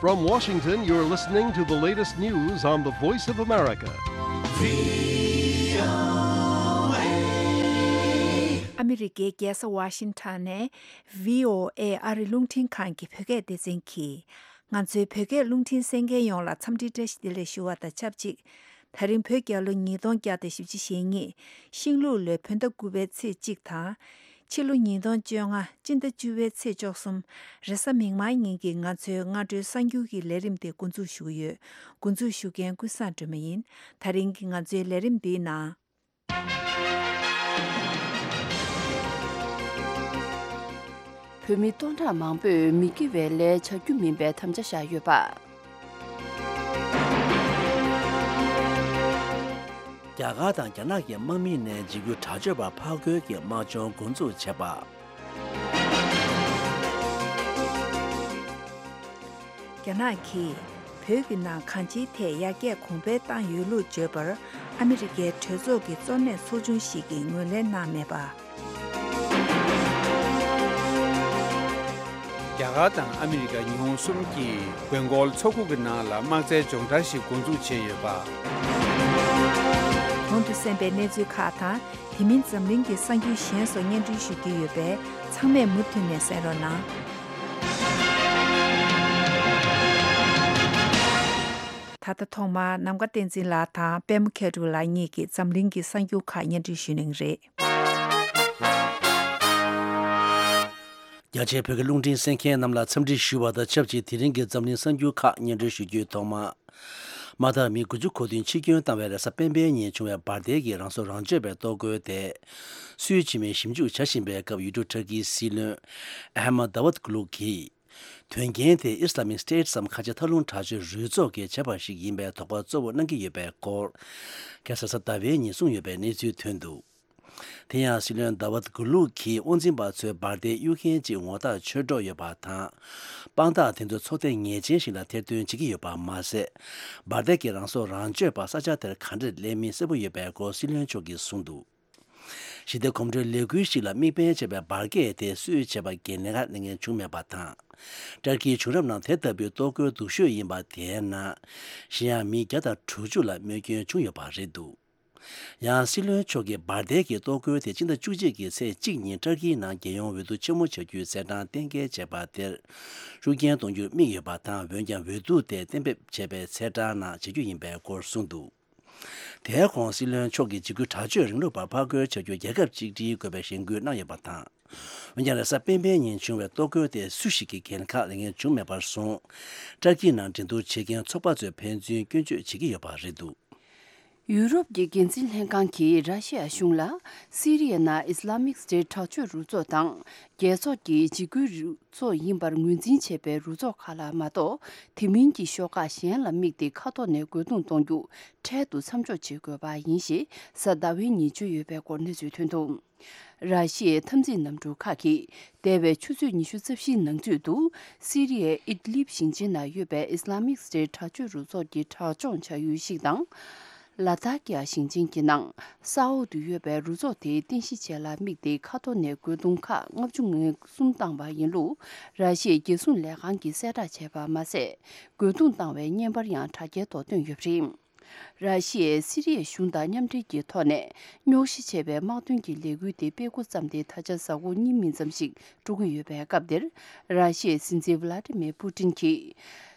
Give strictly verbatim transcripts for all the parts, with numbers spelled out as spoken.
From Washington, you're listening to the latest news on the Voice of America. ཨ་མི་རི་ཀའི་རྒྱལ་ས་ཝ་ཤིང་ཊོན་ནས་བྷི་ཨོ་ཨེ་ཨ་རི་རླུང་འཕྲིན་ཁང་གི་བོད་སྐད་སྡེ་ཚན་གྱིས། ང་ཚོའི་བོད་སྐད་རླུང་འཕྲིན་གསན་མཁན་ཡོངས་ལ་འཚམས་འདྲི་བཀྲ་ཤིས་བདེ་ལེགས་ཞུ་བ་དང་ཆབས་ཅིག་དེ་རིང་བོད་རྒྱལ་ལོ་ཉིས་སྟོང་བརྒྱ་དང་བཞི་བཅུ་ཞེ་གཉིས། ཤིང་ལུག་ལོའི་བོད་ཟླ་དགུ་པའི་ཚེས་གཅིག་དང་། ཕྱི་ལོ་ཉིས་སྟོང་བཅོ་ལྔ། སྤྱི་ཟླ་བཅུ་པའི་ཚེས་བཅུ་གསུམ། རེས་གཟའ་མིག་དམར་ཉིན་གྱི་ང་ཚོའི་སྔ་དྲོའི་གསར་འགྱུར་གྱི་ལས་རིམ་དེ་འགོ་འཛུགས་ཞུ་གི་ཡོད། འགོ་འཛུགས་ཞུ་མཁན་ཀུན་བཟང་སྒྲོལ་མ་ཡིན། དེ་རིང་གི་ང་ཚོའི་ལས་རིམ་འདིའི་ནང་། བོད་མི་སྟོང་ཕྲག་མང་པོས་མི་དགེ་བའི་ལས་བྱ་རྒྱུ་མིན་པའི་དམ་བཅའ་བཞག་ཡོད་པ། རྒྱ་གར་དང་རྒྱ་ནག་གི་དམག་མི་ནས་འཇིགས་སྐུལ་དྲག་སྤྱོད་པ་ཕར་རྒོལ་གྱི་དམག་སྦྱོང་འགོ་འཛུགས་བྱས་པ། རྒྱ་ནག་གིས་བོད་ཀྱི་ནང་གང་ཅིའི་ཐད་ཡར་རྒྱས་གོང་འཕེལ་བཏང་ཡོད་ལུགས་བརྗོད་པར། ཨ་མི་རི་ཀའི་གྲོས་ཚོགས་ཀྱི་གཙོ་གནད་ཚོགས་ཆུང་ཞིག་གིས་ངོས་ལེན་གནང་མེད་པ། རྒྱ་གར་དང་ཨ་མི་རི་ཀ་ཉི་ཧོང་གསུམ་གྱིས་བོད་འགོག་ཚོགས་འཁོར་གྱི་ནང་ལ་དམག་རྩལ་སྦྱོང་བརྡར་ཞིག་འགོ་འཛུགས་བྱས་ཡོད་པ། གོང་དུ་གསན་པའི་གནས་ཚུལ་ཁག་དང་། དེ་མིན་འཛམ་གླིང་གི་གསར་འགྱུར་གཞན་སོགས་སྙན་སྒྲོན་ཞུ་རྒྱུ་ཡོད་པས། ཚང་མས་མུ་མཐུད་ནས་གསན་རོགས་གནང་། ད་ལྟ་ཐོག་མར་ནམ་མཁའ་བསྟན་འཛིན་ལགས་དང་པད་མ་མཁས་གྲུབ་ལགས་གཉིས་ཀྱིས་འཛམ་གླིང་གི་གསར་འགྱུར་ཁག་སྙན་སྒྲོན་ཞུ་གནང་གི་རེད། རྒྱ་ཆེའི་བོད་ཀྱི་རླུང་འཕྲིན་གསན་མཁན་རྣམས་ལ་འཚམས་འདྲི་ཞུ་བ་དང་ཆབས་ཅིག་དེ་རིང་གི་འཛམ་གླིང་གསར་འགྱུར་ཁག་སྙན་སྒྲོན་ཞུ་རྒྱུའི་ཐོག་མ། མ་མཐར་མི་དགུ་བཅུ་གོ་བདུན་འཆི་སྐྱོན་བཏང་བའི་རེས་གཟའ་སྤེན་པའི་ཉིན་བྱུང་བའི་འབར་མདེལ་གྱི་རང་སྲོག་རང་གཅོད་པའི་གཏོར་རྒོལ་དེ། སུའི་ཆི་མིན་ཞིབ་འཇུག་བྱ་བཞིན་པའི་སྐབས། ཡུལ་གྲུ་ཊར་ཀིའི་སྲིད་བློན་ཨ་ཧ་མ་ད་ཝད་གུ་ལུག་གིས། དོན་རྐྱེན་དེ་Islamic State སམ་ཁ་ཆེ་མཐའ་ལྷུང་དྲག་སྤྱོད་རུས་ཚོགས་ཀྱིས་བྱས་པ་ཞིག་ཡིན་པའི་དོགས་པ་གཙོ་བོ་གནང་གི་ཡོད་པའི་སྐོར། ཁ་སང་གཟའ་ཟླ་བའི་ཉིན་གསུངས་ཡོད་པའི་གནས་ཚུལ་ཐོན་འདུག་དེ་ཡང་སྲིད་བློན་ཟླ་བ་གུ་ལུག་གིས་དབང་འཛིན་པ་ཚོས་འབར་མདེལ་གཡུག་མཁན་གཅིག་ངོ་རྟགས་ཆོད་འགྲོ་ཡོད་པ་དང་། དཔང་རྟགས་དེ་ཚོ་ཚོགས་སྡེ་ངེས་ཅན་ཞིག་ལ་ཐེར་འདོན་བྱེད་ཀྱི་ཡོད་པ་མ་ཟད། འབར་མདེལ་གྱི་རང་སྲོག་རང་གཅོད་པ་ས་ཆ་དེར་ག་འདྲས་སླེབས་མིན་གསལ་པོ་ཡོད་པའི་སྐོར་སྲིད་བློན་མཆོག་གིས་གསུངས་འདུག་ཞི་བདེ་གོམ་བགྲོད་ལས་འགུལ་ཞིག་ལ་དམིགས་འབེན་བྱས་པའི་འབར་གས་དེ་སུས་བྱས་པ་སྒེར་ལས་ཀ་གནང་མཁན་བྱུང་མེད་པ་དང་། ཏར་ཀིའི་བྱུང་རབས་ནང་དེ་ལྟ་བུའི་གཏོར་རྒོལ་སྡུག་ཤོས་ཡིན་པ་དེའི་ནང་། གཞན་ཡང་མི་བརྒྱ་དང་དྲུག་ཅུ་ལ་རྨས་སྐྱོན་བྱུང་ཡོད་པ་རེད་འདུག་ཡང་སྲིད་བློན་མཆོག་གིས་འབར་མདེལ་གྱི་གཏོར་རྒོལ་དེ་སྤྱི་ཟླ་བཅུ་གཅིག་གི་ཚེས་གཅིག་ཉིན་ཏར་ཀིའི་ནང་རྒྱལ་ཡོངས་འོས་བསྡུ་ཆེན་མོ་བྱ་རྒྱུའི་ཚེས་གྲངས་གཏན་འཁེལ་བྱས་པ་དེར་ཤུགས་རྐྱེན་གཏོང་རྒྱུར་དམིགས་ཡོད་པ་དང་། འོན་ཀྱང་འོས་བསྡུ་དེ་གཏན་འབེབས་བྱས་པའི་ཚེས་གྲངས་ནང་བྱེད་རྒྱུ་ཡིན་པའི་སྐོར་གསུངས་འདུག་དེའི་གོང་སྲིད་བློན་མཆོག་གིས་འཇིགས་སྐུལ་དྲག་སྤྱོད་རིང་ལུགས་པར་ཕར་རྒོལ་བྱ་རྒྱུར་རྒྱལ་ཁབ་གཅིག་སྒྲིལ་དགོས་པའི་གཞེན་སྐུལ་གནང་ཡོད་པ་དང་། འོན་ཀྱང་རེས་གཟའ་སྤེན་པའི་ཉིན་བྱུང་བའི་གཏོར་རྒོལ་དེ་སུ་ཞིག་གིས་འགན་ཁག་ལེན་མཁན་བྱུང་མེད་པར་བཟུང་། ཏར་ཀི་ནང་འགྲན་བསྡུར་བྱེད་མཁན་ཚོགས་པ་ཚོས་ཕན་ཚུན་སྐྱོན་བརྗོད་བྱེད་ཀྱི་ཡོད་པ་རེད་འདུག་ཡུ་རོབ་ཀྱི་འགན་འཛིན་ལྷན་ཁང་གིས་ར་ཤི་ཡ་གཞུང་ལ་སི་རི་ཡའི་ནང་ཨིས་ལ་མིག་སི་ཊེཊ་དྲག་སྤྱོད་རུ་ཚོགས་དང་། རྒྱལ་ཚོགས་ཀྱི་འཇིགས་སྐུལ་རུ་ཚོགས་ཡིན་པར་ངོས་འཛིན་བྱས་པའི་རུ་ཚོགས་ཁག་ལ་མ་གཏོགས། དེ་མིན་གྱི་ཤོག་ཁག་གཞན་ལ་དམིགས་ཏེ་མཁའ་ཐོག་ནས་རྒོལ་རྡུང་གཏོང་རྒྱུ་འཕྲལ་དུ་མཚམས་འཇོག་བྱེད་དགོས་པ་ཡིན་ཞེས་གཟའ་ཟླ་བའི་ཉིན་བརྗོད་ཡོད་པའི་སྐོར་གནས་ཚུལ་ཐོན་འདུག་ར་ཤི་ཡའི་འཐབ་འཛིང་གནམ་གྲུ་ཁག་གིས་འདས་པའི་ཆུ་ཚོད་ཉི་ཤུ་རྩ་བཞིའི་ནང་ཚུད་དུ་སི་རི་ཡའི་ཨིད་ལིབ་ཞིང་ཆེན་ནང་ཡོད་པའི་ཨིས་ལ་མིག་སི་ཊེཊ་དྲག་སྤྱོད་རུ་ཚོགས་ཀྱི་དྲག་སྦྱོང་བྱ་ཡུལ་ཞིག་དང་། ལ་ཐཱ་ཀི་ཡ་ཞིང་ཆེན་གྱི་ནང་ས་འོག་ཏུ་ཡོད་པའི་རུ་ཚོགས་དེའི་རྟེན་གཞི་བཅས་ལ་དམིགས་ཏེ་མཁའ་ཐོག་ནས་རྒོལ་རྡུང་ཁག་ལྔ་བཅུ་ང་གསུམ་བཏང་བ་ཡིན་ལུགས་ར་ཤི་ཡའི་རྒྱལ་སྲུང་ལས་ཁང་གིས་གསལ་བསྒྲགས་བྱས་པ་མ་ཟད། རྒོལ་རྡུང་བཏང་བའི་བརྙན་པར་ཡང་དྲ་རྒྱའི་ཐོག་བཏོན་ཡོད་པ་རེད། ར་ཤི་ཡས་སི་རི་ཡའི་གཞུང་དང་མཉམ་འབྲེལ་གྱི་ཐོག་ནས་རྙོག་གཞི་ཆེ་བའི་དམག་དོན་གྱི་ལས་འགུལ་དེ་སྤེལ་འགོ་བརྩམས་ཏེ་ད་ཆ་གཟའ་འཁོར་གཉིས་མིན་ཙམ་ཞིག་འགྲོ་གི་ཡོད་པའི་སྐབས་འདིར། ར་ཤི་ཡའི་སྲིད་འཛིན་ཝ་ལ་ཏི་མེ་པུ་ཏིན་གྱིས་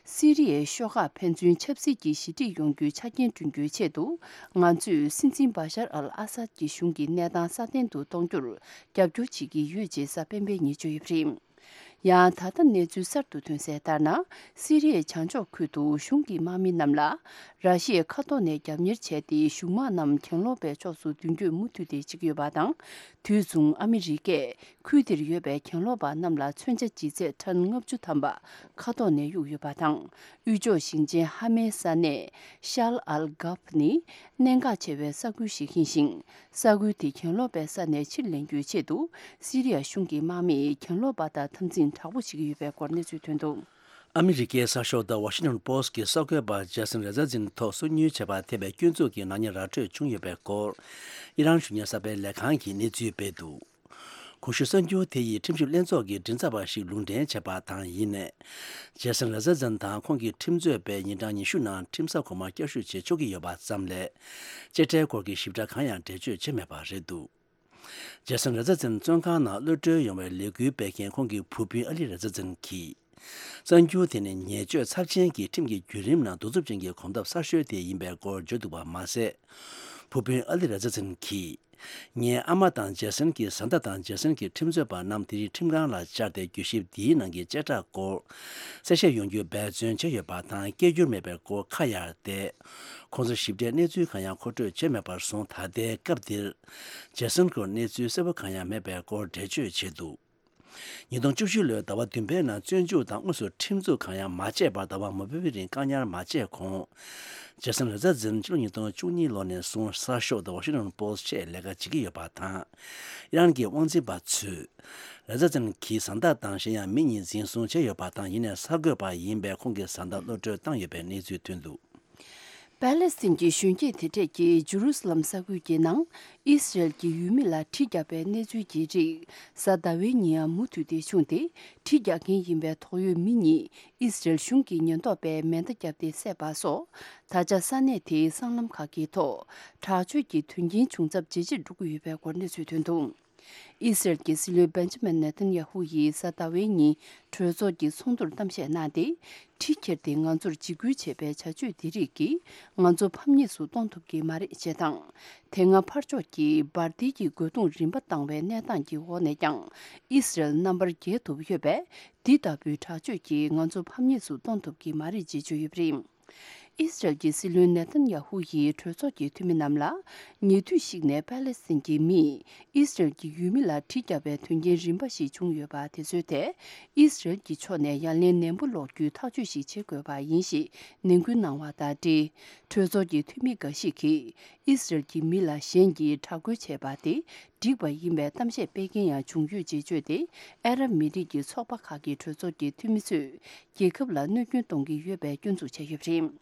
སི་རི་ཡའི་ཤོག་ཁག་ཕན་ཚུན་ཆབ་སྲིད་ཀྱི་ཞི་འགྲིག་ཡོང་རྒྱུའི་ཆ་རྐྱེན་བསྐྲུན་རྒྱུའི་ཆེད་དུ། ང་ཚོས་སྲིད་འཛིན་བྷ་ཤར་ཨལ་ཨ་སད་ཀྱི་གཞུང་གི་གནས་སྟངས་སྲ་བརྟན་དུ་གཏོང་རྒྱུར་རྒྱབ་སྐྱོར་བྱེད་ཀྱི་ཡོད་ཅེས་གཟའ་སྤེན་པའི་ཉིན་བརྗོད་ཡོད་པ་རེད། ཡང་ད་ལྟ་གནས་ཚུལ་གསར་དུ་ཐོན་གསལ་ལྟར་ན། སི་རི་ཡའི་བྱང་ཕྱོགས་ཁུལ་དུ་གཞུང་གི་དམག་མི་རྣམས་ལ་ར་ཤི་ཡའི་མཁའ་ཐོག་ནས་རྒྱབ་གཉེར་བྱས་ཏེ། གཞུང་དམག་རྣམས་གྱེན་ལོག་པའི་ཕྱོགས་སུ་མདུན་སྐྱོད་མུ་མཐུད་དེ་བྱེད་ཀྱི་ཡོད་པ་དང་། དུས་མཚུངས་ཨ་མི་རི་ཀས་ཁུལ་དེར་ཡོད་པའི་གྱེན་ལོག་པ་རྣམས་ལ་མཚོན་ཆ་ལྗིད་ཚད་ཊོན་ལྔ་བཅུ་ཐམ་པ་མཁའ་ཐོག་ནས་གཡུགས་ཡོད་པ་དང་། དབུས་ཕྱོགས་ཞིང་ཆེན་ཧ་མའི་ས་གནས་ཤཱལ་ཨལ་གྷབ་ནི་གནད་འགག་ཆེ་བའི་ས་ཁུལ་ཞིག་ཡིན་ཞིང་། ས་ཁུལ་དེ་གྱེན་ལོག་པའི་ས་ནས་ཕྱིར་ལེན་རྒྱུའི་ཆེད་དུ། སི་རི་ཡ་གཞུང་གི་དམག་མིས་གྱེན་ལོག་པ་དང་འཐབ་འཛིང་དྲག་པོ་བྱེད་ཀྱི་ཡོད་པའི་སྐོར་གནས་ཚུལ་ཐོན་འདུག་ཨ་མི་རི་ཀའི་གསར་ཤོག་The Washington Post གྱི་གསར་འགོད་པ་ཇེ་སན་རེ་ཛ་ཛིན་ཐོག་སོ་ཉུལ་བྱས་པར་ཐེབས་པའི་སྐྱོན་འཛུགས་ཀྱི་ནག་ཉེས་ར་སྤྲོད་བྱུང་ཡོད་པའི་སྐོར། ཨི་རན་གཞུང་གཉེར་གསར་པའི་ལས་ཁང་གིས་གནས་ཚུལ་སྤེལ་འདུག་གོང་ཞུས་གསར་འགྱུར་དེ་ཡིས་ཁྲིམས་ཞིབ་ལྷན་ཚོགས་ཀྱི་མགྲིན་ཚབ་པ་ཞིག་ལུང་འདྲེན་བྱས་པ་དང་ཡིན་ནས། ཇེ་སན་ར་ཛར་ཛན་དང་ཁོང་གི་ཁྲིམས་རྩོད་པས་ཉིན་གྲངས་ཉི་ཤུ་ནང་ཁྲིམས་ས་གོང་མར་བསྐྱར་ཞུ་བྱེད་ཆོག་གི་ཡོད་པ་ཙམ་ལས། དཔྱད་ཁྲལ་སྐོར་གྱི་ཞིབ་ཕྲ་གང་ཡང་འགྲེལ་བརྗོད་བྱས་མེད་པ་རེད་འདུག་ཇེ་སན་ར་ཛར་ཛན་བཙོན་ཁང་ནང་གློད་གྲོལ་ཡོང་བའི་ལས་འགུལ་སྤེལ་མཁན་ཁོང་གི་བུ་སྤུན་ཨ་ལི་ར་ཛར་ཛན་གྱིས། གསར་འགྱུར་དེ་ནི་ཉེས་སྤྱོད་ཚབས་ཆེན་གྱི་ཁྲིམས་ཀྱི་བརྒྱུད་རིམ་ནང་གདུག་རྩུབ་ཅན་གྱི་གོམ་སྟབས་གསར་ཤོས་དེ་ཡིན་པའི་སྐོར་བརྗོད་འདུག་པ་མ་ཟད། བུ་སྤུན་ཨ་ལི་ར་ཛར་ཛན་གྱིས། ངའི་ཨ་མ་དང་ཇེ་སན་གྱི་བཟའ་ཟླ་དང་ཇེ་སན་གྱི་ཁྲིམས་རྩོད་པ་རྣམས་དེ་རིང་ཁྲིམས་ཁང་ལ་བཅར་ཏེ་གྱོད་ཞིབ་འདིའི་ནང་གི་བཅད་ཁྲ་སྐོར་གསལ་བཤད་ཡོང་རྒྱུ་འབད་བརྩོན་བྱས་ཡོད་པ་དང་། སྐད་སྒྱུར་མེད་པའི་སྐོར་ཁ་གཡར་ཏེ། ཁོང་ཚོར་ཞིབ་ཕྲའི་གནས་ཚུལ་གང་ཡང་མཁོ་སྤྲོད་བྱས་མེད་པར་སོང་། ད་ལྟའི་སྐབས་འདིར་ཇེ་སན་སྐོར་གནས་ཚུལ་གསལ་པོ་གང་ཡང་མེད་པའི་སྐོར་འགྲེལ་བརྗོད་བྱས་འདུག་ཉིས་སྟོང་བཅུ་བཞི་ལོའི་ཟླ་བ་བདུན་པའི་ནང་བཙོན་འཇུག་དང་དངོས་སུ་ཁྲིམས་འཛུགས་གང་ཡང་མ་བྱས་པར་ཟླ་བ་མང་པོའི་རིང་བཀག་ཉར་མ་བྱས་གོང་། ཇེ་སན་ར་ཛར་ཛན་ཕྱི་ལོ་ཉིས་སྟོང་བཅུ་གཉིས་ལོ་ནས་བཟུང་གསར་ཤོག་The Washington Post ཆེད་ལས་ཀ་བྱེད་ཀྱི་ཡོད་པ་དང་། ཨི་རན་གྱི་དབང་འཛིན་པ་ཚོས། ར་ཛར་ཛན་གྱི་བཟའ་ཟླ་དང་གཞན་ཡང་མི་གཉིས་འཛིན་བཟུང་བྱས་ཡོད་པ་དང་། ཡིན་ནའི་གསར་འགོད་པ་ཡིན་པས་ཁོང་གི་བཟའ་ཟླ་གློད་གྲོལ་བཏང་ཡོད་པའི་གནས་ཚུལ་ཐོན་འདུག་པེ་ལེ་སི་ཐན་གྱི་གཞོན་སྐྱེས་དེ་གྲས་ཀྱིས་ཇུ་རུ་སི་ལམ་ས་ཁུལ་གྱི་ནང་ཨི་སི་རེལ་གྱི་ཡུལ་མི་ལ་གྲི་བརྒྱབ་པའི་གནས་ཚུལ་གྱི་རིགས་གཟའ་ཟླ་བའི་ཉིན་ཡང་མུ་མཐུད་དེ་བྱུང་སྟེ། གྲི་རྒྱག་མཁན་ཡིན་པའི་དོགས་ཡོད་མི་གཉིས་ཨི་སི་རེལ་གཞུང་གི་ཉེན་རྟོག་པས་མེ་མདའ་བརྒྱབ་སྟེ་བསད་པ་སོགས། ད་ཆ་ས་གནས་དེའི་སྲང་ལམ་ཁག་གི་ཐོག་དྲག་སྤྱོད་ཀྱི་དོན་རྐྱེན་བྱུང་ཚབས་ཇེ་ཆེར་འགྲོ་གི་ཡོད་པའི་སྐོར་གནས་ཚུལ་ཐོན་འདུག་ཨི་སི་རེལ་གྱི་སྲིད་བློན་བེན་ཇ་མིན་ནེ་ཐན་ཡ་ཧུ་ཡིས་གཟའ་ཟླ་བའི་ཉིན་གྲོས་ཚོགས་ཀྱི་ཚོགས་འདུར་གཏམ་བཤད་གནང་སྟེ། གྲི་ཁྱེར་ཏེ་ང་ཚོར་འཇིགས་སྐུལ་བྱེད་པའི་བྱ་སྤྱོད་འདི་རིགས་ཀྱིས་ང་ཚོ་ཕམ་ཉེས་སུ་གཏོང་ཐུབ་ཀྱི་མ་རེད་ཅེས་དང་། དེ་སྔ་ཕར་ཕྱོགས་ཀྱིས་འབར་མདེལ་གྱི་རྒོལ་རྡུང་རིམ་པ་བཏང་བའི་གནས་སྟངས་ཀྱི་འོག་ནས་ཀྱང་ཨི་སི་རེལ་རྣམ་པར་རྒྱལ་ཐུབ་ཡོད་པས། འདི་ལྟ་བུའི་དྲག་སྤྱོད་ཀྱིས་ང་ཚོ་ཕམ་ཉེས་སུ་གཏོང་ཐུབ་ཀྱི་མ་རེད་ཅེས་བརྗོད་ཡོད་པ་རེད། ཨི་སི་རེལ་གྱི་སྲིད་བློན་ནེ་ཐན་ཡ་ཧུ་ཡིས་གྲོས་ཚོགས་ཀྱི་འཐུས་མི་རྣམས་ལ། ཉེ་དུས་ཤིག་ནས་པེ་ལེ་སི་ཐན་གྱི་མིས་ཨི་སི་རེལ་གྱི་ཡུལ་མི་ལ་གྲི་བརྒྱབ་པའི་དོན་རྐྱེན་རིམ་པ་ཞིག་བྱུང་ཡོད་པ་དེ་ཚོའི་ཐད། ཨི་སི་རེལ་གྱི་ཕྱོགས་ནས་ཡ་ལན་ནན་པོ་སློག་རྒྱུའི་ཐག་གཅོད་ཞིག་བྱེད་དགོས་པ་ཡིན་ཞེས་ནན་སྐུལ་གནང་བ་དང་འབྲེལ། གྲོས་ཚོགས་ཀྱི་འཐུས་མི་འགའ་ཞིག་གིས་ཨི་སི་རེལ་གྱི་མི་ལ་གཞན་གྱིས་དྲག་རྒོལ་བྱས་པ་དེ་འགྲིག་པ་ཡིན་པའི་གཏམ་བཤད་སྤེལ་མཁན་ཡང་བྱུང་ཡོད་ཅེས་བརྗོད་དེ། ཨ་རབ་མི་རིགས་ཀྱི་ཚོགས་པ་ཁག་གི་གྲོས་ཚོགས་ཀྱི་འཐུས་མི་ཚོས། རྒྱལ་ཁབ་ལ་གནོད་སྐྱོན་གཏོང་གི་ཡོད་པའི་སྐྱོན་འཛུགས་བྱས་ཡོད་པ་རེད།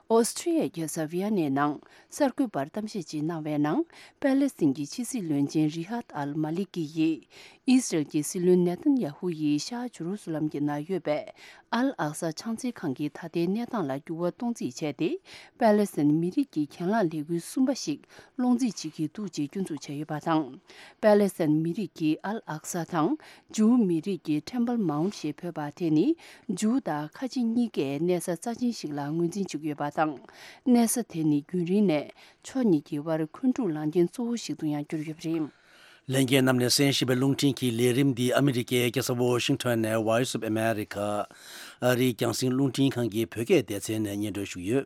ཨོ་སི་ཁྲི་ཡའི་རྒྱལ་ས་ཝི་ཡ་ནའི་ནང་གསར་འགོད་པར་གཏམ་བཤད་ཅིག་གནང་བའི་ནང་། པེ་ལེ་སི་ཐན་གྱི་ཕྱི་སྲིད་བློན་ཆེན་རི་ཧ་ཏ་ཨལ་མ་ལི་ཀི་ཡིས་ཨི་སི་རེལ་གྱི་སྲིད་བློན་ནེ་ཐན་ཡ་ཧུ་ཡིས་ཤར་ཇུ་རུ་སུ་ལམ་གྱི་ནང་ཡོད་པའི་ཨལ་ཨག་ས་ཕྱག་འཚལ་ཁང་གི་ད་ལྟའི་གནས་སྟངས་ལ་འགྱུར་བ་གཏོང་རྩིས་བྱས་ཏེ། པེ་ལེ་སི་ཐན་མི་རིགས་ཀྱི་གྱེན་ལངས་ལས་འགུལ་གསུམ་པ་ཞིག་སློང་རྩིས་བྱེད་ཀྱི་འདུག་ཅེས་སྐྱོན་འཛུགས་བྱས་ཡོད་པ་དང་། པེ་ལེ་སི་ཐན་མི་རིགས་ཀྱི་ཨལ་ཨག་ས་དང་། ཇུའུ་མི་རིགས་ཀྱི་ཊེམ་པལ་མའུན་ཊི་ཞེས་འབོད་པ་དེ་ནི་ཇུའུ་དང་ཁ་ཆེ་གཉིས་ཀས་གནས་ས་རྩ་ཆེན་ཞིག་ལ་ངོས་འཛིན་བྱེད་ཀྱི་ཡོད་པ་དང་། གནས་ས་དེ་ནི་རྒྱུན་རིང་ནས་ཕྱོགས་གཉིས་ཀྱི་དབར་འཁོན་འཁྲུག་ལངས་མཁན་གཙོ་བོ་ཞིག་ཏུ་ཡང་གྱུར་ཡོད་པ་རེད། ལྷན་རྒྱས་རྣམས་ནས་གསན་བཞིན་པའི་རླུང་འཕྲིན་གྱི་ལས་རིམ་འདི་ཨ་མི་རི་ཀའི་རྒྱལ་ས་ཝོ་ཤིང་ཊོན་ནས་Voice of America ཨ་རིའི་རྒྱང་སྲིང་རླུང་འཕྲིན་ཁང་གི་བོད་སྐད་སྡེ་ཚན་ནས་སྙན་སྒྲོན་ཞུས་ཡོད།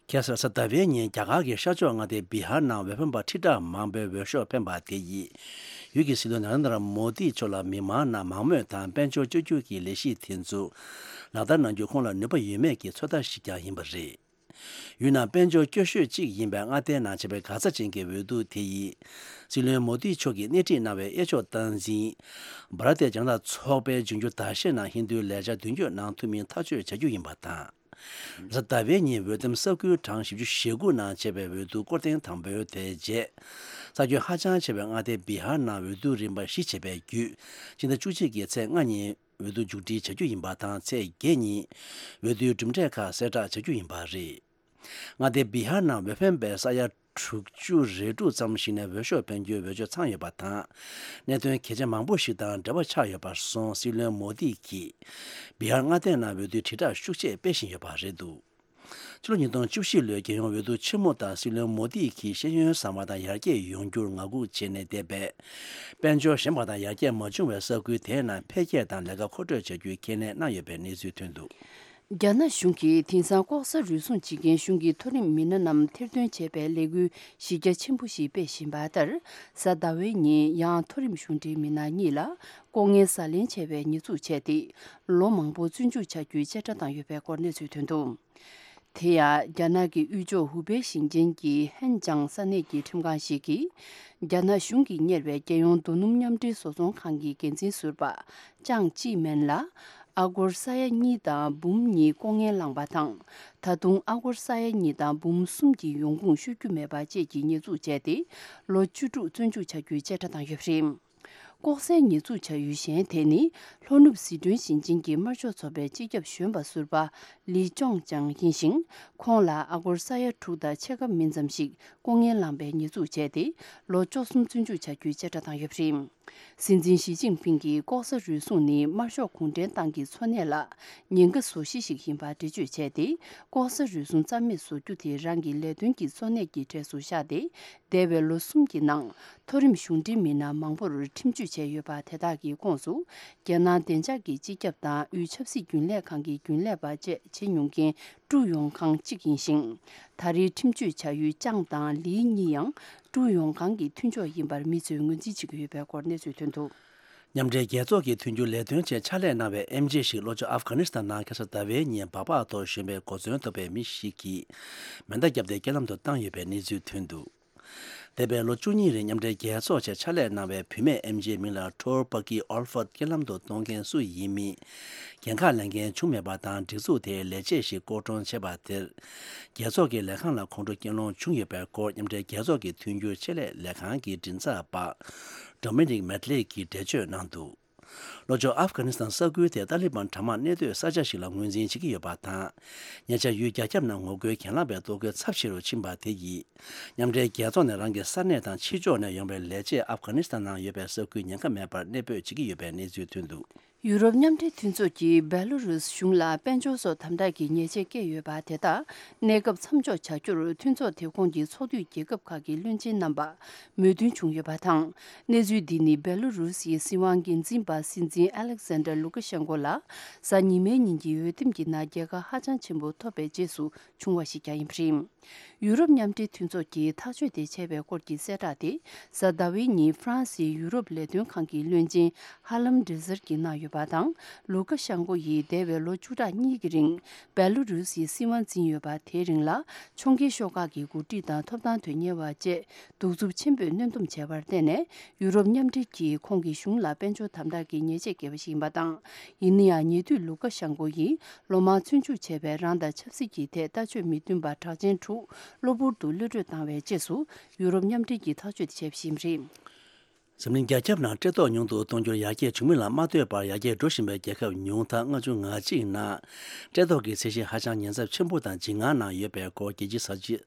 ཁ་སང་གཟའ་ཟླ་བའི་ཉིན་རྒྱ་གར་གྱི་ཤར་ཕྱོགས་མངའ་སྡེ་བི་ཧར་ནང་འོས་འཕེན་པ་ཁྲི་ཕྲག་མང་པོས་འོས་ཤོག་འཕེན་པ་དེ་ཡིས། ཡུལ་གྱི་སྲིད་བློན་ན་རེན་དྲ་མོ་དི་མཆོག་ལ་མི་མང་ནང་མང་མོས་དང་དཔལ་འབྱོར་བཅོས་བསྒྱུར་གྱི་ལས་གཞི་དེ་ཚོ་ལག་བསྟར་གནང་རྒྱུ་ཁོང་ལ་ནུས་པ་ཡོད་མེད་ཀྱི་ཚོད་ལྟ་ཞིག་ཀྱང་ཡིན་པ་རེད། ཡུལ་ནང་དཔལ་འབྱོར་སྐྱོ་ཤོས་གཅིག་ཡིན་པའི་མངའ་སྡེའི་ནང་བྱས་པའི་འགག་རྩ་ཅན་གྱི་འོས་བསྡུ་དེ་ཡིས། སྲིད་བློན་མོ་དི་མཆོག་གིས་སྣེ་ཁྲིད་གནང་བའི་གཡས་ཕྱོགས་སྟངས་འཛིན། བྷ་ར་ཏི་ཇན་ནད་ཚོགས་པའི་འབྱུང་འགྱུར་ཟླ་ཤས་ནང་ཧིན་རྡུའི་ལས་འཆར་མདུན་སྐྱོད་གནང་ཐུབ་མིན་ཐག་གཅོད་བྱ་རྒྱུ་ཡིན་པ་དང་། གཟའ་ཟླ་བའི་ཉིན་འོས་འདེམས་ས་ཁུལ་གྲངས་བཞི་བཅུ་ཞེ་དགུ་ནང་བྱས་པའི་འོས་བསྡུ་སྐོར་ཐེངས་དང་པོའི་དེ་རྗེས། ས་ཁྱོན་ཧ་ཅང་ཆེ་བའི་མངའ་སྡེ་བི་ཧར་ནང་འོས་བསྡུ་རིམ་པ་བཞི་བྱས་པའི་བརྒྱུད། ཕྱི་ཟླ་བཅུ་གཅིག་གི་ཚེས་ལྔ་ཉིན་འོས་བསྡུ་མཇུག་སྒྲིལ་བྱ་རྒྱུ་ཡིན་པ་དང་། ཚེས་བརྒྱད་ཉིན་འོས་བསྡུའི་གྲུབ་འབྲས་ཁག་གསལ་བསྒྲགས་བྱ་རྒྱུ་ཡིན་པ་རེད། མངའ་སྡེ་བི་ཧར་ནང་འོས་འཕེན་པའི་ས་ཡ་དྲུག་ཅུ་རེ་དྲུག་ཙམ་ཞིག་ནས་འོས་ཤོག་འཕེན་རྒྱུའི་འོས་ཆོས་ཚང་ཡོད་པ་དང་། གནད་དོན་གལ་ཆེ་མང་པོ་ཞིག་དང་འབྲེལ་བ་ཆགས་ཡོད་པར་སོང་། སྲིད་བློན་མོ་དི་གིས་བི་ཧར་མངའ་སྡེ་ནང་འོས་བསྡུའི་དྲིལ་བསྒྲགས་ཤུགས་ཆེ་སྤེལ་བཞིན་ཡོད་པ་རེད་འདུག་ཕྱི་ལོ་ཉིས་སྟོང་བཅུ་བཞི་ལོའི་རྒྱལ་ཡོངས་འོས་བསྡུ་ཆེན་མོ་དང་སྲིད་བློན་མོ་དི་གིས་ཤེས་ཡོན་བཟང་བ་དང་ཡར་རྒྱས་ཡོང་རྒྱུར་ངང་སྒུག་བྱས་ནས་བསྡད་པས། དཔལ་འབྱོར་ཞན་པ་དང་ཡར་རྒྱས་མ་བྱུང་བའི་ས་ཁུལ་དེའི་ནང་འཕེལ་རྒྱས་དང་ལས་ཀ་མཁོ་སྤྲོད་བྱ་རྒྱུའི་ཁས་ལེན་གནང་ཡོད་པའི་གནས་ཚུལ་ཐོན་འདུག་རྒྱ་ནག་གཞུང་གིས་དེང་སང་ལྐོག་ཟ་རུལ་སུངས་བྱེད་མཁན་གཞུང་གི་མཐོ་རིམ་མི་སྣ་རྣམས་ཐེར་འདོན་བྱེད་པའི་ལས་འགུལ་གཞི་རྒྱ་ཆེན་པོ་ཞིག་སྤེལ་བཞིན་པ་ལྟར། གཟའ་ཟླ་བའི་ཉིན་ཡང་མཐོ་རིམ་གཞུང་འབྲེལ་མི་སྣ་གཉིས་ལ་ལྐོག་རྔན་ཟ་ལེན་བྱས་པའི་ཉེས་འཛུགས་བྱས་ཏེ། ལོ་མང་པོ་བཙོན་འཇུག་བྱ་རྒྱུའི་བཅད་ཁྲ་བཏང་ཡོད་པའི་སྐོར་གནས་ཚུལ་ཐོན་འདུག་དེ་ཡང་རྒྱ་ནག་གི་དབུས་ཕྱོགས་ཧུ་པེ་ཞིང་ཆེན་གྱི་ཧན་ཅང་ས་གནས་ཀྱི་ཁྲིམས་ཁང་ཞིག་གིས། རྒྱ་ནག་གཞུང་གིས་གཉེར་བའི་རྒྱལ་ཡོངས་རྡོ་སྣུམ་མཉམ་འབྲེལ་བཟོ་ཚོང་ཁང་གི་འགན་འཛིན་ཟུར་པ་ཅང་ཅི་མེན་ལ། ཨ་སྒོར་ས་ཡ་གཉིས་དང་འབུམ་གཉིས་ལྐོག་རྔན་བླངས་པ་དང་། ད་དུང་ཨ་སྒོར་ས་ཡ་གཉིས་དང་འབུམ་གསུམ་གྱི་ཡོང་ཁུངས་ཤོད་རྒྱུ་མེད་པ་བཅས་ཀྱི་ཉེས་འཛུགས་བྱས་ཏེ། ལོ་བཅུ་དྲུག་བཙོན་འཇུག་བྱ་རྒྱུའི་བཅད་ཁྲ་བཏང་ཡོད་པ་རེད། ལྐོག་ཟའི་ཉེས་འཛུགས་བྱ་ཡུལ་གཞན་དེ་ནི། ལྷོ་ནུབ་ཟི་ཁྲོན་ཞིང་ཆེན་གྱི་དམར་ཤོག་ཚོགས་པའི་སྤྱི་ཁྱབ་གཞོན་པ་ཟུར་པ་ལི་ཅོང་ཅང་ཡིན་ཞིང་། ཁོང་ལ་ཨ་སྒོར་ས་ཡ་དྲུག་དང་ཕྱེད་ཀ་མིན་ཙམ་ཞིག་ལྐོག་རྔན་བླངས་པའི་ཉེས་འཛུགས་བྱས་ཏེ། ལོ་བཅུ་གསུམ་བཙོན་འཇུག་བྱ་རྒྱུའི་བཅད་ཁྲ་བཏང་ཡོད་པ་རེད། སྲིད་འཛིན་ཞི་ཅིན་ཕིང་གིས་ལྐོག་ཟ་རུལ་སུངས་ནི་དམར་ཤོག་གུང་ཁྲན་ཏང་གི་འཚོ་གནས་ལ་ཉེན་ཁ་བཟོ་གཞི་ཞིག་ཡིན་པ་འགྲེལ་བརྗོད་བྱས་ཏེ། ལྐོག་ཟ་རུལ་སུངས་རྩ་མེད་བཟོ་རྒྱུ་དེ་རང་གི་ལས་དོན་གྱི་གཙོ་གནད་ཀྱི་གྲས་སུ་བཞག་སྟེ། འདས་པའི་ལོ་གསུམ་གྱི་ནང་མཐོ་རིམ་གཞུང་འབྲེལ་མི་སྣ་མང་པོར་ཁྲིམས་གཅོད་བྱས་ཡོད་པ་དེ་དག་གི་ཁོངས་སུ། རྒྱལ་ནང་བདེ་འཇགས་ཀྱི་སྤྱི་ཁྱབ་དང་དབུས་ཆབ་སྲིད་རྒྱུན་ལས་ཁང་གི་རྒྱུན་ལས་པ་བཅས་བྱེད་མྱོང་མཁན་ཀྲུའུ་ཡོང་ཁང་གཅིག་ཡིན་ཞིང་། ད་རེས་ཁྲིམས་གཅོད་བྱ་ཡུལ་ཅང་དང་ལི་གཉིས་ཡང་ཀྲུའུ་ཡོང་ཁང་གི་མཐུན་ཕྱོགས་ཡིན་པར་མི་ཚོས་ངོས་འཛིན་བྱེད་ཀྱི་ཡོད་པའི་སྐོར་གནས་ཚུལ་ཐོན་འདུག། མཉམ་འབྲེལ་རྒྱལ་ཚོགས་ཀྱི་མཐུན་འགྱུར་ལས་དོན་ཆེད་ཕྱག་ལས་གནང་བའི་ཨེམ་ཆི་ཞིག་ལྷོ་ཕྱོགས་ཨབ་གྷ་ནི་སི་ཐན་ནང་ཁ་སང་ཟླ་བའི་ཉིན་སྦག་སྦག་ཐོག་ཞོན་པའི་གོ་མཚོན་ཐོབ་པའི་མི་ཞིག་གིས་མེ་མདའ་བརྒྱབ་སྟེ་རྐྱེན་ལམ་དུ་བཏང་ཡོད་པའི་གནས་ཚུལ་ཐོན་འདུག། འདས་པའི་ལོ་བཅུ་གཉིས་རིང་མཉམ་འབྲེལ་རྒྱལ་ཚོགས་ཆེད་ཕྱག་ལས་གནང་བའི་བུད་མེད་ཨེམ་ཆིའི་མིང་ལ་ཊོར་པ་ཀི་ཨོལ་ཧྥར་རྐྱེན་ལམ་དུ་གཏོང་མཁན་སུ་ཡིན་མིན་འགན་ཁག་ལེན་མཁན་བྱུང་མེད་པ་དང་། སྒྲིག་འཛུགས་དེའི་ལས་བྱེད་ཞིག་ལྐོག་གྲོངས་བྱས་པ་དེར། རྒྱལ་ཚོགས་ཀྱི་ལས་ཁང་ལ་ཁོང་ཁྲོ་སྐྱེས་ལོང་བྱུང་ཡོད་པའི་སྐོར། མཉམ་འབྲེལ་རྒྱལ་ཚོགས་ཀྱི་མཐུན་འགྱུར་ཆེད་ལས་ལས་ཁང་གི་མགྲིན་ཚབ་པ་ཌོ་མི་ནིག་མེད་ལེ་ཡིས་འགྲེལ་བརྗོད་གནང་འདུག། ལྷོ་ཕྱོགས་ཨབ་གྷ་ནི་སི་ཐན་ས་ཁུལ་དེ་ཏཱ་ལི་བན་དྲག་དམག་གནས་སྡོད་ས་ཆ་ཞིག་ལ་ངོས་འཛིན་བྱེད་ཀྱི་ཡོད་པ་དང་། ཉེ་ཆར་ཡུལ་རྒྱ་ཁྱབ་ནང་ངོ་རྒོལ་གྱེན་ལངས་པའི་གཏོར་རྒོལ་ཚབས་ཆེ་རུ་ཕྱིན་པ་དེ་ཡིས། མཉམ་འབྲེལ་རྒྱལ་ཚོགས་ནས་རང་གི་ས་གནས་དང་ཕྱི་ཕྱོགས་ནས་ཡོང་བའི་ལས་བྱེད་ཨབ་གྷ་ནི་སི་ཐན་ནང་ཡོད་པའི་ས་ཁུལ་ཉེན་ཁ་མེད་པར་གནས་སྤོས་བྱེད་ཀྱི་ཡོད་པའི་གནས་ཚུལ་ཐོན་འདུག། ཡུ་རོབ་མཉམ་འབྲེལ་མཐུན་ཚོགས་ཀྱིས་བེ་ལོ་རུས་གཞུང་ལ་དཔལ་འབྱོར་སོགས་དམ་དྲག་གི་ཉེས་ཆད་བཀལ་ཡོད་པ་དེ་དག་གནས་སྐབས་མཚམས་འཇོག་བྱ་རྒྱུར་མཐུན་ཚོགས་དེ་ཁོངས་ཀྱི་ཚོགས་འཐུས་རྒྱལ་ཁབ་ཁག་གི་བློན་ཆེན་རྣམ་པ་མོས་མཐུན་བྱུང་ཡོད་པ་དང་། གནས་ཚུལ་འདི་ནི་བེ་ལོ་རུས་ཡི་སྲིད་དབང་འགན་འཛིན་པ་སྲིད་འཛིན་ཨ་ལེག་སན་ཌར་ལུ་ཀ་ཤན་ཀོ་ལ་གཟའ་ཉི་མའི་ཉིན་གྱི་འོས་འདེམས་ཀྱི་ནང་རྒྱལ་ཁ་ཧ་ཅང་ཆེན་པོ་ཐོབ་པའི་རྗེས་སུ་བྱུང་བ་ཞིག་ཀྱང་ཡིན་པ་རེད། ཡུ་རོབ་མཉམ་འབྲེལ་མཐུན་ཚོགས་ཀྱིས་ཐག་གཅོད་དེ་བྱས་པའི་སྐོར་གྱི་གསལ་བསྒྲགས་དེ་གཟའ་ཟླ་བའི་ཉིན་ཧྥ་རན་སིའི་ཡུ་རོབ་ལས་དོན་ཁང་གི་བློན་ཆེན་ཧ་ལམ་ཌི་ཟེར་གྱིས་གནང་ཡོད་པ་དང་། ལུ་ཀ་ཤན་ཀོ་ཡིས་འདས་པའི་ལོ་བཅུ་ཕྲག་གཉིས་ཀྱི་རིང་བེ་ལུ་རུ་སིའི་སྲིད་དབང་འཛིན་ཡོད་པ་དེའི་རིང་ལ་ཕྱོགས་འགལ་ཤོག་ཁག་གི་འགོ་ཁྲིད་དང་ཐོབ་ཐང་དོན་གཉེར་བ་བཅས་གདུག་རྩུབ་ཆེན་པོས་གནོན་སྡོམ་བྱས་པར་བརྟེན་ནས། ཡུ་རོབ་མཉམ་འབྲེལ་གྱིས་ཁོང་གི་གཞུང་ལ་དཔལ་འབྱོར་དམ་དྲག་གི་ཉེས་ཆད་བཀལ་བ་ཞིག་ཡིན་པ་དང་། ཡིན་ན་ཡང་ཉེ་དུས་ལུ་ཀ་ཤན་ཀོ་ཡིས་ལོ་མང་བཙོན་འཇུག་བྱས་པའི་རང་དང་ཆབ་སྲིད་ཀྱི་ཐད་ལྟ་སྤྱོད་མི་མཐུན་པ་གྲགས་ཅན་དྲུག་གློ་བུར་དུ་གློད་བཀྲོལ་བཏང་བའི་རྗེས་སུ། ཡུ་རོབ་མཉམ་འབྲེལ་གྱིས་ཐག་གཅོད་དེ་བྱས་པ་ཞིག་རེད། འཛམ་གླིང་རྒྱ་ཁྱབ་ནང་སྤྲད་ཐོག་ཉུང་དུ་གཏོང་རྒྱུར་ཡར་རྒྱས་བྱུང་མིན་ལ་མ་ལྟོས་པར། ཡར་རྒྱས་འགྲོ་བཞིན་པའི་རྒྱལ་ཁབ་ཉུང་མཐའ་ལྔ་བཅུ་ང་གཅིག་ནང་སྤྲད་ཐོག་གི་ཚད་གཞི་ཧ་ཅང་ཉེན་ཚབས་ཆེན་པོ་དང་འཇིགས་སྣང་ནང་ཡོད་པའི་སྐོར། རྒྱལ་སྤྱིའི་གསར་བརྗེ་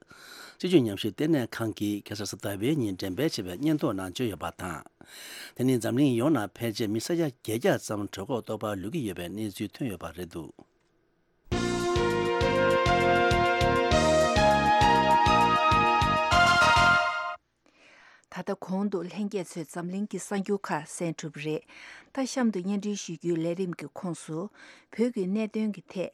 སྤྱི་སྤྱོད་ཉམས་ཞིབ་ལྟེ་གནས་ཁང་གིས་ཁ་སང་གཟའ་ཟླ་བའི་ཉིན་འགྲེམས་སྤེལ་བྱས་པའི་སྙན་ཐོ་ནང་བརྗོད་ཡོད་པ་དང་། དེ་ནི་འཛམ་གླིང་ཡོངས་ནང་ཕལ་ཆེར་མི་ས་ཡ་བརྒྱད་བརྒྱ་ཙམ་གྲོད་ཁོག་ལྟོགས་པར་ལུས་ཀྱི་ཡོད་པའི་གནས་ཚུལ་ཐོན་ཡོད་པ་རེད་འདུག། ད་ལྟ་གོང་དུ་ལྷན་རྒྱས་ཚོས་འཛམ་གླིང་གི་གསར་འགྱུར་ཁག་གསན་གྲུབ་རེད། ད་གཤམ་དུ་སྙན་སྒྲོན་ཞུ་རྒྱུའི་ལས་རིམ་གྱི་ཁོངས་སུ། བོད་ཀྱི་གནད་དོན་གྱི་ཐད།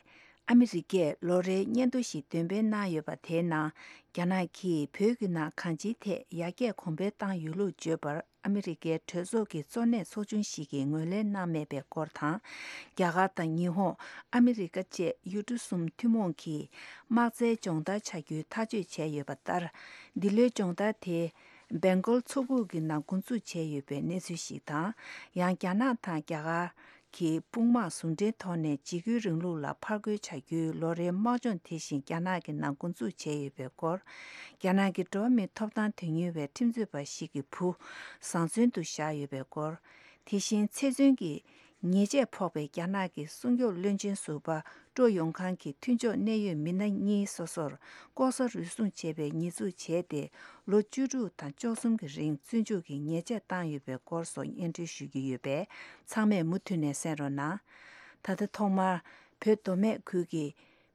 ཨ་མི་རི་ཀས་ལོ་རེའི་སྙན་ཐོ་ཞིག་འདོན་སྤེལ་གནང་ཡོད་པ་དེའི་ནང་། རྒྱ་ནག་གིས་བོད་ཀྱི་ནང་གང་ཅིའི་ཐད་ཡར་རྒྱས་གོང་འཕེལ་བཏང་ཡོད་ལུགས་བརྗོད་པར། ཨ་མི་རི་ཀའི་གྲོས་ཚོགས་ཀྱི་གཙོ་གནད་ཚོགས་ཆུང་ཞིག་གིས་ངོས་ལེན་གནང་མེད་པའི་སྐོར་དང་། རྒྱ་གར་དང་ཉི་ཧོང་། ཨ་མི་རི་ཀ་བཅས་ཡུལ་གྲུ་གསུམ་ཐུན་མོང་གིས་དམག་རྩལ་སྦྱོང་བརྡར་བྱ་རྒྱུའི་ཐག་གཅོད་བྱས་ཡོད་པ་ལྟར། འདི་ལོའི་སྦྱོང་བརྡར་དེ་སྦེང་གོལ་མཚོ་ཁུག་གི་ནང་འགོ་འཛུགས་བྱས་ཡོད་པའི་གནས་ཚུལ་ཞིག་དང་། ཡང་། རྒྱ་ནག་དང་རྒྱ་གར་གྱི་དཔུང་དམག་ཟུང་འབྲེལ་ཐོག་ནས་འཇིགས་སྐུལ་རིང་ལུགས་ལ་ཕར་རྒོལ་བྱ་རྒྱུའི་ལོ་རེའི་དམག་སྦྱོང་དེ་བཞིན་རྒྱ་ནག་གི་ནང་འགོ་འཛུགས་བྱས་ཡོད་པའི་སྐོར། རྒྱ་ནག་གི་འགྲོ་བ་མིའི་ཐོབ་ཐང་དོན་གཉེར་བའི་ཁྲིམས་རྩོད་པ་ཞིག་གི་བུ་བཟང་བཙོན་དུ་བཞག་ཡོད་པའི་སྐོར། དེ་བཞིན་ཚེ་བཙོན་གྱི་ཉེས་ཆད་ཕོག་པའི་རྒྱ་ནག་གི་སྲུང་སྐྱོབ་བློན་ཆེན་ཟུར་པ་ཀྲོ་ཡོང་ཁང་གི་མཐུན་ཕྱོགས་གནད་ཡོད་མི་སྣ་གཉིས་སོ་སོར་ལྐོག་ཟ་རུལ་སུངས་བྱས་པའི་ཉེས་འཛུགས་བྱས་ཏེ། ལོ་བཅུ་དྲུག་དང་བཅུ་གསུམ་གྱི་རིང་བཙོན་འཇུག་གི་ཉེས་ཆད་བཏང་ཡོད་པའི་སྐོར་སོགས་སྙན་སྒྲོན་ཞུ་རྒྱུ་ཡོད་པས། ཚང་མས་མུ་མཐུད་ནས་གསན་རོགས་གནང་། ད་ལྟ་ཐོག་མར་བོད་མདོ་སྨད་ཁུལ་གྱི་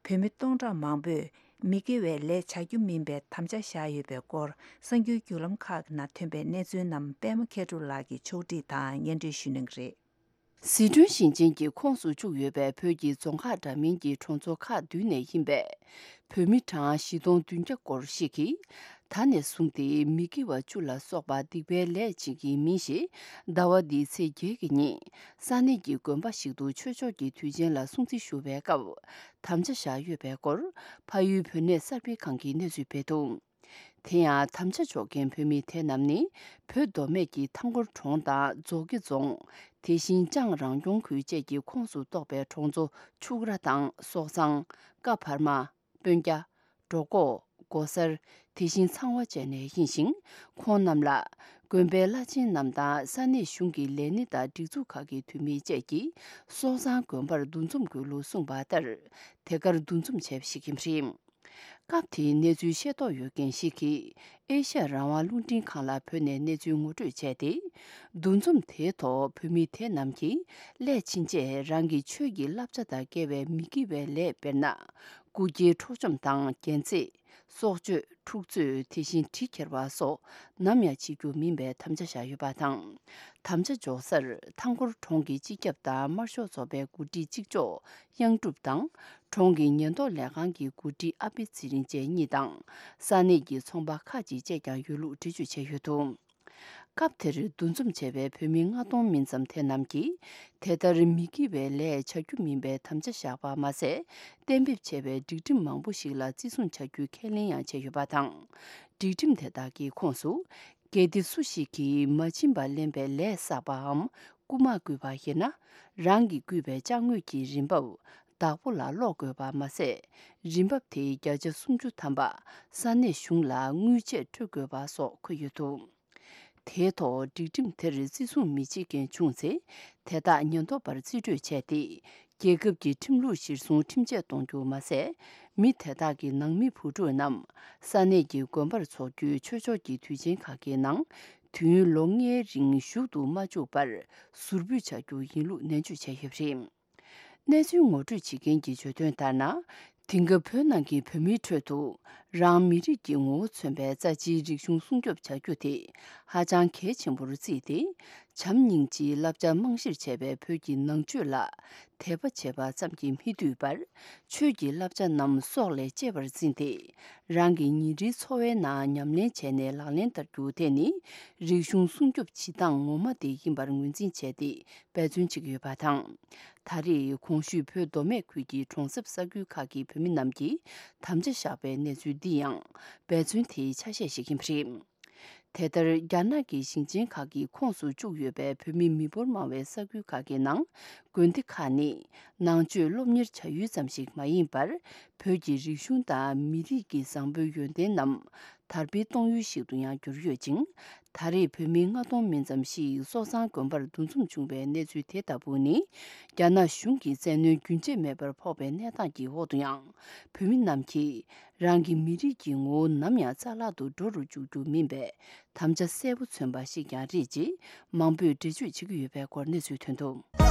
བོད་མི་སྟོང་ཕྲག་མང་པོས་མི་དགེ་བའི་ལས་བྱ་རྒྱུ་མིན་པའི་དམ་བཅའ་བཞག་ཡོད་པའི་སྐོར། གསར་འགྱུར་བརྒྱུད་ལམ་ཁག་གི་ནང་ཐོན་པའི་གནས་ཚུལ་རྣམས་པད་མ་མཁས་གྲུབ་ལགས་ཀྱིས་ཕྱོགས་སྒྲིག་དང་སྙན་སྒྲོན་ཞུ་གནང་གི་རེད། ཟི་ཁྲོན་ཞིང་ཆེན་གྱི་ཁོངས་སུ་བཅུག་ཡོད་པའི་བོད་ཀྱི་རྫོང་ཁག་འདྲ་མིན་གྱི་གྲོང་ཚོ་ཁག་བདུན་ནས་ཡིན་པའི་བོད་མི་གྲངས་བཞི་སྟོང་བདུན་བརྒྱ་སྐོར་ཞིག་གིས། ད་ནས་བཟུང་སྟེ་མི་དགེ་བ་བཅུ་ལ་སོགས་པ་སྡིག་པའི་ལས་བྱེད་ཀྱི་མིང་ཞིག་ཟླ་བ་འདིའི་ཚེས་བརྒྱད་ཀྱི་ཉིན་ས་གནས་ཀྱི་དགོན་པ་ཞིག་ཏུ་ཆོས་ཕྱོགས་ཀྱི་དུས་ཆེན་ལ་སྲུང་བརྩི་ཞུ་བའི་སྐབས་དམ་བཅའ་བཞག་ཡོད་པའི་སྐོར། ཕ་ཡུལ་བོད་གནས་གསར་སྤེལ་ཁང་གིས་གནས་ཚུལ་སྤེལ་འདུག། དེ་ཡང་དམ་བཅའ་འཇོག་མཁན་བོད་མི་དེ་རྣམས་ནི་བོད་མདོ་སྨད་ཀྱི་ཐང་སྐོར་གྲོང་དང་རྫོང་དགེ་རྫོང་། དེ་བཞིན་ལྕང་རང་སྐྱོང་ཁུལ་བཅས་ཀྱི་ཁོངས་སུ་གཏོགས་པའི་གྲོང་ཚོ་ཕྱུག་ར་དང་སོག་ཚང་། ཀ་བར་མ། སྤུན་སྐྱ། འབྲོག་ཁོག། སྒོ་གསར། དེ་བཞིན་ཚང་བ་བཅས་ནས་ཡིན་ཞིང་། ཁོང་རྣམས་ལ་དགོན་པའི་བླ་ཆེན་རྣམས་དང་ས་གནས་གཞུང་གི་ལས་སྣེ་དང་སྒྲིག་འཛུགས་ཁག་གི་འཐུས་མི་བཅས་ཀྱིས་སོ་བཟང་དགོན་པར་འདུ་འཛོམས་དགོས་ལུགས་གསུངས་པ་ལྟར། དེ་གར་འདུ་འཛོམས་བྱས་པ་ཞིག་ཡིན་པ་རེད། སྐབས་དེའི་གནས་ཚུལ་ཤེས་རྟོགས་ཡོད་མཁན་ཞིག་གིས་ཨེ་ཤ་ཡ་རང་དབང་རླུང་འཕྲིན་ཁང་ལ་བོད་ནས་གནས་ཚུལ་ངོ་སྤྲོད་བྱས་ཏེ། འདུ་འཛོམས་དེའི་ཐོག་བོད་མི་དེ་རྣམས་ཀྱིས་སླད་ཕྱིན་ཆད་རང་གི་ཆོས་ཀྱི་བསླབ་བྱ་དང་འགལ་བའི་མི་དགེ་བའི་ལས་དཔེར་ན། སྐུ་སྐྱེའི་འཕྲོག་བཅོམ་དང་རྒྱན་རྩེད། སྲོག་གཅོད། འཁྲུག་རྩོད། དེ་བཞིན་གྲི་ཁྱེར་བ་སོགས་ནམ་ཡང་བྱེད་རྒྱུ་མིན་པའི་དམ་བཅའ་བཞག་ཡོད་པ་དང་། དམ་བཅའ་འཇོག་སར་མཐའ་འཁོར་གྲོང་གི་སྤྱི་ཁྱབ་དང་དམར་ཤོག་ཚོགས་པའི་འགོ་ཁྲིད་གཅིག་ལྕོགས་གཡང་སྒྲུབ་དང་། གྲོང་གི་ཉེན་རྟོག་ལས་ཁང་གི་འགོ་ཁྲིད་ཨ་པེ་ཚེ་རིང་བཅས་གཉིས་དང་། ས་གནས་ཀྱི་ཚོང་པ་ཁག་ཅིག་བཅས་ཀྱང་ཡོད་ལུགས་འགྲེལ་བརྗོད་བྱས་ཡོད་འདུག་སྐབས་དེར་འདུ་འཛོམས་བྱས་པའི་བོད་མི་ལྔ་སྟོང་མིན་ཙམ་དེ་རྣམས་ཀྱིས། དེ་ལྟར་མི་དགེ་བའི་ལས་བྱ་རྒྱུ་མིན་པའི་དམ་བཅའ་བཞག་པ་མ་ཟད། གཏན་འབེབས་བྱས་པའི་སྒྲིག་ཁྲིམས་མང་པོ་ཞིག་ལ་བརྩི་སྲུང་བྱ་རྒྱུའི་ཁས་ལེན་ཡང་བྱས་ཡོད་པ་དང་། སྒྲིག་ཁྲིམས་དེ་དག་གི་ཁོངས་སུ། གལ་ཏེ་སུ་ཞིག་གིས་མ་བྱིན་པར་ལེན་པའི་ལས་བསགས་པའམ་རྐུ་མ་བརྐུས་པ་ཡིན་ན། རང་གིས་བརྐུས་པའི་ཅ་དངོས་ཀྱི་རིན་འབབ་བདག་པོ་ལ་སློག་དགོས་པ་མ་ཟད། རིན་འབབ་དེའི་བརྒྱ་ཆ་སུམ་ཅུ་ཐམ་པ་ས་གནས་གཞུང་ལ་དངུལ་ཆད་སྤྲོད་དགོས་པ་སོགས་འཁོད་ཡོད་འདུག་དེའི་ཐོག་སྒྲིག་ཁྲིམས་དེར་བརྩི་སྲུང་མི་བྱེད་མཁན་བྱུང་ཚེ། དེ་དག་ཉེན་རྟོག་པར་རྩིས་སྤྲོད་བྱས་ཏེ། རྒྱལ་ཁབ་ཀྱི་ཁྲིམས་ལུགས་གཞིར་བཟུང་ཁྲིམས་ཆད་གཏོང་རྒྱུ་མ་ཟད། མི་དེ་དག་གི་ནང་མི་བུ་ཕྲུག་རྣམས་ས་གནས་ཀྱི་དགོན་པར་འཚོགས་རྒྱུའི་ཆོས་ཕྱོགས་ཀྱི་དུས་ཆེན་ཁག་གི་ནང་དུས་ཡུན་ལོ་ལྔའི་རིང་བཞུགས་ཏུ་མ་བཅུག་པར་ཟུར་ཕུད་བྱ་རྒྱུ་ཡིན་ལུགས་ནན་བརྗོད་བྱས་ཡོད་པ་རེད། གནས་ཚུལ་ངོ་སྤྲོད་བྱེད་མཁན་གྱིས་བརྗོད་དོན་ལྟར་ན། དེང་སྐབས་བོད་ནང་གི་བོད་མིའི་ཁྲོད་དུ་རང་མི་རིགས་ཀྱི་ངོ་བོ་མཚོན་པའི་རྩ་ཆེའི་རིག་གཞུང་སྲུང་སྐྱོབ་བྱ་རྒྱུ་དེ་ཧ་ཅང་གལ་ཆེན་པོར་བརྩིས་ཏེ། བྱམས་སྙིང་རྗེའི་བསླབ་བྱ་རྨང་གཞིར་བྱས་པའི་བོད་ཀྱི་ནང་ཆོས་ལ་དད་པ་བྱེད་པ་ཙམ་གྱིས་མི་བཏུབ་པར། ཆོས་ཀྱི་བསླབ་བྱ་རྣམས་སྲོག་ལས་གཅེས་པར་འཛིན་ཏེ། རང་གི་ཉིན་རེའི་འཚོ་བའི་ནང་ཉམས་ལེན་བྱས་ནས་ལག་ལེན་བསྟར་རྒྱུ་དེ་ནི་རིག་གཞུང་སྲུང་སྐྱོབ་བྱེད་སྟངས་ངོ་མ་དེ་ཡིན་པར་ངོས་འཛིན་བྱས་ཏེ། འབད་བརྩོན་བྱེད་ཀྱི་ཡོད་པ་དང་། ད་རེས་གོང་ཞུས་བོད་མདོ་སྨད་ཁུལ་གྱི་གྲོང་གསེབ་ས་ཁུལ་ཁག་གི་བོད་མི་རྣམས་ཀྱིས་དམ་བཅའ་བཞག་པའི་གནས་ཚུལ་འདི་ཡང་འབད་བརྩོན་དེའི་ཆ་ཤས་ཤིག་ཡིན་པ་རེད། དེ་ལྟར་རྒྱ་ནག་གི་ཞིང་ཆེན་ཁག་གི་ཁོངས་སུ་བཅུག་ཡོད་པའི་བོད་མི་མི་འབོར་མང་བའི་ས་ཁུལ་ཁག་གི་ནང་། དགོན་སྡེ་ཁག་ནི་ནང་ཆོས་སློབ་གཉེར་བྱ་ཡུལ་ཙམ་ཞིག་མ་ཡིན་པར། བོད་ཀྱི་རིག་གཞུང་དང་མི་རིགས་ཀྱི་བཟང་པོའི་ཡོན་ཏན་རྣམས་དར་སྤེལ་གཏོང་ཡུལ་ཞིག་ཏུ་ཡང་གྱུར་ཡོད་ཅིང་། ད་རེས་བོད་མི་ལྔ་སྟོང་མིན་ཙམ་ཞིག་སོ་བཟང་དགོན་པར་འདུ་འཛོམས་བྱུང་བའི་གནས་ཚུལ་དེ་ལྟ་བུ་ནི། རྒྱ་ནག་གཞུང་གི་བཙན་གནོན་རྒྱུན་ཆད་མེད་པར་ཕོག་པའི་གནས་སྟངས་ཀྱི་འོག་ཏུ་ཡང་། བོད་མི་རྣམས་ཀྱིས་རང་གི་མི་རིགས་ཀྱི་ངོ་བོ་ནམ་ཡང་རྩ་བརླག་ཏུ་འགྲོ་རུ་འཇུག་རྒྱུ་མིན་པའི་དམ་བཅའ་གསལ་པོ་མཚོན་པ་ཞིག་ཀྱང་རེད་ཅེས་མང་པོས་འགྲེལ་བརྗོད་བྱེད་ཀྱི་ཡོད་པའི་སྐོར་གནས་ཚུལ་ཐོན་འདུག་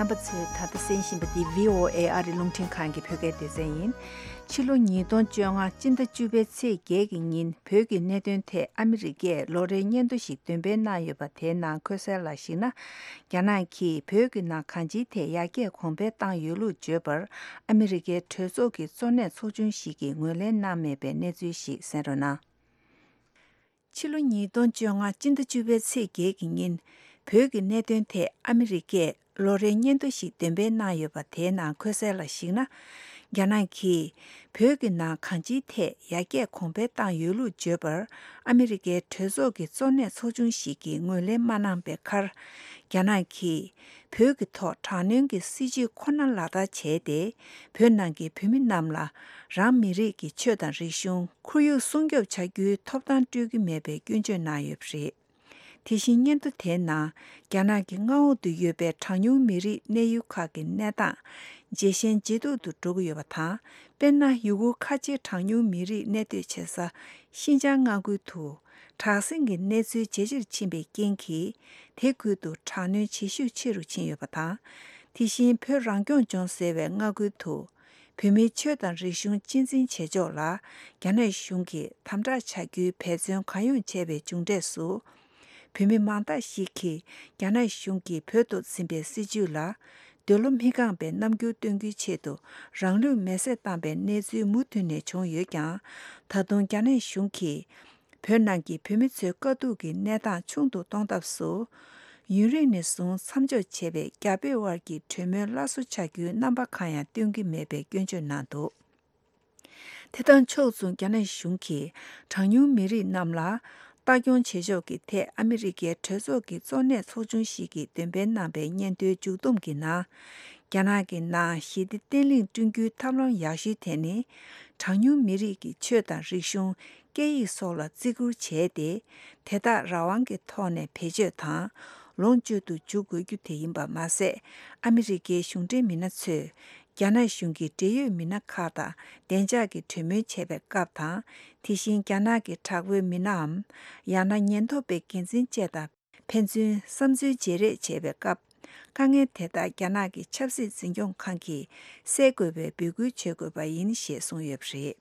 རྣམ་པ་ཚོས་ད་ལྟ་གསན་བཞིན་པ་འདི་བྷི་ཨོ་ཨེ་ཨ་རི་རླུང་འཕྲིན་ཁང་གི་བོད་སྐད་སྡེ་ཚན་ཡིན། ཕྱི་ལོ་ཉིས་སྟོང་བཅོ་ལྔ་སྤྱི་ཟླ་བཅུ་པའི་ཚེས་བརྒྱད་ཀྱི་ཉིན་བོད་ཀྱི་གནད་དོན་ཐད་ཨ་མི་རི་ཀས་ལོ་རེའི་སྙན་ཐོ་ཞིག་འདོན་སྤེལ་གནང་ཡོད་པ་དེའི་ནང་འཁོད་གསལ་ལ་གཞིགས་ན། རྒྱ་ནག་གིས་བོད་ཀྱི་ནང་གང་ཅིའི་ཐད་ཡར་རྒྱས་གོང་འཕེལ་བཏང་ཡོད་ལུགས་བརྗོད་པར་ཨ་མི་རི་ཀའི་གྲོས་ཚོགས་ཀྱི་གཙོ་གནད་ཚོགས་ཆུང་ཞིག་གིས་ངོས་ལེན་གནང་མེད་པའི་གནས་ཚུལ་ཞིག་གསན་རོགས་གནང་། ཕྱི་ལོ་ཉིས་སྟོང་བཅོ་ལྔ་སྤྱི་ཟླ་བཅུ་པའི་ཚེས་བརྒྱད་ཀྱི་ཉིན་བོད་ཀྱི་གནད་དོན་ཐད་ཨ་མི་རི་ཀས་ལོ་རེའི་སྙན་ཐོ་ཞིག་འདོན་སྤེལ་གནང་ཡོད་པ་དེའི་ནང་འཁོད་གསལ་ལ་གཞིགས་ན། རྒྱ་ནག་གིས་བོད་ཀྱི་ནང་གང་ཅིའི་ཐད་ཡར་རྒྱས་གོང་འཕེལ་བཏང་ཡོད་ལུགས་བརྗོད་པར་ཨ་མི་རི་ཀའི་གྲོས་ཚོགས་ཀྱི་གཙོ་གནད་ཚོགས་ཆུང་ཞིག་གིས་ངོས་ལེན་མ་གནང་པའི་ཁར། རྒྱ་ནག་གིས་བོད་ཀྱི་ཐོག་དྲག་གནོན་གྱི་སྲིད་བྱུས་ཁོ་ན་ལག་བསྟར་བྱས་ཏེ། བོད་ནང་གི་བོད་མི་རྣམས་ལ་རང་མི་རིགས་ཀྱི་ཆོས་དང་རིག་གཞུང་ཁོར་ཡུག་སྲུང་སྐྱོབ་བྱ་རྒྱུའི་ཐོབ་ཐང་སྤྲོད་ཀྱི་མེད་པའི་སྐྱོན་བརྗོད་གནང་ཡོད་པ་རེད། དེ་བཞིན་སྙན་ཐོ་དེའི་ནང་རྒྱ་ནག་གི་མངའ་འོག་ཏུ་ཡོད་པའི་གྲངས་ཉུང་མི་རིགས་གནས་ཡུལ་ཁག་གི་གནས་སྟངས་ཇེ་ཞན་ཇེ་སྡུག་ཏུ་འགྲོ་གི་ཡོད་པ་དང་། དཔེར་ན་ཡུ་གུར་ཁ་ཆེ་གྲངས་ཉུང་མི་རིགས་གནས་སྡོད་བྱེད་ས་ཤིན་ཅང་མངའ་ཁུལ་དུ་དྲག་ཟིང་གི་གནས་ཚུལ་ཇེ་ཆེར་ཕྱིན་པའི་རྐྱེན་གྱིས། དེ་ཁུལ་དུ་དྲག་གནོན་ཇེ་ཤུགས་ཆེ་རུ་ཕྱིན་ཡོད་པ་དང་། དེ་བཞིན་བོད་རང་སྐྱོང་ལྗོངས་ཟེར་བའི་མངའ་ཁུལ་དུ། བོད་མིའི་ཆོས་དང་རིག་གཞུང་གཅེས་འཛིན་བྱེད་ཕྱོགས་ལ་རྒྱ་ནག་གཞུང་གིས་དམ་དྲག་བྱ་རྒྱུའི་འབད་བརྩོན་གང་ཡོང་བྱས་པའི་མཇུག་འབྲས་སུ། བོད་མི་མང་དག་ཞིག་གིས་རྒྱ་ནག་གཞུང་གིས་བོད་དུ་འཛིན་པའི་སྲིད་བྱུས་ལ་འདོད་བློ་མི་རྐང་པའི་རྣམ་འགྱུར་སྟོན་རྒྱུའི་ཆེད་དུ་རང་ལུས་མེར་སྲེག་བཏང་པའི་གནས་ཚུལ་མུ་མཐུད་ནས་བྱུང་ཡོད་ཀྱང་། ད་དུང་རྒྱ་ནག་གཞུང་གིས། བོད་ནང་གི་བོད་མི་ཚོའི་དཀའ་སྡུག་གི་གནས་སྟངས་ཆུང་དུ་གཏོང་ཐབས་སུ། ཡུན་རིང་ནས་བཟུང་མཚམས་འཇོག་བྱས་པའི་རྒྱ་བོད་དབར་གྱི་གྲོས་མོལ་སླར་གསོ་བྱ་རྒྱུའི་རྣམ་པ་གང་ཡང་སྟོན་གྱི་མེད་པའི་སྐྱོན་བརྗོད་གནང་འདུག་དེ་དང་ཕྱོགས་མཚུངས་རྒྱ་ནག་གཞུང་གིས་གྲངས་ཉུང་མི་རིགས་རྣམས་ལ་ ལྟ་སྐྱོང་བྱེད་ཕྱོགས་ཀྱི་ཐད་ཨ་མི་རི་ཀའི་གྲོས་ཚོགས་ཀྱི་གཙོ་གནད་ཚོགས་ཆུང་ཞིག་གིས་འདོན་སྤེལ་གནང་པའི་སྙན་ཐོའི་མཇུག་བསྡོམས་ཀྱི་ནང་། རྒྱ་ནག་གི་ནང་ཞི་བདེ་བརྟན་ལྷིང་བསྐྲུན་རྒྱུའི་ཐབས་ལམ་ཡག་ཤོས་དེ་ནི། གྲངས་ཉུང་མི་རིགས་ཀྱི་ཆོས་དང་རིག་གཞུང་། སྐད་ཡིག་སོགས་ལ་བརྩི་བཀུར་བྱས་ཏེ། དེ་དག་རང་དབང་གི་ཐོག་ནས་བེད་སྤྱོད་དང་། ལོངས་སྤྱོད་དུ་འཇུག་དགོས་རྒྱུ་དེ་ཡིན་པ་མ་ཟད། ཨ་མི་རི་ཀའི་གཞུང་འབྲེལ་མི་སྣ་ཚོས། རྒྱ་ནག་གཞུང་གི་འབྲེལ་ཡོད་མི་སྣ་ཁག་དང་བདེ་འཇགས་ཀྱི་གྲོས་མོལ་བྱེད་པའི་སྐབས་དང་། དེ་བཞིན་རྒྱ་ནག་གི་དྲག་པོའི་མི་སྣའམ། ཡང་ན་ཉེན་རྟོག་པའི་འགན་འཛིན་བཅས་དང་ཕན་ཚུན་བསམ་ཚུལ་བརྗེ་རེས་བྱེད་པའི་སྐབས། དཀའ་ངལ་དེ་དག་རྒྱ་ནག་གི་ཆབ་སྲིད་འཛིན་སྐྱོང་ཁང་གིས་སེལ་དགོས་པའི་འབོད་སྐུལ་བྱེད་དགོས་པ་ཡིན་ཞེས་གསུངས་ཡོད་པ་རེད།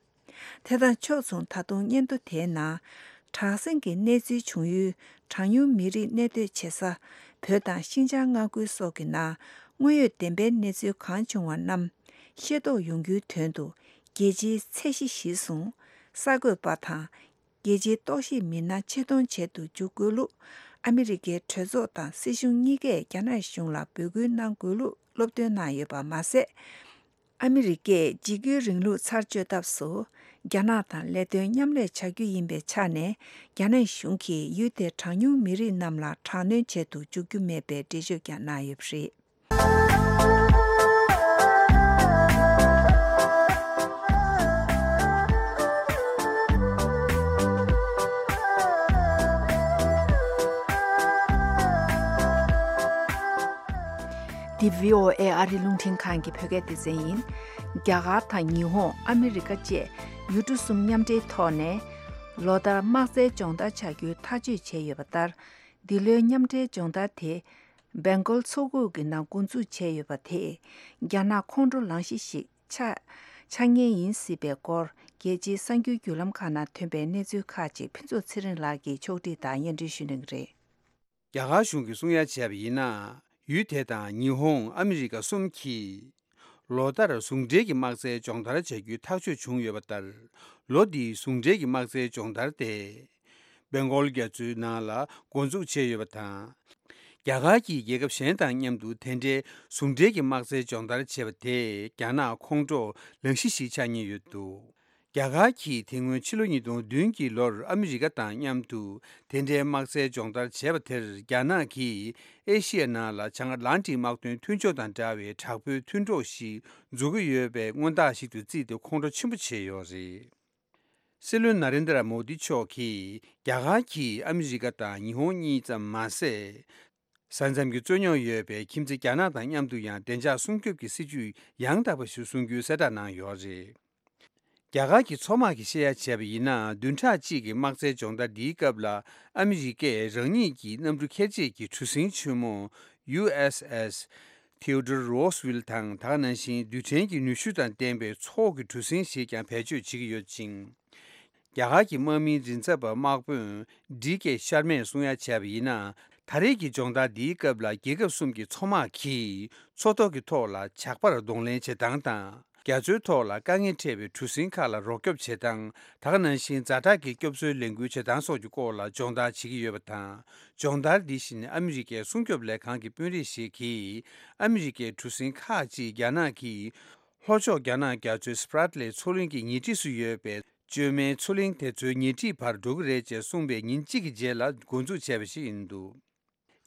དེ་དང་ཕྱོགས་མཚུངས། ད་དུང་སྙན་ཐོ་དེའི་ནང་། དྲག་ཟིང་གི་གནས་ཚུལ་བྱུང་ཡུལ། གྲངས་ཉུང་མི་རིགས་གནས་སྡོད་བྱེད་ས། བོད་དང་ཤིན་ཅང་མངའ་ཁུལ་སོགས་ཀྱི་ནང་། དངོས་ཡོད་བདེན་པའི་གནས་ཚུལ་གང་བྱུང་བ་རྣམས་ཤེས་རྟོགས་ཡོང་རྒྱུའི་དོན་དུ། རྒྱལ་སྤྱིའི་ཚད་གཞི་གཞིར་བཟུང་། གསར་འགོད་པ་དང་། རྒྱལ་སྤྱིའི་རྟོག་ཞིབ་མི་སྣ་ཆེད་གཏོང་བྱེད་དུ་འཇུག་དགོས་ལུགས། ཨ་མི་རི་ཀའི་གྲོས་ཚོགས་དང་སྲིད་གཞུང་གཉིས་ཀས་རྒྱ་ནག་གཞུང་ལ་འབོད་སྐུལ་གནང་དགོས་ལུགས་སློབ་སྟོན་གནང་ཡོད་པ་མ་ཟད། ཨ་མི་རི་ཀས་འཇིགས་སྐུལ་རིང་ལུགས་ཚར་གཅོད་ཐབས་སུ། རྒྱ་ནག་དང་ལས་དོན་མཉམ་ལས་བྱ་རྒྱུ་ཡིན་པའི་ཆ་ནས། རྒྱ་ནག་གཞུང་གིས་ཡུལ་དེའི་གྲངས་ཉུང་མི་རིགས་རྣམས་ལ་དྲག་གནོན་བྱེད་དུ་འཇུག་རྒྱུ་མེད་པའི་འགྲེལ་བརྗོད་ཀྱང་གནང་ཡོད་པ་རེད། འདི་བྷི་ཨོ་ཨེ་ཨ་རི་རླུང་འཕྲིན་ཁང་གི་བོད་སྐད་སྡེ་ཚན་ཡིན། རྒྱ་གར་དང་ཉི་ཧོང་། ཨ་མི་རི་ཀ་བཅས་ཡུལ་གྲུ་གསུམ་མཉམ་འབྲེལ་ཐོག་ནས། ལོ་ལྟར་དམག་རྩལ་སྦྱོང་བརྡར་བྱ་རྒྱུའི་ཐག་གཅོད་བྱས་ཡོད་པ་ལྟར། འདི་ལོའི་མཉམ་འབྲེལ་སྦྱོང་བརྡར་དེ། སྦེང་གོལ་མཚོ་ཁུག་གི་ནང་འགོ་འཛུགས་བྱས་ཡོད་པ་དེས། རྒྱ་ནག་ཁོང་ཁྲོ་ལངས་གཞི་ཞིག་ཆགས་ཆགས་ངེས་ཡིན་སྲིད་པའི་སྐོར། རྒྱལ་སྤྱིའི་གསར་འགྱུར་བརྒྱུད་ལམ་ཁག་ནང་ཐོན་པའི་གནས་ཚུལ་ཁག་ཅིག་ཕུན་ཚོགས་ཚེ་རིང་ལགས་ཀྱིས་ཕྱོགས་སྒྲིག་དང་སྙན་སྒྲོན་ཞུ་གནང་གི་རེད། རྒྱ་གར་གཞུང་གིས་གསུང་ཡ་བྱས་པ་ཡིན་ན། ཡུལ་དེ་དང་ཉི་ཧོང་། ཨ་མི་རི་ཀ་གསུམ་གྱིས། ལོ་ལྟར་ཟུང་འབྲེལ་གྱི་དམག་རྩལ་སྦྱོང་བརྡར་བྱ་རྒྱུའི་ཐག་གཅོད་བྱུང་ཡོད་པ་ལྟར། ལོ་འདིའི་ཟུང་འབྲེལ་གྱི་དམག་རྩལ་སྦྱོང་བརྡར་དེ། སྦེང་གོལ་རྒྱ་མཚོའི་ནང་ལ་འགོ་འཛུགས་བྱས་ཡོད་པ་དང་། རྒྱ་གར་གྱིས་རྒྱལ་ཁབ་གཞན་དང་མཉམ་དུ་དེ་འདྲའི་ཟུང་འབྲེལ་གྱི་དམག་རྩལ་སྦྱོང་བརྡར་བྱས་པ་དེས། རྒྱ་ནག་ཁོང་ཁྲོ་ལངས་གཞི་ཞིག་ཆགས་ཉེན་ཡོད་འདུག་རྒྱ་གར་གྱིས་དེ་སྔོན་ཕྱི་ལོ་ཉིས་སྟོང་བདུན་གྱི་ལོར་ཨ་མི་རི་ཀ་དང་མཉམ་དུ་དེ་འདྲའི་དམག་རྩལ་སྦྱོང་བརྡར་བྱས་པ་དེར། རྒྱ་ནག་གིས་ཨེ་ཤི་ཡའི་ནང་ལ་བྱང་ཨ་ཊ་ལན་ཊིག་དམག་དོན་མཐུན་ཕྱོགས་དང་འདྲ་བའི་དྲག་པོའི་མཐུན་གྲོགས་ཤིག་འཛུགས་ཀྱི་ཡོད་པའི་མངོན་རྟགས་ཤིག་ཏུ་བརྩིས་ཏེ། ཁོང་ཁྲོ་ཆེན་པོ་བྱས་ཡོད་རེད། སྲིད་བློན་ན་རེན་དྲ་མོ་དི་མཆོག་གིས། རྒྱ་གར་གྱིས་ཨ་མི་རི་ཀ་དང་ཉི་ཧོང་གཉིས་ཙམ་མ་ཟད། ས་མཚམས་ཀྱི་རྩོད་རྙོག་ཡོད་པའི་ཁྱིམ་མཚེས་རྒྱ་ནག་དང་མཉམ་དུ་ཡང་བདེ་འཇགས་སྲུང་སྐྱོབ་ཀྱི་སྲིད་ཇུས་ཡང་དག་པ་ཞིག་བཟུང་རྒྱུའི་གསལ་བསྒྲགས་གནང་ཡོད་རེད། རྒྱ་གར་གྱི་མཚོ་དམག་གིས་བཤད་ཡ་བྱས་པ་ཡིན་ན། བདུན་ཕྲག་གཅིག་གི་དམག་རྩལ་སྦྱོང་བརྡར་འདིའི་སྐབས་ལ། ཨ་མི་རི་ཀས་རང་ཉིད་ཀྱི་གནམ་གྲུ་ཁྱད་ཆོས་ཀྱི་གྲུ་གཟིངས་ཆེན་མོ་ཡུ་ཨེས་ཨེས་ཐེའོ་ཌོར་རོ་སི་ཝིལ་དང་། ད་ག་ནང་བཞིན་རྡུལ་ཕྲན་གྱི་ནུས་ཤུགས་དང་ལྡན་པའི་མཚོ་འོག་གི་གྲུ་གཟིངས་ཞིག་ཀྱང་བེད་སྤྱོད་བྱེད་ཀྱི་ཡོད་ཅིང་། རྒྱ་གར་གྱི་དམག་མིའི་མགྲིན་ཚབ་པ་དམག་དཔོན་ཌི་ཀེ་ཤར་མས་གསུང་ཡ་བྱས་པ་ཡིན་ན། ད་རེས་ཀྱི་སྦྱོང་བརྡར་འདིའི་སྐབས་ལ། རྒྱལ་ཁབ་གསུམ་གྱི་མཚོ་དམག་གིས་མཚོ་ཐོག་གི་ཐོག་ལ་ཇག་པར་གདོང་ལེན་བྱེད་སྟངས་དང་། རྒྱ་མཚོའི་ཐོག་ལ་དཀའ་ངལ་འཕྲད་པའི་གྲུ་གཟིངས་ཁག་ལ་རོགས་སྐྱོབ་བྱེད་སྟངས། ད་ག་ནང་བཞིན་ཛ་དྲག་གི་སྐྱོབ་གསོའི་ལས་འགུལ་བྱེད་སྟངས་སོགས་ཀྱི་སྐོར་ལ་སྦྱོང་བརྡར་བྱེད་ཀྱི་ཡོད་པ་དང་། སྦྱོང་བརྡར་འདི་བཞིན་ཨ་མི་རི་ཀའི་སྲུང་སྐྱོབ་ལས་ཁང་གི་དཔོན་རིགས་ཤིག་གིས། ཨ་མི་རི་ཀའི་གྲུ་གཟིངས་ཁག་ཅིག་རྒྱ་ནག་གི་ལྷོ་ཕྱོགས་རྒྱ་ནག་རྒྱ་མཚོའི་སི་པྲ་ཏི་ལེ་མཚོ་གླིང་གི་ཉེ་འཁྲིས་སུ་ཡོད་པའི་བཅོས་མའི་མཚོ་གླིང་དེ་ཚོའི་ཉེ་འཁྲིས་བར་འགྲོ་གི་རེད་ཅེས་གསུངས་པའི་ཉིན་གཅིག་གི་རྗེས་ལ་འགོ་འཛུགས་བྱས་པ་ཞིག་ཡིན་འདུག་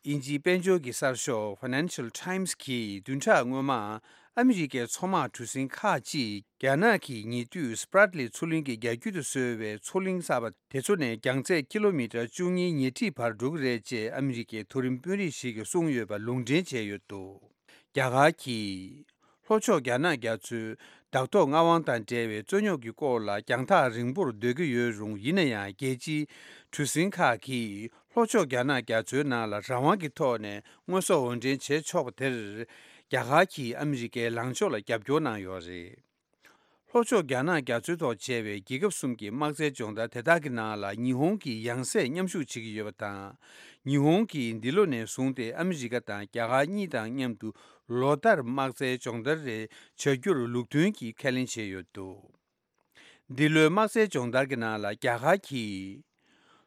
དབྱིན་ཇིའི་དཔལ་འབྱོར་གྱི་གསར་ཤོག་Financial Times གིས་བདུན་ཕྲག་སྔོན་མ། ཨ་མི་རི་ཀའི་མཚོ་དམག་གྲུ་གཟིངས་ཁག་ཅིག་རྒྱ་ནག་གིས་ཉེ་དུས་སི་པྲ་ཏི་ལེ་མཚོ་གླིང་གི་རྒྱ་རྒྱུད་དུ་བཟོས་པའི་མཚོ་གླིང་གསར་པ་དེ་ཚོ་ནས་རྒྱང་ཚད་ཀི་ལོ་མི་ཊར་བཅུ་གཉིས་ཉེ་འཁྲིས་བར་འགྲོ་གི་རེད་ཅེས་ཨ་མི་རི་ཀའི་མཐོ་རིམ་དཔོན་རིགས་ཤིག་གིས་གསུངས་ཡོད་པ་ལུང་འདྲེན་བྱས་ཡོད་འདུག་རྒྱ་གར་གྱིས། ལྷོ་ཕྱོགས་རྒྱ་ནག་རྒྱ་མཚོའི་བདག་ཐོག་མངའ་དབང་དང་འབྲེལ་བའི་རྩོད་རྙོག་གི་སྐོར་ལ་རྒྱང་ཐག་རིང་པོར་སྡོད་ཀྱི་ཡོད་རུང་། ཡིན་ན་ཡང་རྒྱལ་སྤྱིའི་གྲུ་གཟིངས་ཁག་གིས་ལྷོ་ཕྱོགས་རྒྱ་ནག་རྒྱ་མཚོའི་ནང་ལ་རང་དབང་གི་ཐོག་ནས་དངོས་ཟོག་འོར་འདྲེན་བྱེད་ཆོག་པ་དེར། རྒྱ་གར་གྱིས་ཨ་མི་རི་ཀའི་ལངས་ཕྱོགས་ལ་རྒྱབ་སྐྱོར་གནང་ཡོད་རེད། ལྷོ་ཕྱོགས་རྒྱ་ནག་རྒྱ་མཚོའི་ཐོག་བྱས་པའི་རྒྱལ་ཁབ་གསུམ་གྱི་དམག་རྩལ་སྦྱོང་བརྡར་དེ་དག་གི་ནང་ལ་ཉི་ཧོང་གིས་ཡང་སེ་མཉམ་ཞུགས་བྱེད་ཀྱི་ཡོད་པ་དང་། ཉི་ཧོང་གིས་འདི་ལོ་ནས་བཟུང་སྟེ་ཨ་མི་རི་ཀ་དང་རྒྱ་གར་གཉིས་དང་མཉམ་དུ་ལོ་ལྟར་དམག་རྩལ་སྦྱོང་བརྡར་རེ་བྱ་རྒྱུར་ལུགས་མཐུན་གྱིས་ཁས་ལེན་བྱས་ཡོད་འདུག་འདི་ལོའི་དམག་རྩལ་སྦྱོང་བརྡར་གྱི་ནང་ལ་རྒྱ་གར་གྱིས་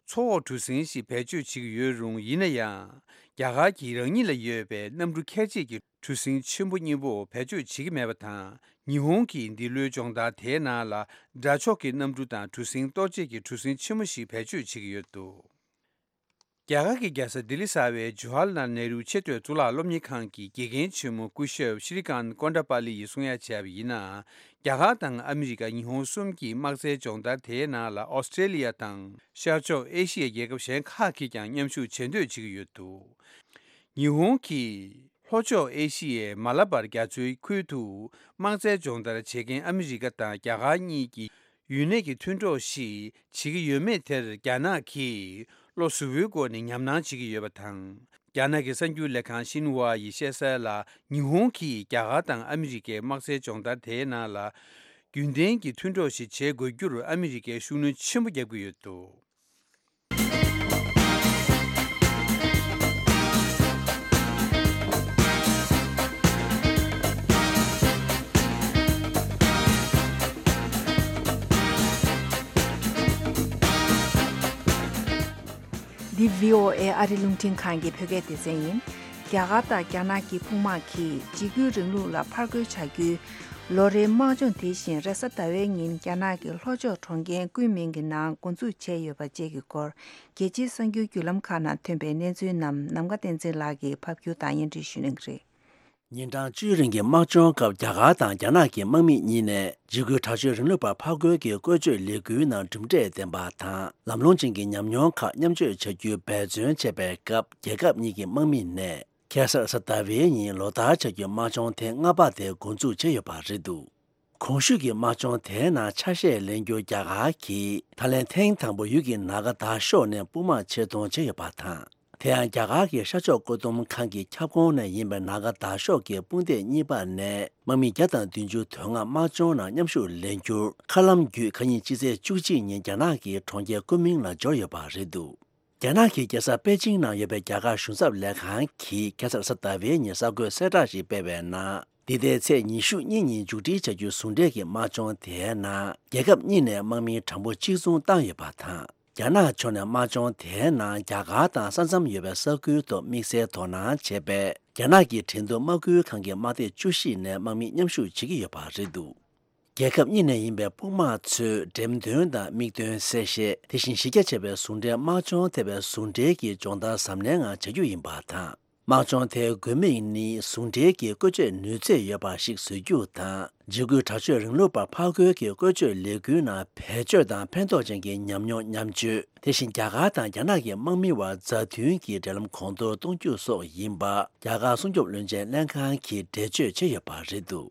མཚོ་འོག་གྲུ་གཟིངས་ཤིག་བེད་སྤྱོད་བྱེད་ཀྱི་ཡོད་རུང་། ཡིན་ན་ཡང་རྒྱ་གར་གྱིས་རང་ཉིད་ལ་ཡོད་པའི་གནམ་གྲུ་ཁྱད་ཆོས་ཀྱི་གྲུ་གཟིངས་ཆེན་པོ་གཉིས་པོ་བེད་སྤྱོད་བྱེད་ཀྱི་མེད་པ་དང་། ཉི་ཧོང་གིས་འདི་ལོའི་སྦྱོང་བརྡར་དེའི་ནང་ལ་དགྲ་ཕྱོགས་ཀྱི་གནམ་གྲུ་དང་གྲུ་གཟིངས་གཏོར་བྱེད་ཀྱི་གྲུ་གཟིངས་ཆེན་མོ་ཞིག་བེད་སྤྱོད་བྱེད་ཀྱི་ཡོད་འདུག་རྒྱ་གར་གྱི་རྒྱལ་ས་ལྡི་ལི་གསར་པའི་ཇུ་ཧར་ལཱལ་ནེ་རུ་ཆེས་མཐོའི་གཙུག་ལག་སློབ་གཉེར་ཁང་གི་དགེ་རྒན་ཆེན་མོ་སྐུ་ཞབས་ཤྲི་ཀཱན་ཀོན་ཌ་པཱ་ལི་ཡིས་གསུང་ཡ་བྱས་པ་ཡིན་ན། རྒྱ་གར་དང་ཨ་མི་རི་ཀ་ཉི་ཧོང་གསུམ་གྱི་དམག་རྩལ་སྦྱོང་བརྡར་དེའི་ནང་ལ་ཨོ་སི་ཀྲེ་ལི་ཡ་དང་ཤར་ཕྱོགས་ཨེ་ཤི་ཡའི་རྒྱལ་ཁབ་གཞན་ཁག་གིས་ཀྱང་མཉམ་ཞུགས་བྱེད་འདོད་བྱེད་ཀྱི་ཡོད་འདུག་ཉི་ཧོང་གིས་ལྷོ་ཕྱོགས་ཨེ་ཤི་ཡའི་མ་ལ་བར་རྒྱ་མཚོའི་ཁུལ་དུ་དམག་རྩལ་སྦྱོང་བརྡར་བྱེད་མཁན་ཨ་མི་རི་ཀ་དང་རྒྱ་གར་གཉིས་ཀྱི་ཡུན་གནས་ཀྱི་མཐུན་གྲོགས་ཤིག་བྱེད་ཀྱི་ཡོད་མེད་དེར་རྒྱ་ནག་གིས་བློ་གཟུ་བོའི་སྒོ་ནས་ཉམས་སྣང་བྱེད་ཀྱི་ཡོད་པ་དང་། རྒྱ་ནག་གི་གསར་འགྱུར་ལས་ཁང་ཤིན་ཧྭ་ཡིས་བཤད་གསལ་ལ། ཉི་ཧོང་གིས་རྒྱ་གར་དང་ཨ་མི་རི་ཀའི་དམག་རྩལ་སྦྱོང་བརྡར་དེའི་ནང་ལ་རྒྱུན་ལྡན་གྱི་མཐུན་གྲོགས་ཤིག་བྱེད་དགོས་རྒྱུར་ཨ་མི་རི་ཀས་ཤུགས་སྣོན་ཆེན་པོ་བརྒྱབ་ཀྱི་ཡོད་འདུག་འདི་བྷི་ཨོ་ཨེ་ཨ་རི་རླུང་འཕྲིན་ཁང་གི་བོད་སྐད་སྡེ་ཚན་ཡིན། རྒྱ་གར་དང་རྒྱ་ནག་གི་དཔུང་དམག་གིས་འཇིགས་སྐུལ་རིང་ལུགས་ལ་ཕར་རྒོལ་བྱ་རྒྱུའི་ལོ་རེའི་དམག་སྦྱོང་དེ་བཞིན་རེས་གཟའ་ཟླ་བའི་ཉིན་རྒྱ་ནག་གི་ལྷོ་ཕྱོགས་གྲོང་ཁྱེར་ཀུན་མིང་གི་ནང་འགོ་འཛུགས་བྱས་ཡོད་པ་བཅས་ཀྱི་སྐོར། རྒྱལ་སྤྱིའི་གསར་འགྱུར་བརྒྱུད་ལམ་ཁག་ནང་ཐོན་པའི་གནས་ཚུལ་རྣམས་ནམ་མཁའ་བསྟན་འཛིན་ལགས་ཀྱིས་ཕབ་སྒྱུར་དང་སྙན་སྒྲོན་ཞུ་གནང་གི་རེད། ཉིན་གྲངས་བཅུའི་རིང་གི་དམག་སྦྱོང་སྐབས་རྒྱ་གར་དང་རྒྱ་ནག་གི་དམག་མི་གཉིས་ནས་འཇིགས་སྐུལ་དྲག་སྤྱོད་རིང་ལུགས་པ་ཕར་རྒོལ་གྱི་བཀོལ་སྤྱོད་ལས་འགུལ་ནང་གྲུབ་འབྲས་ལྡན་པ་དང་ལམ་ལྷོང་ཅན་གྱི་ཉམས་མྱོང་ཁག་མཉམ་སྤྱོད་བྱ་རྒྱུའི་འབད་བརྩོན་བྱས་པའི་སྐབས། རྒྱལ་ཁབ་གཉིས་ཀྱི་དམག་མི་ནས་ཁ་སང་གཟའ་ཟླ་བའི་ཉིན་ལོ་ལྟར་བྱ་རྒྱུའི་དམག་སྦྱོང་ཐེངས་ལྔ་པ་དེ་འགོ་འཛུགས་བྱས་ཡོད་པ་རེད་འདུག་གོང་ཞུས་ཀྱི་དམག་སྦྱོང་དེའི་ནང་ཆ་ཤས་ལེན་རྒྱུར་རྒྱ་གར་གྱིས་ད་ལན་ཐེངས་དང་པོ་ཡུལ་གྱི་ནཱ་ག་དར་ཤོག་ནས་དཔུང་དམག་ཆེད་གཏོང་བྱས་ཡོད་པ་དང་། དེ་ཡང་རྒྱ་གར་གྱི་ཤར་ཕྱོགས་བཀོད་འདོམས་ཁང་གི་ཁྱབ་ཁོངས་ནས་ཡིན་པའི་ནཱ་ག་དར་ཤོག་གི་དཔུང་སྡེ་གཉིས་པ་ནས་དམག་མི་བརྒྱ་དང་བདུན་ཅུ་དོན་ལྔ་དམག་སྦྱོང་ནང་མཉམ་ཞུགས་ལེན་རྒྱུར་མཁའ་ལམ་བརྒྱུད་ཁ་ཉིན་སྤྱི་ཚེས་བཅུ་གཅིག་ཉིན་རྒྱ་ནག་གི་གྲོང་ཁྱེར་ཀུན་མིང་ལ་འབྱོར་ཡོད་པ་རེད་འདུག་རྒྱ་ནག་གི་རྒྱལ་ས་པེ་ཅིང་ནང་ཡོད་པའི་རྒྱ་གར་གཞུང་ཚབ་ལས་ཁང་གིས་ཁ་སང་གཟའ་ཟླ་བའི་ཉིན་གསར་འགོད་གསལ་བསྒྲགས་ཤིག་སྤེལ་བའི་ནང་། འདི་ཟླའི་ཚེས་ཉི་ཤུ་གཉིས་ཉིན་མཇུག་སྒྲིལ་བྱ་རྒྱུའི་ཟུང་འབྲེལ་གྱི་དམག་སྦྱོང་དེའི་ནང་རྒྱལ་ཁབ་གཉིས་ནས་དམག་མི་གྲངས་འབོར་གཅིག་མཚུངས་བཏང་ཡོད་པ་དང་། རྒྱ་ནག་ཕྱོགས་ནས་དམག་སྦྱོང་དེའི་ནང་རྒྱ་གར་དང་ས་མཚམས་ཡོད་པའི་ས་ཁུལ་དུ་དམིགས་བསལ་དོ་སྣང་བྱས་པའི་རྒྱ་ནག་གི་འགྲན་བསྡུར་དམག་ཁུལ་ཁང་གི་དམག་སྡེ་བཅུ་བཞི་ནས་དམག་མི་མཉམ་ཞུགས་བྱེད་ཀྱི་ཡོད་པ་རེད་འདུག་རྒྱལ་ཁབ་གཉིས་ནས་ཡིན་པའི་དཔུང་དམག་ཚོས་འགྲེམས་སྟོན་དང་མིག་སྟོན་གསལ་བཤད། དེ་བཞིན་གཞི་རྒྱ་ཆེ་བའི་ཟུང་འབྲེལ་དམག་སྦྱོང་ཐེ་བའི་ཟུང་འབྲེལ་གྱི་སྦྱོང་བརྡར་གཟབ་ནན་ངང་བྱ་རྒྱུ་ཡིན་པ་དང་། དམག་སྦྱོང་དེའི་དགོས་དམིགས་ནི་ཟུང་འབྲེལ་གྱི་བཀོལ་སྤྱོད་ནུས་ཚད་ཡོད་པ་ཞིག་བཟོ་རྒྱུ་དང་། འཇིགས་སྐུལ་དྲག་སྤྱོད་རིང་ལུགས་པ་ཕར་རྒོལ་གྱི་བཀོལ་སྤྱོད་ལས་འགུལ་ནང་བེད་སྤྱོད་དང་ཕན་ཐོགས་ཅན་གྱི་ཉམས་མྱོང་མཉམ་སྤྱོད། དེ་བཞིན་རྒྱ་གར་དང་རྒྱ་ནག་གི་དམག་མི་བར་མཛའ་མཐུན་གྱི་འབྲེལ་ལམ་གོང་མཐོར་གཏོང་རྒྱུ་སོགས་ཡིན་པ། རྒྱ་གར་སྲུང་སྐྱོབ་བློན་ཆེན་ལྷན་ཁང་གིས་འགྲེལ་བརྗོད་བྱས་ཡོད་པ་རེད་འདུག་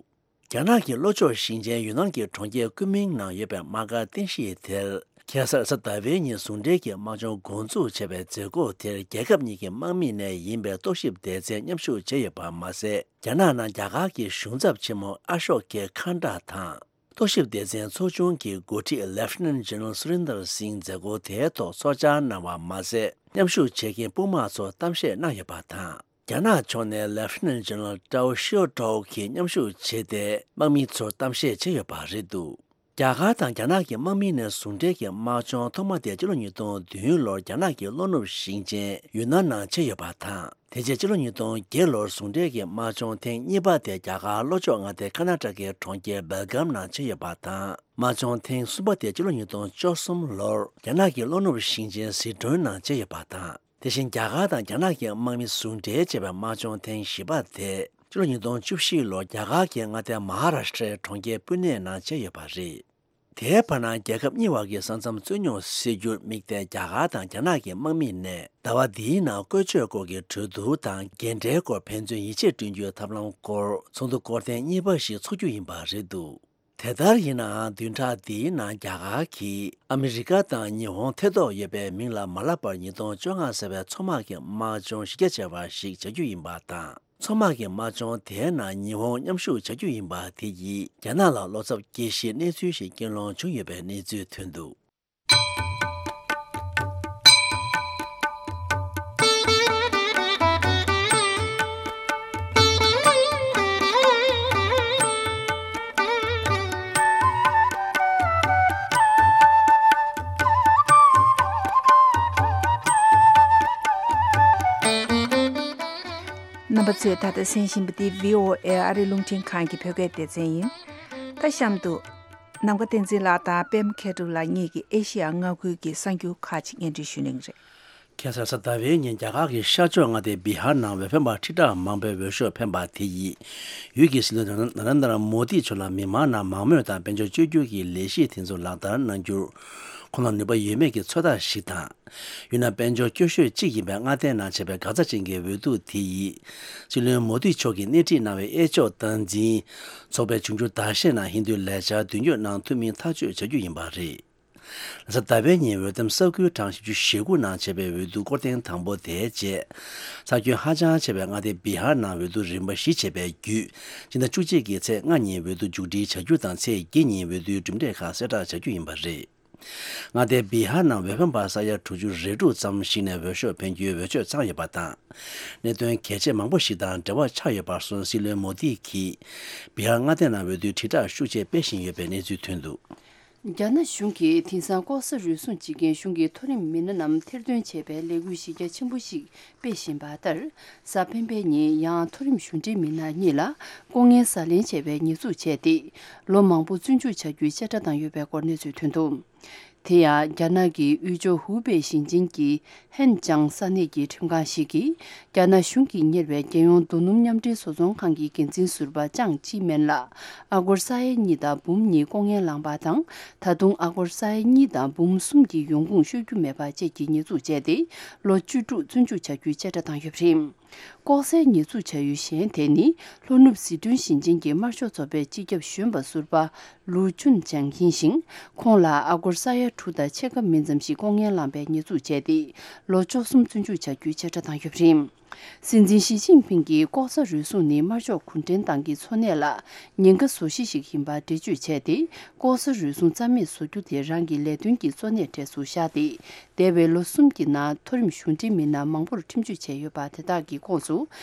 རྒྱ་ནག་གི་ལྷོ་ཕྱོགས་ཞིང་ཆེན་ཡུན་ནན་གྱི་གྲོང་ཁྱེར་ཀུན་མིང་ནང་ཡོད་པའི་དམག་སྒར་རྟེན་གཞི་དེར། ཁ་སང་གཟའ་ཟླ་བའི་ཉིན་ཟུང་འབྲེལ་གྱི་དམག་སྦྱོང་འགོ་འཛུགས་བྱས་པའི་མཛད་སྒོ་དེར་རྒྱལ་ཁབ་གཉིས་ཀྱི་དམག་མི་ནས་ཡིན་པའི་རྟོག་ཞིབ་སྡེ་ཚན་མཉམ་ཞུགས་བྱས་ཡོད་པ་མ་ཟད། རྒྱ་ནག་ནང་རྒྱ་གར་གྱི་གཞུང་ཚབ་ཆེན་མོ་ཨ་ཤོག་གྷེ་ཁན་ཏྲ་དང་། རྟོག་ཞིབ་སྡེ་ཚན་ཚོགས་ཆུང་གི་འགོ་ཁྲིད་Lieutenant General Surinder Singh་མཛད་སྒོ་དེའི་ཐོག་ཚོགས་བཅར་གནང་བ་མ་ཟད། མཉམ་ཞུགས་བྱེད་མཁན་དཔུང་དམག་ཚོར་གཏམ་བཤད་གནང་ཡོད་པ་དང་། རྒྱ་ནག་ཕྱོགས་ནས་Lieutenant General Tao Xiaotuo་གིས་མཉམ་ཞུགས་བྱས་ཏེ། དམག་མི་ཚོར་གཏམ་བཤད་བྱས་ཡོད་པ་རེད་འདུག་རྒྱ་གར་དང་རྒྱ་ནག་གི་དམག་མི་ནས་ཟུང་འབྲེལ་གྱི་དམག་སྦྱོང་ཐོག་མ་དེ་ཕྱི་ལོ་ཉིས་སྟོང་བདུན་ལོར་རྒྱ་ནག་གི་ལྷོ་ནུབ་ཞིང་ཆེན་ཡུན་ནན་ནང་བྱས་ཡོད་པ་དང་། དེ་རྗེས་ཕྱི་ལོ་ཉིས་སྟོང་བརྒྱད་ལོར་ཟུང་འབྲེལ་གྱི་དམག་སྦྱོང་ཐེངས་གཉིས་པ་དེ་རྒྱ་གར་ལྷོ་ཕྱོགས་མངའ་སྡེ་ཀར་ནཱ་ཊ་ཀའི་གྲོང་ཁྱེར་སྦེལ་གྷམ་ནང་བྱས་ཡོད་པ་དང་། དམག་སྦྱོང་ཐེངས་གསུམ་པ་དེ་ཕྱི་ལོ་ཉིས་སྟོང་བཅུ་གསུམ་ལོར་རྒྱ་ནག་གི་ལྷོ་ནུབ་ཞིང་ཆེན་ཟི་ཁྲོན་ནང་བྱས་ཡོད་པ་དང་། དེ་བཞིན་རྒྱ་གར་དང་རྒྱ་ནག་གི་དམག་མི་ཟུང་འབྲེལ་བྱས་པའི་དམག་སྦྱོང་ཐེངས་བཞི་པ་དེ་ཕྱི་ལོ་ཉིས་སྟོང་བཅུ་བཞི་ལོར་རྒྱ་གར་གྱི་མངའ་སྡེ་མ་ཧཱ་རཱ་ཤི་ཏྲའི་གྲོང་ཁྱེར་པུ་ནེ་ནང་བྱས་ཡོད་པ་རེད། དེའི་བར་ན་རྒྱལ་ཁབ་གཉིས་བར་གྱི་ས་མཚམས་རྩོད་རྙོག་སེལ་རྒྱུར་དམིགས་ཏེ་རྒྱ་གར་དང་རྒྱ་ནག་གི་དམག་མི་ནས་ཟླ་བ་འདིའི་ནང་བཀོལ་སྤྱོད་སྐོར་གྱི་གྲོས་བསྡུར་དང་འགན་འཁྲིའི་སྐོར་ཕན་ཚུན་ཡིད་ཆེས་བསྐྲུན་རྒྱུའི་ཐབས་ལམ་སྐོར་ཚོགས་འདུ་སྐོར་ཐེངས་གཉིས་པ་ཞིག་འཚོགས་རྒྱུ་ཡིན་པ་རེད་འདུག་དེ་ལྟར་ཡིན་ནའང་བདུན་ཕྲག་འདིའི་ནང་རྒྱ་གར་གྱིས་ཨ་མི་རི་ཀ་དང་ཉི་ཧོང་ཐེ་གཏོགས་ཡོད་པའི་མིང་ལ་མ་ལབ་པར་ཉིས་སྟོང་བཅོ་ལྔ་ཟེར་བའི་མཚོ་དམག་གི་དམག་སྦྱོང་གཞི་རྒྱ་ཆེ་བ་ཞིག་བྱ་རྒྱུ་ཡིན་པ་དང་། མཚོ་དམག་གི་དམག་སྦྱོང་དེའི་ནང་ཉི་ཧོང་མཉམ་ཞུགས་བྱ་རྒྱུ་ཡིན་པ་དེ་ཡིས་རྒྱ་ནག་ལ་བློ་འཚབ་སྐྱེ་གཞིའི་གནས་ཚུལ་ཞིག་རྐྱེན་སློང་བྱུང་ཡོད་པའི་གནས་ཚུལ་ཐོན་འདུག་རྣམ་པ་ཚོས་ད་ལྟ་གསན་བཞིན་པ་འདི་བྷི་ཨོ་ཨེ་ཨ་རི་རླུང་འཕྲིན་ཁང་གི་བོད་སྐད་སྡེ་ཚན་ཡིན། ད་གཤམ་དུ། ནམ་མཁའ་བསྟན་འཛིན་ལགས་དང་པད་མ་མཁས་གྲུབ་ལགས་གཉིས་ཀྱིས་ཨེ་ཤེ་ཡ་མངའ་ཁུལ་གྱི་གསར་འགྱུར་ཁག་ཅིག་སྙན་སྒྲོན་ཞུ་གནང་གི་རེད། ཁ་སང་གཟའ་ཟླ་བའི་ཉིན་རྒྱ་གར་གྱི་ཤར་ཕྱོགས་མངའ་སྡེ་བི་ཧར་ནང་འོས་འཕེན་པ་ཁྲི་ཕྲག་མང་པོའི་འོས་ཤོག་འཕེན་པ་དེ་ཡིས། ཡུལ་གྱི་སྲིད་བློན་ན་རེན་དྲ་མོ་དི་མཆོག་ལ་མི་མང་ནང་མང་མོས་དང་དཔལ་འབྱོར་བཅོས་བསྒྱུར་གྱི་ལས་གཞི་དེ་ཚོ་ལག་བསྟར་གནང་རྒྱུར། ཁོང་ལ་ནུས་པ་ཡོད་མེད་ཀྱི་ཚོད་ལྟ་ཞིག་དང་། ཡུལ་ནང་དཔལ་འབྱོར་སྐྱོ་ཤོས་གཅིག་ཡིན་པའི་མངའ་སྡེ་ནང་བྱས་པའི་འགག་རྩ་ཅན་གྱི་འོས་བསྡུ་དེ་ཡིས། སྲིད་བློན་མོ་དི་མཆོག་གིས་སྣེ་ཁྲིད་གནང་བའི་གཡས་ཕྱོགས་སྟངས་འཛིན། ཚོགས་པས་འབྱུང་འགྱུར་ཟླ་ཤས་ནང་ཧིན་རྡུའི་ལས་འཆར་དོན་འཁྱོལ་གནང་ཐུབ་མིན་ཐག་གཅོད་བྱ་རྒྱུ་ཡིན་པ་རེད། གཟའ་ཟླ་བའི་ཉིན་འོས་འདེམས་ས་ཁུལ་གྲངས་བཞི་བཅུ་ཞེ་དགུ་ནང་བྱས་པའི་འོས་བསྡུ་སྐོར་ཐེངས་དང་པོ་དེའི་རྗེས། ས་ཁྱོན་ཧ་ཅང་ཆེ་བའི་མངའ་སྡེ་བི་ཧར་ནང་འོས་བསྡུ་རིམ་པ་བཞི་བྱས་པའི་བརྒྱུད། སྤྱི་ཟླ་བཅུ་གཅིག་གི་ཚེས་ལྔ་ཉིན་འོས་བསྡུ་མཇུག་སྒྲིལ་བྱ་རྒྱུ་དང་ཚེས་བརྒྱད་ཉིན་འོས་བསྡུའི་གྲུབ་འབྲས་ཁག་གསལ་བསྒྲགས་བྱ་རྒྱུ་ཡིན་པ་རེད། མངའ་སྡེ་བི་ཧར་ནང་འོས་འཕེན་པ་ས་ཡ་དྲུག་ཅུ་རེ་དྲུག་ཙམ་ཞིག་ནས་འོས་ཤོག་འཕེན་རྒྱུའི་འོས་ཆོས་ཚང་ཡོད་པ་དང་། གནད་དོན་གལ་ཆེ་མང་པོ་ཞིག་དང་འབྲེལ་བ་ཆགས་ཡོད་པར་སོང་སྲིད་བློན་མོ་དི་གིས། བི་ཧར་མངའ་སྡེ་ནང་འོས་བསྡུའི་དྲིལ་བསྒྲགས་ཤུགས་ཆེ་སྤེལ་བཞིན་ཡོད་པའི་གནས་ཚུལ་ཐོན་འདུག། རྒྱ་ནག་གཞུང་གིས་དེང་སང་ལྐོག་ཟ་རུལ་སུངས་བྱེད་མཁན་གཞུང་གི་མཐོ་རིམ་མི་སྣ་རྣམས་ཐེར་འདོན་བྱེད་པའི་ལས་འགུལ་གཞི་རྒྱ་ཆེན་པོ་ཞིག་སྤེལ་བཞིན་པ་ལྟར། གཟའ་སྤེན་པའི་ཉིན་ཡང་མཐོ་རིམ་གཞུང་འབྲེལ་མི་སྣ་གཉིས་ལ་ལྐོག་རྔན་ཟ་ལེན་བྱས་པའི་ཉེས་འཛུགས་བྱས་ཏེ། ལོ་མང་པོ་བཙོན་འཇུག་བྱ་རྒྱུའི་བཤད་གྲྭ་བཏང་ཡོད་པའི་སྐོར་གནས་ཚུལ་ཐོན་འདུག། དེ་ཡང་རྒྱ་ནག་གི་དབུས་ཕྱོགས་ཧུའུ་པེ་ཞིང་ཆེན་གྱི་ཧན་ཅང་ས་གནས་ཀྱི་ཁྲིམས་ཁང་ཞིག་གིས། རྒྱ་ནག་གཞུང་གིས་གཉེར་བའི་རྒྱལ་ཡོངས་རྡོ་སྣུམ་མཉམ་འབྲེལ་བཟོ་ཚོང་ཁང་གི་འགན་འཛིན་ཟུར་པ་ཅང་ཅི་མེན་ལ། ཨ་སྒོར་ས་ཡ་གཉིས་དང་འབུམ་གཉིས་ལྐོག་རྔན་བླངས་པ་དང་། ད་དུང་ཨ་སྒོར་ས་ཡ་གཉིས་དང་འབུམ་གསུམ་གྱི་ཡོང་ཁུངས་ཤོད་རྒྱུ་མེད་པ་བཅས་ཀྱི་ཉེས་འཛུགས་བྱས་ཏེ། ལོ་བཅུ་དྲུག་བཙོན་འཇུག་བྱ་རྒྱུའི་བཤད་གྲྭ་བཏང་ཡོད་པ་རེད། ལྐོག་ཟའི་ཉེས་འཛུགས་བྱ་ཡུལ་གཞན་དེ་ནི། ལྷོ་ནུབ་ཟི་ཁྲོན་ཞིང་ཆེན་གྱི་དམར་ཤོག་ཚོགས་པའི་སྤྱི་ཁྱབ་གཞོན་པ་ཟུར་པ་ལུའུ་ཅུན་ཅང་ཡིན་ཞིང་། ཁོང་ལ་ཨ་སྒོར་ས་ཡ་དྲུག་དང་ཕྱེད་ཀ་མིན་ཙམ་ཞིག་ལྐོག་རྔན་བླངས་པའི་ཉེས་འཛུགས་བྱས་ཏེ། ལོ་བཅུ་གསུམ་བཙོན་འཇུག་བྱ་རྒྱུའི་བཤད་གྲྭ་བཏང་ཡོད་པ་རེད། སྲིད་འཛིན་ཞི་ཅིན་ཕིང་གིས་ལྐོག་ཟ་རུལ་སུངས་ནི་དམར་ཤོག་གུང་ཁྲན་ཏང་གི་འཚོ་གནས་ལ་ཉེན་ཁ་བཟོ་གཞི་ཞིག་ཡིན་པ་འགྲེལ་བརྗོད་བྱས་ཏེ། ལྐོག་ཟ་རུལ་སུངས་རྩ་མེད་བཟོ་རྒྱུ་དེ་རང་གི་ལས་དོན་གྱི་གཙོ་གནད་གྲས་སུ་བཞག་སྟེ། འདས་པའི་ལོ་གསུམ་གྱི་ནང་མཐོ་རིམ་གཞུང་འབྲེལ་མི་སྣ་མང་པོར་ཁྲིམས་གཅོད་བྱས་ཡོད་པ་དེ་དག་གི་ཁོངས་སུ།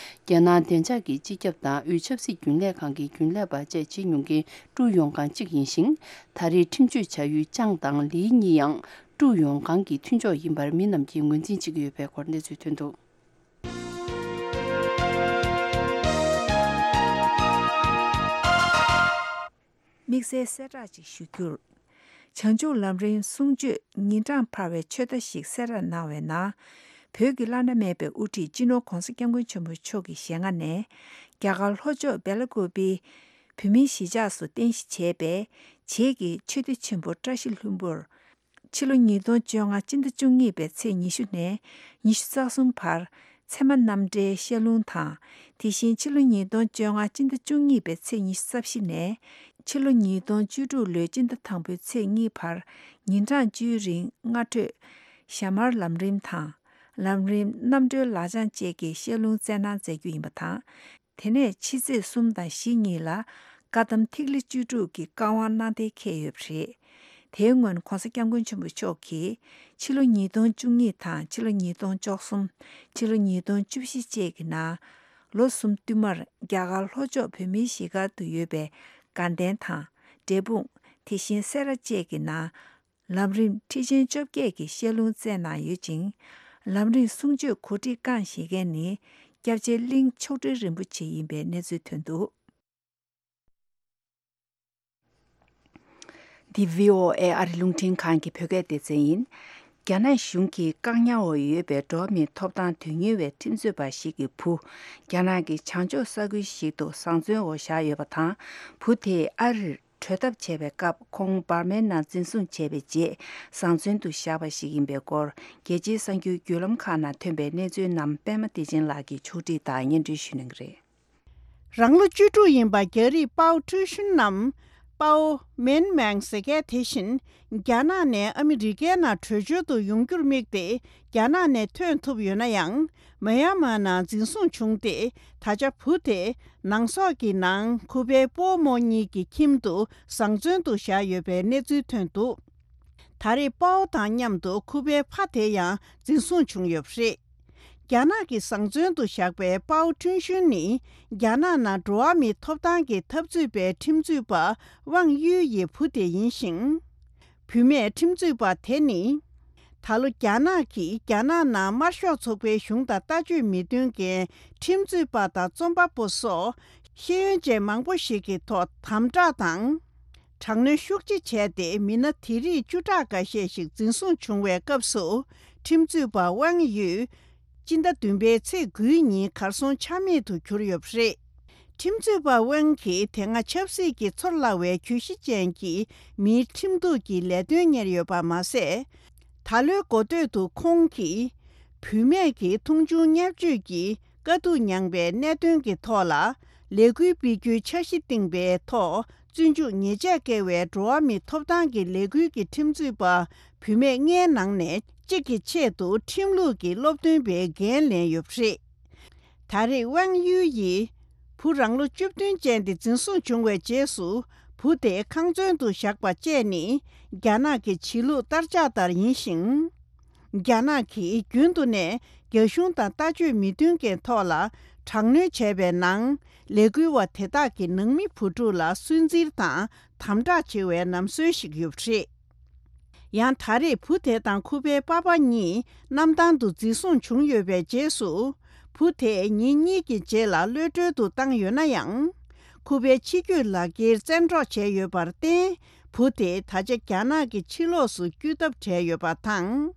རྒྱལ་ནང་བདེ་འཇགས་ཀྱི་སྤྱི་ཁྱབ་དང་དབུས་ཆབ་སྲིད་རྒྱུན་ལས་ཁང་གི་རྒྱུན་ལས་པ་བཅས་བྱེད་མྱོང་མཁན་ཀྲུའུ་ཡོང་ཀང་གཅིག་ཡིན་ཞིང་། ད་རེས་ཁྲིམས་གཅོད་བྱ་ཡུལ་ཅང་དང་ལི་གཉིས་ཡང་ཀྲུའུ་ཡོང་ཀང་གི་མཐུན་ཕྱོགས་ཡིན་པར་མི་རྣམས་ཀྱིས་ངོས་འཛིན་བྱེད་ཀྱི་ཡོད་པའི་སྐོར་གནས་ཚུལ་ཐོན་འདུག། དམིགས་བསལ་གསལ་བསྒྲགས་ཅིག་ཞུ་རྒྱུར། བྱང་ཆུབ་ལམ་རིམ་གསུང་ཆོས་ཉིན་གྲངས་འཕར་བའི་ཆོས་བརྡ་ཞིག་གསལ་བསྒྲགས་གནང་བའི་ནང་། བོད་ཀྱི་བླ་ན་མེད་པའི་དབུ་ཁྲིད་སྤྱི་ནོར་༧གོང་ས་༧སྐྱབས་མགོན་ཆེན་པོ་མཆོག་གི་ཞལ་སྔ་ནས། རྒྱ་གར་ལྷོ་ཕྱོགས་སྦེ་ལ་ཀུ་པེའི་བོད་མིའི་གཞིས་ཆགས་སུ་རྟེན་གཞི་བྱས་པའི་བྱེས་ཀྱི་ཆོས་སྡེ་ཆེན་པོ་བཀྲ་ཤིས་ལྷུན་པོར། ཕྱི་ལོ་ཉིས་སྟོང་བཅོ་ལྔ་སྤྱི་ཟླ་བཅུ་གཉིས་པའི་ཚེས་ཉི་ཤུ་ནས་ཉི་ཤུ་རྩ་གསུམ་བར་ཚད་མ་རྣམ་འགྲེལ་བཤད་ལུང་དང་། དེ་བཞིན་ཕྱི་ལོ་ཉིས་སྟོང་བཅོ་ལྔ་སྤྱི་ཟླ་བཅུ་གཉིས་པའི་ཚེས་ཉི་ཤུ་རྩ་བཞི་ནས་ཕྱི་ལོ་ཉིས་སྟོང་བཅུ་དྲུག་ལོའི་སྤྱི་ཟླ་དང་པོའི་ཚེས་གཉིས་བར་ཉིན་གྲངས་བཅུའི་རིང་སྔ་དྲོས་ཞྭ་དམར་ལམ་རིམ་དང་། ལམ་རིམ་རྣམ་གྲོལ་ལག་བཅངས་བཅས་ཀྱི་བཤད་ལུང་སྩལ་གནང་མཛད་རྒྱུ་ཡིན་པ་དང་། དེ་ནས་ཕྱི་ཚེས་གསུམ་དང་བཞི་གཉིས་ལ་བཀའ་གདམས་ཐིག་ལེ་བཅུ་དྲུག་གི་བཀའ་དབང་གནང་གཏན་འཁེལ་ཡོད་པ་རེད། དེའི་སྔོན་༧གོང་ས་༧སྐྱབས་མགོན་ཆེན་པོ་མཆོག་གིས་ཕྱི་ལོ་ཉིས་སྟོང་བཅུ་གཉིས་དང་ཕྱི་ལོ་ཉིས་སྟོང་བཅུ་གསུམ། ཕྱི་ལོ་ཉིས་སྟོང་བཅུ་བཞི་བཅས་ཀྱི་ནང་ལོ་གསུམ་བསྟུད་མར་རྒྱ་གར་ལྷོ་ཕྱོགས་བོད་མིའི་གཞིས་སྒར་དུ་ཡོད་པའི་དགའ་ལྡན་དང་འབྲས་སྤུངས། དེ་བཞིན་སེ་ར་བཅས་ཀྱི་ནང་། ལམ་རིམ་ཁྲིད་ཆེན་བཅོ་བརྒྱད་ཀྱི་བཤད་ལུང་སྩལ་གནང་ཡོད་ཅིང་། ལམ་རིམ་གསུང་ཆོས་གོ་སྒྲིག་བསྐངས་བཞེས་མཁན་ནི་སྐྱབས་རྗེ་གླིང་མཆོག་སྤྲུལ་རིན་པོ་ཆེ་ཡིན་པའི་གནས་ཚུལ་ཐོན་འདུག། འདི་བྷི་ཨོ་ཨེ་ཨ་རི་རླུང་འཕྲིན་ཁང་གི་བོད་སྐད་སྡེ་ཚན་ཡིན། རྒྱ་ནག་གཞུང་གིས་བཀག་ཉར་འོག་ཡོད་པའི་འགྲོ་བ་མིའི་ཐོབ་ཐང་དོན་གཉེར་བའི་ཁྲིམས་རྩོད་པ་ཞིག་གི་བུ། རྒྱ་ནག་གི་བྱང་ཕྱོགས་ས་ཁུལ་ཞིག་ཏུ་བཟང་བཙོན་འོག་བཞག་ཡོད་པ་དང་། བུ་དེས་ཨ་རིར་བྲོས་ཐབས་བྱས་པའི་སྐབས། ཁོང་འབར་མའི་ནང་འཛིན་བཟུང་བྱས་པའི་རྗེས། བཟང་བཙོན་དུ་བཞག་པ་ཞིག་ཡིན་པའི་སྐོར། རྒྱལ་སྤྱིའི་གསར་འགྱུར་བརྒྱུད་ལམ་ཁག་ནང་ཐོན་པའི་གནས་ཚུལ་རྣམས། པད་མ་བདེ་ཆེན་ལགས་ཀྱིས་ཕྱོགས་སྒྲིག་དང་སྙན་སྒྲོན་ཞུ་གནང་གི་རེད། རང་ལོ་བཅུ་དྲུག་ཡིན་པ་རྒྱ་རིགས་པའོ་ཀྲུའུ་ཤུན་ནམ། པའོ་མེན་མེང་ཟེར་མཁན་དེ་བཞིན། རྒྱ་ནག་ནས་ཨ་མི་རི་ཀའི་ནང་བྲོས་བྱོལ་དུ་ཡོང་རྒྱུར་དམིགས་ཏེ། རྒྱ་ནག་ནས་ཐོན་ཐུབ་ཡོད་ན་ཡང་། མེན་མར་ནང་འཛིན་བཟུང་བྱུང་སྟེ། ད་ཆ་བུ་དེ་ནང་སོག་གི་ནང་ཁུ་པའི་སྤོ་རྨོ་གཉིས་ཀྱི་ཁྱིམ་དུ་བཟང་བཙོན་དུ་བཞག་ཡོད་པའི་གནས་ཚུལ་ཐོན་འདུག། ད་རེས་པའོ་དང་མཉམ་དུ་ཁུ་པའི་ཕ་དེ་ཡང་འཛིན་བཟུང་བྱུང་ཡོད་པ་རེད། རྒྱ་ནག་གིས་བཟང་བཙོན་དུ་བཞག་པའི་པའོ་ཁྲུན་ཤུན་ནི། རྒྱ་ནག་ནང་འགྲོ་བ་མིའི་ཐོབ་ཐང་གི་འཐབ་རྩོད་པའི་ཁྲིམས་རྩོད་པ་ཝང་གཡུའི་ཡི་བུ་དེ་ཡིན་ཞིང་། བུད་མེད་ཁྲིམས་རྩོད་པ་དེ་ནི། ད་ལོ་རྒྱ་ནག་གིས་རྒྱ་ནག་ནང་དམར་ཤོག་ཚོགས་པའི་གཞུང་དང་ལྟ་སྤྱོད་མི་མཐུན་མཁན་ཁྲིམས་རྩོད་པ་དང་རྩོམ་པ་པོ་སོགས་ཤེས་ཡོན་ཅན་མང་པོ་ཞིག་གི་ཐོག་དམ་དྲག་དང་། དྲག་གནོན་ཤུགས་ཆེ་བྱས་ཏེ། མི་སྣ་དེ་རིགས་བཅུ་ཕྲག་འགའ་ཤས་ཤིག་འཛིན་བཟུང་བྱུང་བའི་སྐབས་སུ། ཁྲིམས་རྩོད་པ་ཝང་ཡུས་སྤྱི་ཟླ་བདུན་པའི་ཚེས་དགུའི་ཉིན་གར་སོང་ཆ་མེད་དུ་གྱུར་ཡོད་པ་རེད། ཁྲིམས་རྩོད་པ་ཝང་གིས་དེ་སྔ་ཆབ་སྲིད་ཀྱི་ཚོར་སླ་བའི་གྱོད་གཞི་ཅན་གྱི་མིའི་ཁྲིམས་གཏུག་གི་ལས་དོན་གཉེར་ཡོད་པ་མ་ཟད། ད་ལོའི་འགོ་སྟོད་དུ་ཁོང་གིས་བུད་མེད་ཀྱི་མཐོང་ཆུང་བརྙས་བཅོས་ཀྱི་དཀའ་སྡུག་མྱངས་པའི་གནད་དོན་གྱི་ཐོག་ལ་ལས་འགུལ་སྤེལ་རྒྱུའི་འཆར་གཞི་བཏིང་པའི་ཐོག་བཙོན་འཇུག་ཉེས་ཆད་བཀལ་བའི་འགྲོ་བ་མིའི་ཐོབ་ཐང་གི་ལས་འགུལ་གྱི་ཁྲིམས་རྩོད་པ་བུད་མེད་ལྔའི་ནང་ནས་གཅིག་གི་ཆེད་དུ་ཁྲིམས་ལུགས་ཀྱི་སློབ་སྟོན་པའི་འགན་ལེན་ཡོད་པ་རེད། ད་རེས་ཝང་ཡུས་ཡིས་བུ་རང་ལོ་བཅུ་བདུན་ཅན་དེ་འཛིན་བཟུང་བྱུང་བའི་རྗེས་སུ་བུ་དེ་ཁང་བཙོན་དུ་བཞག་པ་བཅས་ནི་རྒྱ་ནག་གི་བྱེད་ལུགས་བསྟར་ཆགས་ལྟར་ཡིན་ཞིང་། རྒྱ་ནག་གིས་རྒྱུན་དུ་ནས་རྒྱ་གཞུང་དང་ལྟ་སྤྱོད་མི་མཐུན་རྐྱེན་ཐོག་ལ་དྲག་གནོན་བྱས་པའི་ནང་ལས་འགུལ་བ་དེ་དག་གི་ནང་མི་བུ་ཕྲུག་ལ་སུན་གཙེར་དང་དམ་དྲག་བྱེད་པའི་ལམ་སྲོལ་ཞིག་ཡོད་པ་རེད། ཡང་ད་རེས་བུ་དེ་དང་ཁུ་པའི་པ་ཕ་གཉིས་གནམ་ཐང་དུ་འཛིན་བཟུང་བྱུང་ཡོད་པའི་རྗེས་སུ། བུ་དེས་ཉིན་གཉིས་ཀྱི་རྗེས་ལ་གློད་གྲོལ་དུ་བཏང་ཡོད་ན་ཡང་། ཁུ་པའི་ཕྱི་སྐྱོད་ལག་འཁྱེར་བཙན་འཕྲོག་བྱས་ཡོད་པར་བརྟེན། བུ་དེ་ད་ཆ་རྒྱ་ནག་གི་ཕྱི་ལོགས་སུ་སྐྱོད་ཐབས་བྲལ་ཡོད་པ་དང་།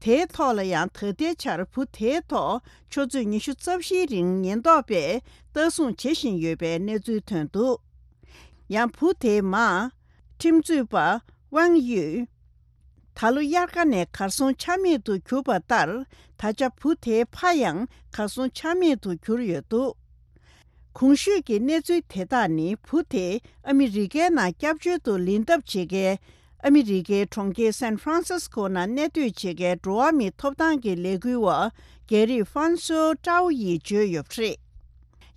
དེའི་ཐོག་ལ་ཡང་ད་ལྟའི་ཆར་བུ་དེའི་ཐོག་ཆུ་ཚོད་ཉི་ཤུ་རྩ་བཞིའི་རིང་ཉེན་རྟོག་པས་ལྟ་སྲུང་བྱེད་བཞིན་ཡོད་པའི་གནས་ཚུལ་ཐོན་འདུག་ཡང་བུ་དེའི་མ། ཁྲིམས་རྩོད་པ་ཝང་ཡུས། ད་ལོ་དབྱར་ཁ་ནས་གར་སོང་ཆ་མེད་དུ་གྱུར་པ་ལྟར། ད་ཆ་བུ་དེའི་ཕ་ཡང་གར་སོང་ཆ་མེད་དུ་གྱུར་ཡོད་འདུག་གོང་ཞུས་ཀྱི་གནས་ཚུལ་དེ་དག་ནི་བུ་དེ་ཨ་མི་རི་ཀའི་ནང་སྐྱབས་བཅོལ་དུ་ལེན་ཐབས་བྱེད་མཁན། ཨ་མི་རི་ཀའི་གྲོང་ཁྱེར་སན་ཧྥ་རན་སིས་ཀོ་ནང་གནས་སྡོད་བྱེད་མཁན་འགྲོ་བ་མིའི་ཐོབ་ཐང་གི་ལས་འགུལ་བ་རྒྱ་རིགས་ཧྥན་སོ་ཀྲའོ་ཡིས་བརྗོད་ཡོད་པ་རེད།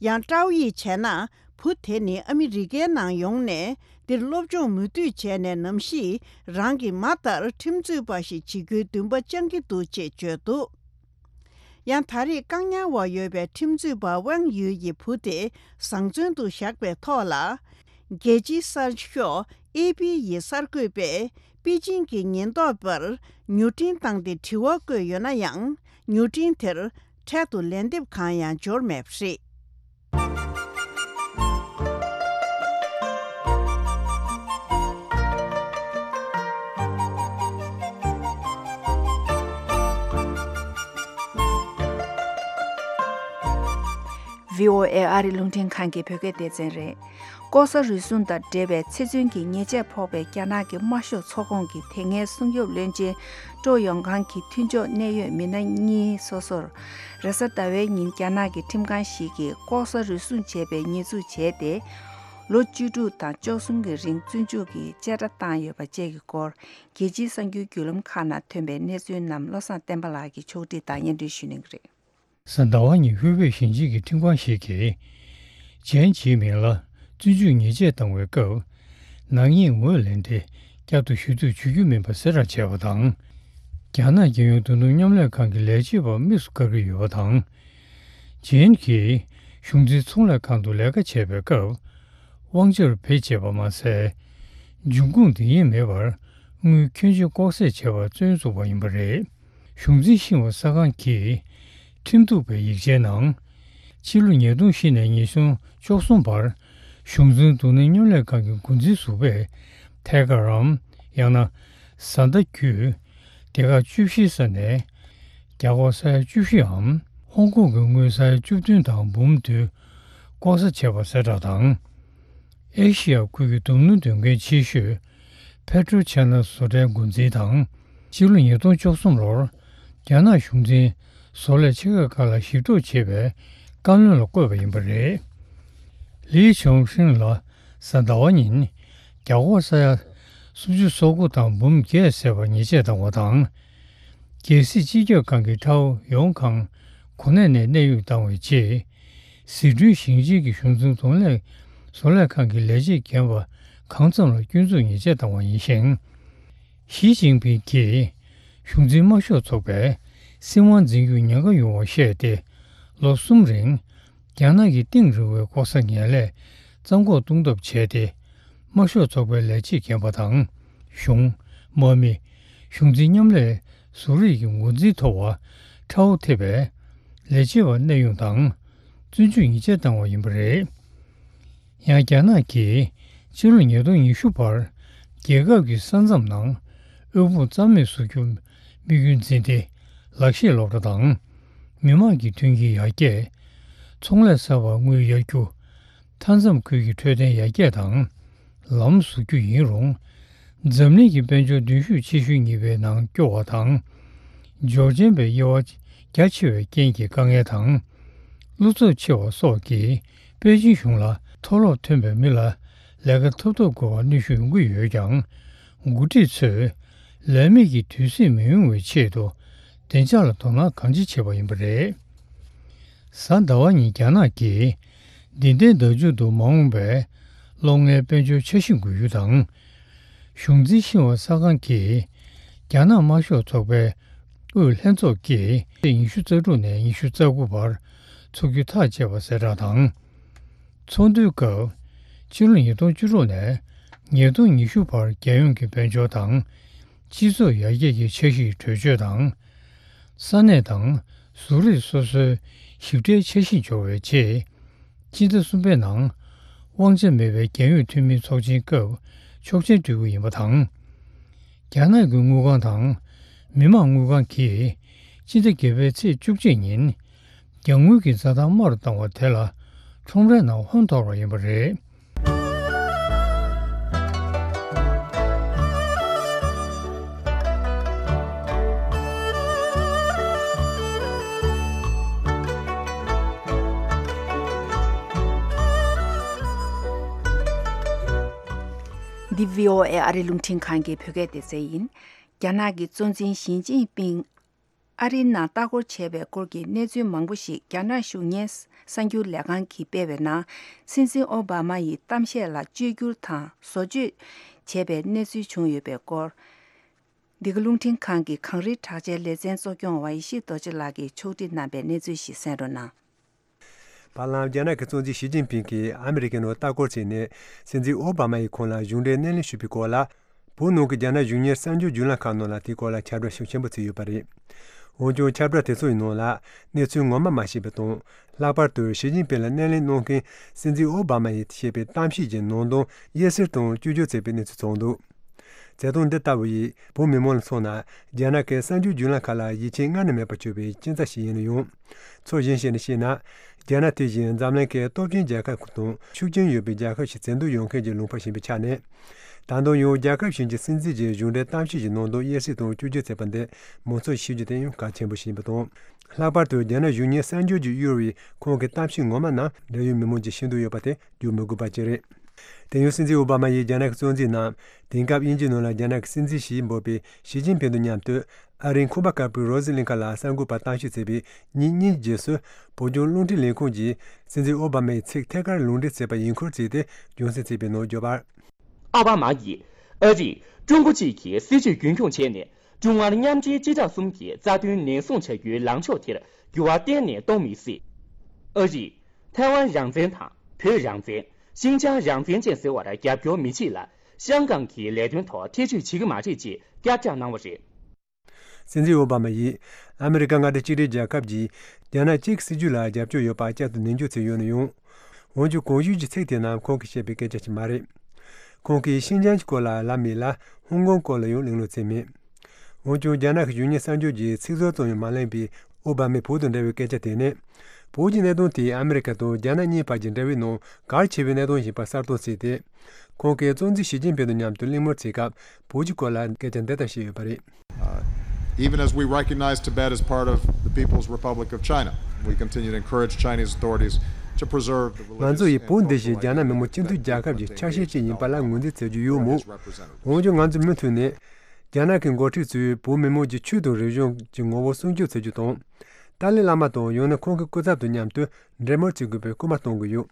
ཡང་ཀྲའོ་ཡིས་བྱས་ན། བུ་དེ་ནི་ཨ་མི་རི་ཀའི་ནང་ཡོང་ནས་འདིར་སློབ་སྦྱོང་མུ་མཐུད་བྱས་ནས། ནམ་ཞིག་རང་གི་མ་ལྟར་ཁྲིམས་རྩོད་པ་ཞིག་བྱེད་རྒྱུའི་འདུན་པ་བཅང་གི་འདུག་ཅེས་བརྗོད་འདུག་ཡང་ད་རེས་བཀག་ཉར་འོག་ཡོད་པའི་ཁྲིམས་རྩོད་པ་ཝང་ཡུས་ཡི་བུ་དེ་བཟང་བཙོན་དུ་བཞག་པའི་ཐོག་ལ། རྒྱལ་སྤྱིའི་གསར་ཤོག་ཨེ་པི་ཡི་གསར་འགོད་པས་པེ་ཅིང་གི་ཉེན་རྟོག་པར་མྱུར་འཕྲིན་བཏང་སྟེ་དྲི་བ་བཀོད་ཡོད་ན་ཡང་། མྱུར་འཕྲིན་དེར་འཕྲལ་དུ་ལན་འདེབས་གང་ཡང་འབྱོར་མེད་པ་རེད། བྷི་ཨོ་ཨེ་ཨ་རི་རླུང་འཕྲིན་ཁང་གི་བོད་སྐད་སྡེ་ཚན་རེད། ལྐོག་ཟ་རུལ་སུངས་དང་འབྲེལ་བའི་ཚེ་བཙོན་གྱི་ཉེས་ཆད་ཕོག་པའི་རྒྱ་ནག་གི་དམར་ཤོག་ཚོགས་ཁོངས་ཀྱི་དེ་སྔའི་སྲུང་སྐྱོབ་བློན་ཆེན་ཀྲོ་ཡོང་ཁང་གི་མཐུན་ཕྱོགས་གནད་ཡོད་མི་སྣ་གཉིས་སོ་སོར། རེས་གཟའ་ཟླ་བའི་ཉིན་རྒྱ་ནག་གི་ཁྲིམས་ཁང་ཞིག་གིས་ལྐོག་ཟ་རུལ་སུངས་བྱས་པའི་ཉེས་འཛུགས་བྱས་ཏེ། ལོ་བཅུ་དྲུག་དང་བཅུ་གསུམ་གྱི་རིང་བཙོན་འཇུག་གི་བཅད་ཁྲ་བཏང་ཡོད་པ་བཅས་ཀྱི་སྐོར། རྒྱལ་སྤྱིའི་གསར་འགྱུར་བརྒྱུད་ལམ་ཁག་ནང་ཐོན་པའི་གནས་ཚུལ་རྣམས་བློ་བཟང་བསྟན་པ་ལགས་ཀྱིས་ཕྱོགས་སྒྲིག་དང་སྙན་སྒྲོན་ཞུ་གནང་གི་རེད། གཟའ་ཟླ་བ་ཉིན་ཧུའེ་པེ་ཞིང་ཆེན་གྱི་ཁྲིམས་ཁང་ཞིག་གིས། ཇན་ཇི་མིང་ལ་བཙོན་འཇུག་ཉེས་ཆད་བཏང་བའི་སྐབས། ནག་ཉེས་ངོས་ལེན་དེ་བསྐྱར་དུ་ཞུ་གཏུག་བྱེད་རྒྱུ་མིན་པ་གསལ་བསྒྲགས་བྱས་པ་དང་། རྒྱ་ནག་རྒྱལ་ཡོངས་རྡུང་རྡུང་མཉམ་ལས་ཁང་གི་ལས་བྱེད་པ་དམིགས་སུ་བཀར་གྱི་ཡོད་པ་དང་། ཇན་གྱིས་གཞུང་འཛིན་ཚོང་ལས་ཁང་དུ་ལས་ཀ་བྱེད་པའི་སྐབས། དབང་ཆར་བེད་སྤྱད་པ་མ་ཟད། འབྱུང་ཁུངས་འདི་ཉིད་མེད་པར་དངུལ་ཁྱོན་ཆེ་ལྐོག་ཟ་བྱས་པར་བཙོན་བཟུང་བ་ཡིན་པ་རེད། གཞུང་འཛིན་ཤིན་ཧྭ་གསར་ཁང་གིས་ཁྲིམས་གཏུག་པའི་ཡིག་ཆའི་ནང་། ཕྱི་ལོ་ཉིས་སྟོང་བཞི་ནས་ཉིས་སྟོང་བཅུ་གསུམ་བར་གཞུང་འཛིན་རྡུང་རྡེག་མཉམ་ལས་ཁང་གི་འགོ་འཛིན་ཟུར་པས་ཐད་ཀར་རམ། ཡང་ན་བཟའ་ཟླ་བརྒྱུད་སྡེ་ཁག་བཅུ་བཞིའི་ས་ནས་རྒྱ་སྒོར་ས་ཡ་བཅུ་བཞི་འམ། ཧོང་ཀོང་གི་དངུལ་ས་ཡ་བཅུ་བདུན་དང་འབུམ་བདུན་ལྐོག་ཟ་བྱས་པ་གསལ་བསྒྲགས་དང་། ཨེ་ཤེ་ཡ་ཁུལ་གྱི་རྡུང་རྡེག་འདོན་མཁན་ཆེ་ཤོས་Petro China བཟོ་གྲྭའི་འགོ་འཛིན་དང་། ཕྱི་ལོ་ཉིས་སྟོང་བཅུ་གསུམ་ལོར་རྒྱ་ནག་གཞུང་འཛིན་བཟོ་ལས་ཆེ་ཁག་ཁག་ལ་ཞིབ་འཇུག་བྱེད་པའི་བཀའ་བློན་ལ་བསྐོས་པ་ཡིན་པ་རེད། ལི་ཆུང་ཧྲིན་ལ་གཟའ་ཟླ་བ་ཉིན་རྒྱ་སྒོར་ས་ཡ་སུམ་ཅུ་སོ་དགུ་དང་འབུམ་བརྒྱད་བསལ་བར་ཉེས་ཆད་བཏང་བ་དང་། རྒྱལ་སྲིད་སྤྱི་ཁྱབ་ཁང་གི་ཁྲའོ་ཡོང་ཁང་གོ་གནས་ནས་གནས་དབྱུང་བཏང་བའི་རྗེས། ཟི་ཁྲོན་ཞིང་ཆེན་གྱི་གཞུང་འཛིན་རྡུང་རྡེག་བཟོ་ལས་ཁང་གི་ལས་བྱེད་རྒན་པ་གང་འཚམ་ལ་སྐྱོན་འཛུགས་ཉེས་ཆད་བཏང་བ་ཡིན་ཞིང་། ཞི་ཅིན་ཕིང་གིས་གཞུང་འཛིན་དམར་ཤོག་ཚོགས་པས་སྲིད་དབང་འཛིན་རྒྱུར་ཉེན་ཁ་ཡོང་བ་བཤད་དེ། ལོ་གསུམ་རིང་རྒྱ་ནག་གི་གཏིང་རིང་བའི་ལྐོག་ཟ་ངན་ལས་རྩ་འགོག་གཏོང་ཐབས་བྱས་ཏེ། དམར་ཤོག་ཚོགས་པའི་ལས་བྱེད་རྒན་པ་དང་། གཞུང་། དམག་མི། གཞུང་འཛིན་མཉམ་ལས་ཟུར་རིས་ཀྱི་འགོ་འཛིན་ཐོབ་པ་ཁྲའོ་ཐེ་བའི་ལས་བྱེད་པ་གནས་དབྱུང་དང་། བཙོན་འཇུག་ཉེས་ཆད་བཏང་བ་ཡིན་པ་རེད། ཡང་རྒྱ་ནག་གིས་ཕྱི་ལོ་ཉིས་སྟོང་ཉི་ཤུ་བར་རྒྱལ་ཁབ་ཀྱི་ས་མཚམས་ནང་དབུལ་ཕོངས་རྩ་མེད་བཟོ་རྒྱུ་དམིགས་ཡུལ་འཛིན་ཏེ། ལག་ཤེས་སློབ་གྲྭ་དང་། མི་དམངས་ཀྱི་མཐུན་རྐྱེན་ཡར་རྒྱས། ཚོང་ལས་གསར་པར་དངུལ་གཡར་རྒྱུ། མཐའ་མཚམས་ཁུལ་གྱི་འཕྲོད་བསྟེན་ཡར་རྒྱས་དང་། ལམ་བཟོ་རྒྱུ་ཡིན་རུང་། འཛམ་གླིང་གི་དཔལ་འབྱོར་གདན་ཞུགས་ཆེ་ཤོས་གཉིས་པའི་ནང་སྐྱོ་བ་དང་། འབྱོར་ཆེན་པའི་དབྱེ་བ་རྒྱ་ཆེ་བའི་རྐྱེན་གྱིས་དཀའ་ངལ་དང་། བློ་འཚབ་ཆེ་བ་སོགས་ཀྱིས་པེ་ཅིང་གཞུང་ལ་མཐོ་སློབ་ཐོན་པའི་མི་ལ་ལས་ཀ་ཐོབ་ཐབས་དགོས་པར་གནོན་ཤུགས་ཡོང་གི་ཡོད་ཀྱང་། འགོ་ཁྲིད་ཚོས་ལས་མེད་ཀྱི་དུས་ཚོད་མི་ཡོང་བའི་ཆེད་དུ་བདེ་འཇགས་ལ་དོ་སྣང་གང་ཆེ་བྱས་པ་ཡིན་པ་རེད། གཟའ་ཟླ་བ་ཉིན་རྒྱ་ནག་གིས་འདི་ལྟའི་བརྡ་བརྒྱུད་དུ་མ་འོངས་པའི་སློབ་ལྔའི་དཔལ་འབྱོར་འཆར་གཞི་འགོད་རྒྱུ་དང་། གཞུང་འཛིན་ཤིན་ཧྭ་གསར་ཁང་གིས་རྒྱ་ནག་དམར་ཤོག་ཚོགས་པའི་དབུས་ལྷན་ཚོགས་ཀྱིས་ཉི་ཤུ་རྩ་དྲུག་ནས་ཉི་ཤུ་རྩ་དགུ་བར་འཚོགས་རྒྱུ་ཐག་བཅད་པ་གསལ་བསྒྲགས་དང་། ཚོགས་འདུའི་སྐབས་ཕྱི་ལོ་ཉིས་སྟོང་བཅུ་དྲུག་ནས་ཉིས་སྟོང་ཉི་ཤུ་བར་རྒྱལ་ཡོངས་ཀྱི་དཔལ་འབྱོར་དང་། སྤྱི་ཚོགས་ཡར་རྒྱས་ཀྱི་འཆར་གཞིའི་གྲོས་ཆོད་དང་། ས་གནས་དང་བཟོ་རིག་སོ་སོའི་ཞིབ་ཕྲའི་འཆར་གཞི་འབྱོར་བའི་རྗེས། སྤྱི་ཟླ་གསུམ་པའི་ནང་། དབང་ཆ་མེད་པའི་རྒྱལ་ཡོངས་འཐུས་མིའི་ཚོགས་ཆེན་སྐབས་ཆོག་མཆན་སྤྲོད་རྒྱུ་ཡིན་པ་དང་། རྒྱ་ནག་གི་དངུལ་ཁང་དང་མི་དམངས་དངུལ་ཁང་གིས་སྤྱི་ཟླ་བརྒྱད་པའི་ཚེས་བཅུ་གཅིག་ཉིན། རྒྱ་དངུལ་གྱི་འཛའ་ཐང་དམའ་རུ་བཏང་བ་དེ་ལ་ཁྲོམ་རའི་ནང་ཧོན་འཐོར་བ་ཡིན་པ་རེད། འདི་བྷི་ཨོ་ཨེ་ཨ་རི་རླུང་འཕྲིན་ཁང་གི་བོད་སྐད་སྡེ་ཚན་ཡིན། རྒྱ་ནག་གི་གཙོ་འཛིན་ཞི་ཅིན་ཕིང་ཨ་རིའི་ནང་ལྟ་སྐོར་བྱས་པའི་སྐོར་གྱི་གནས་ཚུལ་མང་པོ་ཞིག་རྒྱ་ནག་གཞུང་གཉེར་གསར་འགྱུར་ལས་ཁང་གིས་སྤེལ་བའི་ནང་། སྲིད་འཛིན་ཨོ་བྷ་མ་ཡི་གཏམ་བཤད་ལ་བཅོས་བསྒྱུར་དང་བཟོ་བཅོས་བྱས་པའི་གནས་ཚུལ་བྱུང་ཡོད་པའི་སྐོར། འདི་ག་རླུང་འཕྲིན་ཁང་གི་གངས་རིའི་གྲགས་ཅན་ལེ་ཚན་གཙོ་སྐྱོང་ཝའི་ཤི་རྡོ་རྗེ་ལགས་ཀྱིས་ཕྱོགས་སྒྲིག་གནང་པའི་གནས་ཚུལ་ཞིག་གསན་རོགས་གནང་། བར་ལམ་རྒྱ་ནག་གི་གཙོ་འཛིན་ཞི་ཅིན་ཕིང་གིས་ཨ་མི་རི་ཀའི་ནང་ལྟ་སྐོར་བྱས་ནས། སྲིད་འཛིན་ཨོ་བྷ་མ་ཡིས་ཁོང་ལ་གཞུང་འབྲེལ་སྣེ་ལེན་ཞུས་པའི་སྐོར་ལ། བོད་ནང་གི་རྒྱ་ནག་གཞུང་གཉེར་གསར་འགྱུར་བརྒྱུད་ལམ་ཁག་ནང་ལ་དེའི་སྐོར་ལ་ཁྱབ་བསྒྲགས་ཤུགས་ཆེན་པོ་བྱས་ཡོད་པ་རེད། འོན་ཀྱང་ཁྱབ་བསྒྲགས་དེ་ཚོ་ཡི་ནང་ལ་གནས་ཚུལ་ངོ་མ་མ་ཤེས་པ་དང་། ལྷག་པར་དུ་ཞི་ཅིན་ཕིང་ལ་སྣེ་ལེན་གནང་མཁན་སྲིད་འཛིན་ཨོ་བྷ་མ་ཡིས་བཤད་པའི་གཏམ་བཤད་ཀྱི་ནང་དོན་དབྱེ་གསེར་དང་བཅོས་བསྒྱུར་བྱས་པའི་གནས་ཚུལ་བྱུང་འདུག། བྱེད་སྟངས་འདི་ལྟ་བུ་ཡིས་བོད་མི་མང་ལ་མཚོན་ན། རྒྱ་ནག་གི་གསར་འགྱུར་བརྒྱུད་ལམ་ཁག་ལ་ཡིད་ཆེས་སྔར་ནས་མེད་པར་གྱུར་པའི་རྐྱེན་རྩ་ཞིག་ཡིན་ཡང་། ཚོར་སྣང་ཞིག་ནས་བཤད་ན། རྒྱ་ནག་དེ་བཞིན་འཛམ་གླིང་གི་སྟོབས་ཆེན་རྒྱལ་ཁབ་དང་ཤུགས་རྐྱེན་ཡོད་པའི་རྒྱལ་ཁབ་ཞིག་བྱེད་འདོད་ཡོད་མཁན་གྱི་ལུང་པ་ཡིན་པའི་ཆ་ནས། ད་དུང་ཡང་རྒྱལ་ཁབ་གཞན་གྱི་སྲིད་འཛིན་གྱི་གཞུང་འབྲེལ་གཏམ་བཤད་ཀྱི་ནང་དོན་དབྱེ་གསེར་དང་བཅོས་བསྒྱུར་བྱས་པ་འདི་མང་ཚོགས་ཤེས་རྒྱུ་དེ་ཡང་གལ་ཆེན་པོ་ཞིག་ཡིན་པ་དང་། ལྷག་པར་དུ་རྒྱ་ནག་གཞུང་གཉེར་གསར་འགྱུར་གྱིས་གཡོལ་བའི་ཁོང་གི་གཏམ་བཤད་ངོ་མ་རྣམས་འབྲེལ་ཡོད་མི་མང་གིས་ཤེས་འདོད་ཡོད་པ་དེ་བརྗོད་མི་དགོས་པ་ཅིག་རེད། དེ་ཡང་སྲིད་འཛིན་ཨོ་བྷ་མ་ཡིས་རྒྱ་ནག་གི་གཙོ་འཛིན་ནམ། དེང་སྐབས་དབྱིན་ཇིའི་ནང་ལ་རྒྱ་ནག་གི་སྲིད་འཛིན་ཞེས་འབོད་པའི་ཞི་ཅིན་ཕིང་དང་མཉམ་དུ་ཨ་རིའི་ཁང་པ་དཀར་པོའི་རོ་སི་གླིང་ཁ་ལ་གསར་འགོད་པར་གཏམ་བཤད་བྱས་པའི་ཉིན་གཉིས་རྗེས་སུ། བོད་ལྗོངས་རླུང་འཕྲིན་ལས་ཁུངས་ཀྱིས་སྲིད་འཛིན་ཨོ་བྷ་མ་ཡི་ཚིག་ཐད་ཀར་ལུང་འདྲེན་བྱས་པ་ཡིན་སྐོར་བརྩིས་ཏེ་རྒྱང་སྲིང་བྱས་པའི་ནང་བརྗོད་པར། ཨོ་བྷ་མ་ཡིས་ཨ་རིས་ཀྲུང་གོ་གཅིག་གི་སྲིད་ཇུས་རྒྱུན་འཁྱོངས་བྱས་ནས། ཀྲུང་ཨར་མཉམ་འབྲེལ་སྤྱི་བཏང་གསུམ་གྱི་རྩ་དོན་ནན་སྲུང་བྱ་རྒྱུའི་ལངས་ཕྱོགས་དེར་འགྱུར་བ་གཏན་ནས་གཏོང་མི་སྲིད། ཨ་རིས་ཐའེ་ཝན་རང་བཙན་དང་བོད་རང་བཙན། ཤིན་ཅང་རང་བཙན་བཅས་ཟེར་བར་རྒྱབ་སྐྱོར་མི་བྱེད་ལ། ཤང་ཀང་གི་ལས་དོན་ཐོག་ཐེ་བྱུས་བྱེད་ཀྱི་མ་རེད་ཅེས་བསྐྱར་བསྒྲགས་གནང་བ་རེད། སྲིད་འཛིན་ཨོ་བྷ་མ་ཡིས་ཨ་མི་རི་ཀ་མངའ་སྡེ་གཅིག་སྒྲིལ་རྒྱལ་ཁབ་ཀྱིས་རྒྱ་ནག་གཅིག་གི་སྲིད་ཇུས་ལ་རྒྱབ་སྐྱོར་ཡོད་པ་བསྐྱར་དུ་ནན་བརྗོད་བྱས་ཡོད་ན་ཡང་། འོན་ཀྱང་གོང་ཞུས་ཀྱི་ཚིག་དེ་རྣམས་ཁོང་གིས་བཤད་པའི་སྐད་ཆ་ཞིག་མ་རེད། ཁོང་གིས་ཤིན་ཅང་གི་སྐོར་ལ་ལབ་མེད་ལ། ཧོང་ཀོང་སྐོར་ལ་ཡང་གླེང་སློང་བྱས་མེད། འོན་ཀྱང་རྒྱ་ནག་གི་གཞུང་གཉེར་གསར་འགྱུར་གྱིས་ཚིག་ཟུར་ཙམ་ཡང་མ་གླེང་བའི་ཨོ་བྷ་མའི་བོད་དང་འབྲེལ་བའི་སྐད་ཆ་དེ་ནི། བོད་ཀྱི་གནད་དོན་དེས་ཨ་མི་རི་ཀ་དང་རྒྱ་ནག་གཉིས་བར་གྱི་འབྲེལ་བའི་ནང་གལ་ཆེ་བའི་གནད་དོན་ཡིན་པ་གསལ་སྟོན་བྱས་ཏེ། ཁོང་གིས་གཙོ་འཛིན་ཞི་ཅིན་ཕིང་དང་མཉམ་དུ་གླེང་མོལ་བྱེད་སྐབས་བོད་ཀྱི་སྐོར་ལ་སྐད་ཆ་འདི་ལྟར་བཤད་ཡོད་པ་རེད། Uh, even as we recognize Tibet as part of the People's Republic of China, we continue to encourage Chinese authorities to preserve the religious and cultural identity of Tibetans, which Tibet is represented. ང་ཚོ་ཡིས་བོད་འདི་བཞིན་རྒྱ་ནག་མི་དམངས་སྤྱི་མཐུན་རྒྱལ་ཁབ་ཀྱི་ཆ་ཤས་ཤིག་ཡིན་པ་ལ་ངོས་འཛིན་བྱེད་རྒྱུ་ཡོད་མོད། འོན་ཀྱང་ང་ཚོས་མུ་མཐུད་ནས། རྒྱ་ནག་གི་འགོ་ཁྲིད་ཚོས་བོད་མི་མང་གི་ཆོས་དང་རིག་གཞུང་གི་ངོ་བོ་སྲུང་སྐྱོབ་བྱེད་རྒྱུ་དང་། ཏཱ་ལའི་བླ་མ་དང་ཡང་ན་ཁོང་གི་སྐུ་ཚབ་དང་མཉམ་དུ་འབྲེལ་མོལ་བྱེད་དགོས་པའི་སྐུལ་མ་གཏོང་གི་ཡོད།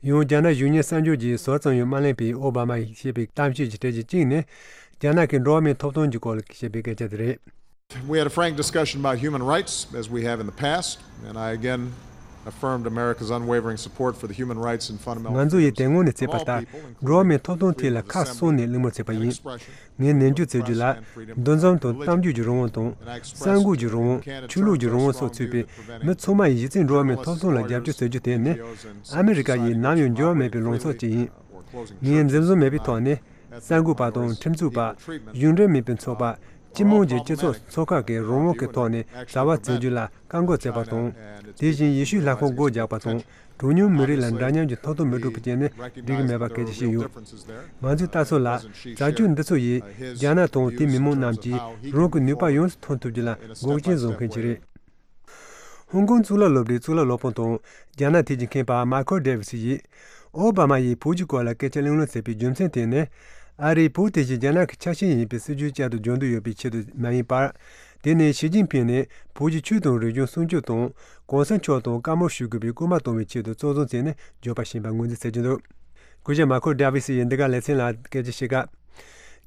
ཡང་རྒྱ་ནག་གཞུང་གཉེར་གསར་འགྱུར་གྱིས་ཟུར་ཙམ་ཡང་མ་གླེང་བའི་ཨོ་བྷ་མ་ཡིས་བཤད་པའི་གཏམ་བཤད་ཀྱི་གྲས་ཀྱི་གཅིག་ནི། རྒྱ་ནག་གི་འགྲོ་བ་མིའི་ཐོབ་ཐང་གི་སྐོར་ལ་བཤད་པའི་སྐད་ཆ་དེ་རེད། We had a frank discussion about human rights, as we have in the past, and I again affirmed America's unwavering support for the human rights and fundamental freedoms of all people, including the First Amendment. ང་ཚོ་ཡིས་དེ་སྔོན་ནས་བྱས་པ་ལྟར་འགྲོ་བ་མིའི་ཐོབ་ཐང་ཐད་ལ་ཁ་གསུངས་ནས་གླེང་མོལ་བྱས་པ་ཡིན། ངས་ནན་བརྗོད་བྱེད་རྒྱུ་ལ། འདུ་འཛོམས་དང་གཏམ་རྒྱུད་ཀྱི་རང་དབང་དང་། གསར་འགོད་ཀྱི་རང་དབང་། ཆོས་ལུགས་ཀྱི་རང་དབང་སོགས་ཚུད་པའི་མི་ཚང་མ་ཡིས་གཞི་རྩའི་འགྲོ་བ་མིའི་ཐོབ་ཐང་ལ་རྒྱབ་སྐྱོར་བྱེད་རྒྱུ་དེ་ནི། ཨ་མི་རི་ཀ་ཡིས་ནམ་ཡང་འགྱུར་བ་མེད་པའི་ལངས་ཕྱོགས་ཅིག་ཡིན། ངས་འཛེམ་ཟོན་མེད་པའི་ཐོག་ནས། གསར་འགོད་པ་དང་ཁྲིམས་རྩོད་པ། གཞུང་འབྲེལ་མིན་པའི་ཚོགས་པ། སྤྱི་དམངས་ཀྱི་སྤྱི་ཚོགས་ཚོགས་ཁག་གིས་རང་དབང་གི་ཐོག་ནས་བྱ་བ་བཙལ་རྒྱུ་ལ་བཀག་འགོག་བྱས་པ་དང་། དེ་བཞིན་ཡེ་ཤུའི་ལྷ་ཁང་སྒོ་རྒྱག་པ་དང་། གྲངས་ཉུང་མི་རིགས་ལ་འདྲ་མཉམ་གྱི་མཐོང་ཐོས་མི་སྤྲོད་པ་བཅས་ནི་འགྲིག་གི་མེད་པ་སྐད་ཆ་བཤད་ཡོད། ང་ཚོས་ལྟ་ཚུལ་ལ། བྱ་སྤྱོད་འདི་ཚོ་ཡིས་རྒྱ་ནག་དང་དེའི་མི་མང་རྣམས་ཀྱིས་རང་གི་ནུས་པ་ཡོངས་སུ་ཐོན་ཐུབ་རྒྱུ་ལ་འགོག་རྐྱེན་བཟོ་མཁན་ཞིག་རེད། ཧོང་ཀོང་གཙུག་ལག་སློབ་གྲྭའི་གཙུག་ལག་སློབ་དཔོན་དང་རྒྱ་ནག་ཐད་ཀྱི་མཁས་པ་མཱ་ཁོ་ཌེ་ཝི་སི་ཡིས། ཨོ་བྷ་མ་ཡིས་བོད་ཀྱི་སྐོར་ལ་སྐད་ཆ་གླེང་སློང་བྱས་པའི་རྒྱུ་མཚན་དེ་ནི། ཨ་རིས་བོད་དེ་བཞིན་རྒྱ་ནག་གི་ཆ་ཤས་ཡིན་པའི་སྲིད་ཇུས་བསྐྱར་དུ་སྦྱོང་འདོད་ཡོད་པའི་ཆེད་དུ་མ་ཡིན་པར། དེ་ནི་ཞི་ཅིན་ཕིང་ནས་བོད་ཀྱི་ཆོས་དང་རིག་གཞུང་སྲུང་སྐྱོབ་དང་། གོང་ས་མཆོག་དང་བཀའ་མོལ་ཞུ་དགོས་པའི་སྐུལ་མ་གཏོང་བའི་ཆེད་དུ་གཙོ་བཟུང་བྱས་ནས་བརྗོད་པ་ཞིག་ཡིན་པར་ངོས་འཛིན་བྱེད་ཀྱི་འདུག་སྐུ་ཞབས་མཱ་ཁོ་ཌེ་ཝི་སི་ཡིས་འདི་ག་ལེ་ཚན་ལ་སྐད་ཆ་བཤད་སྐབས།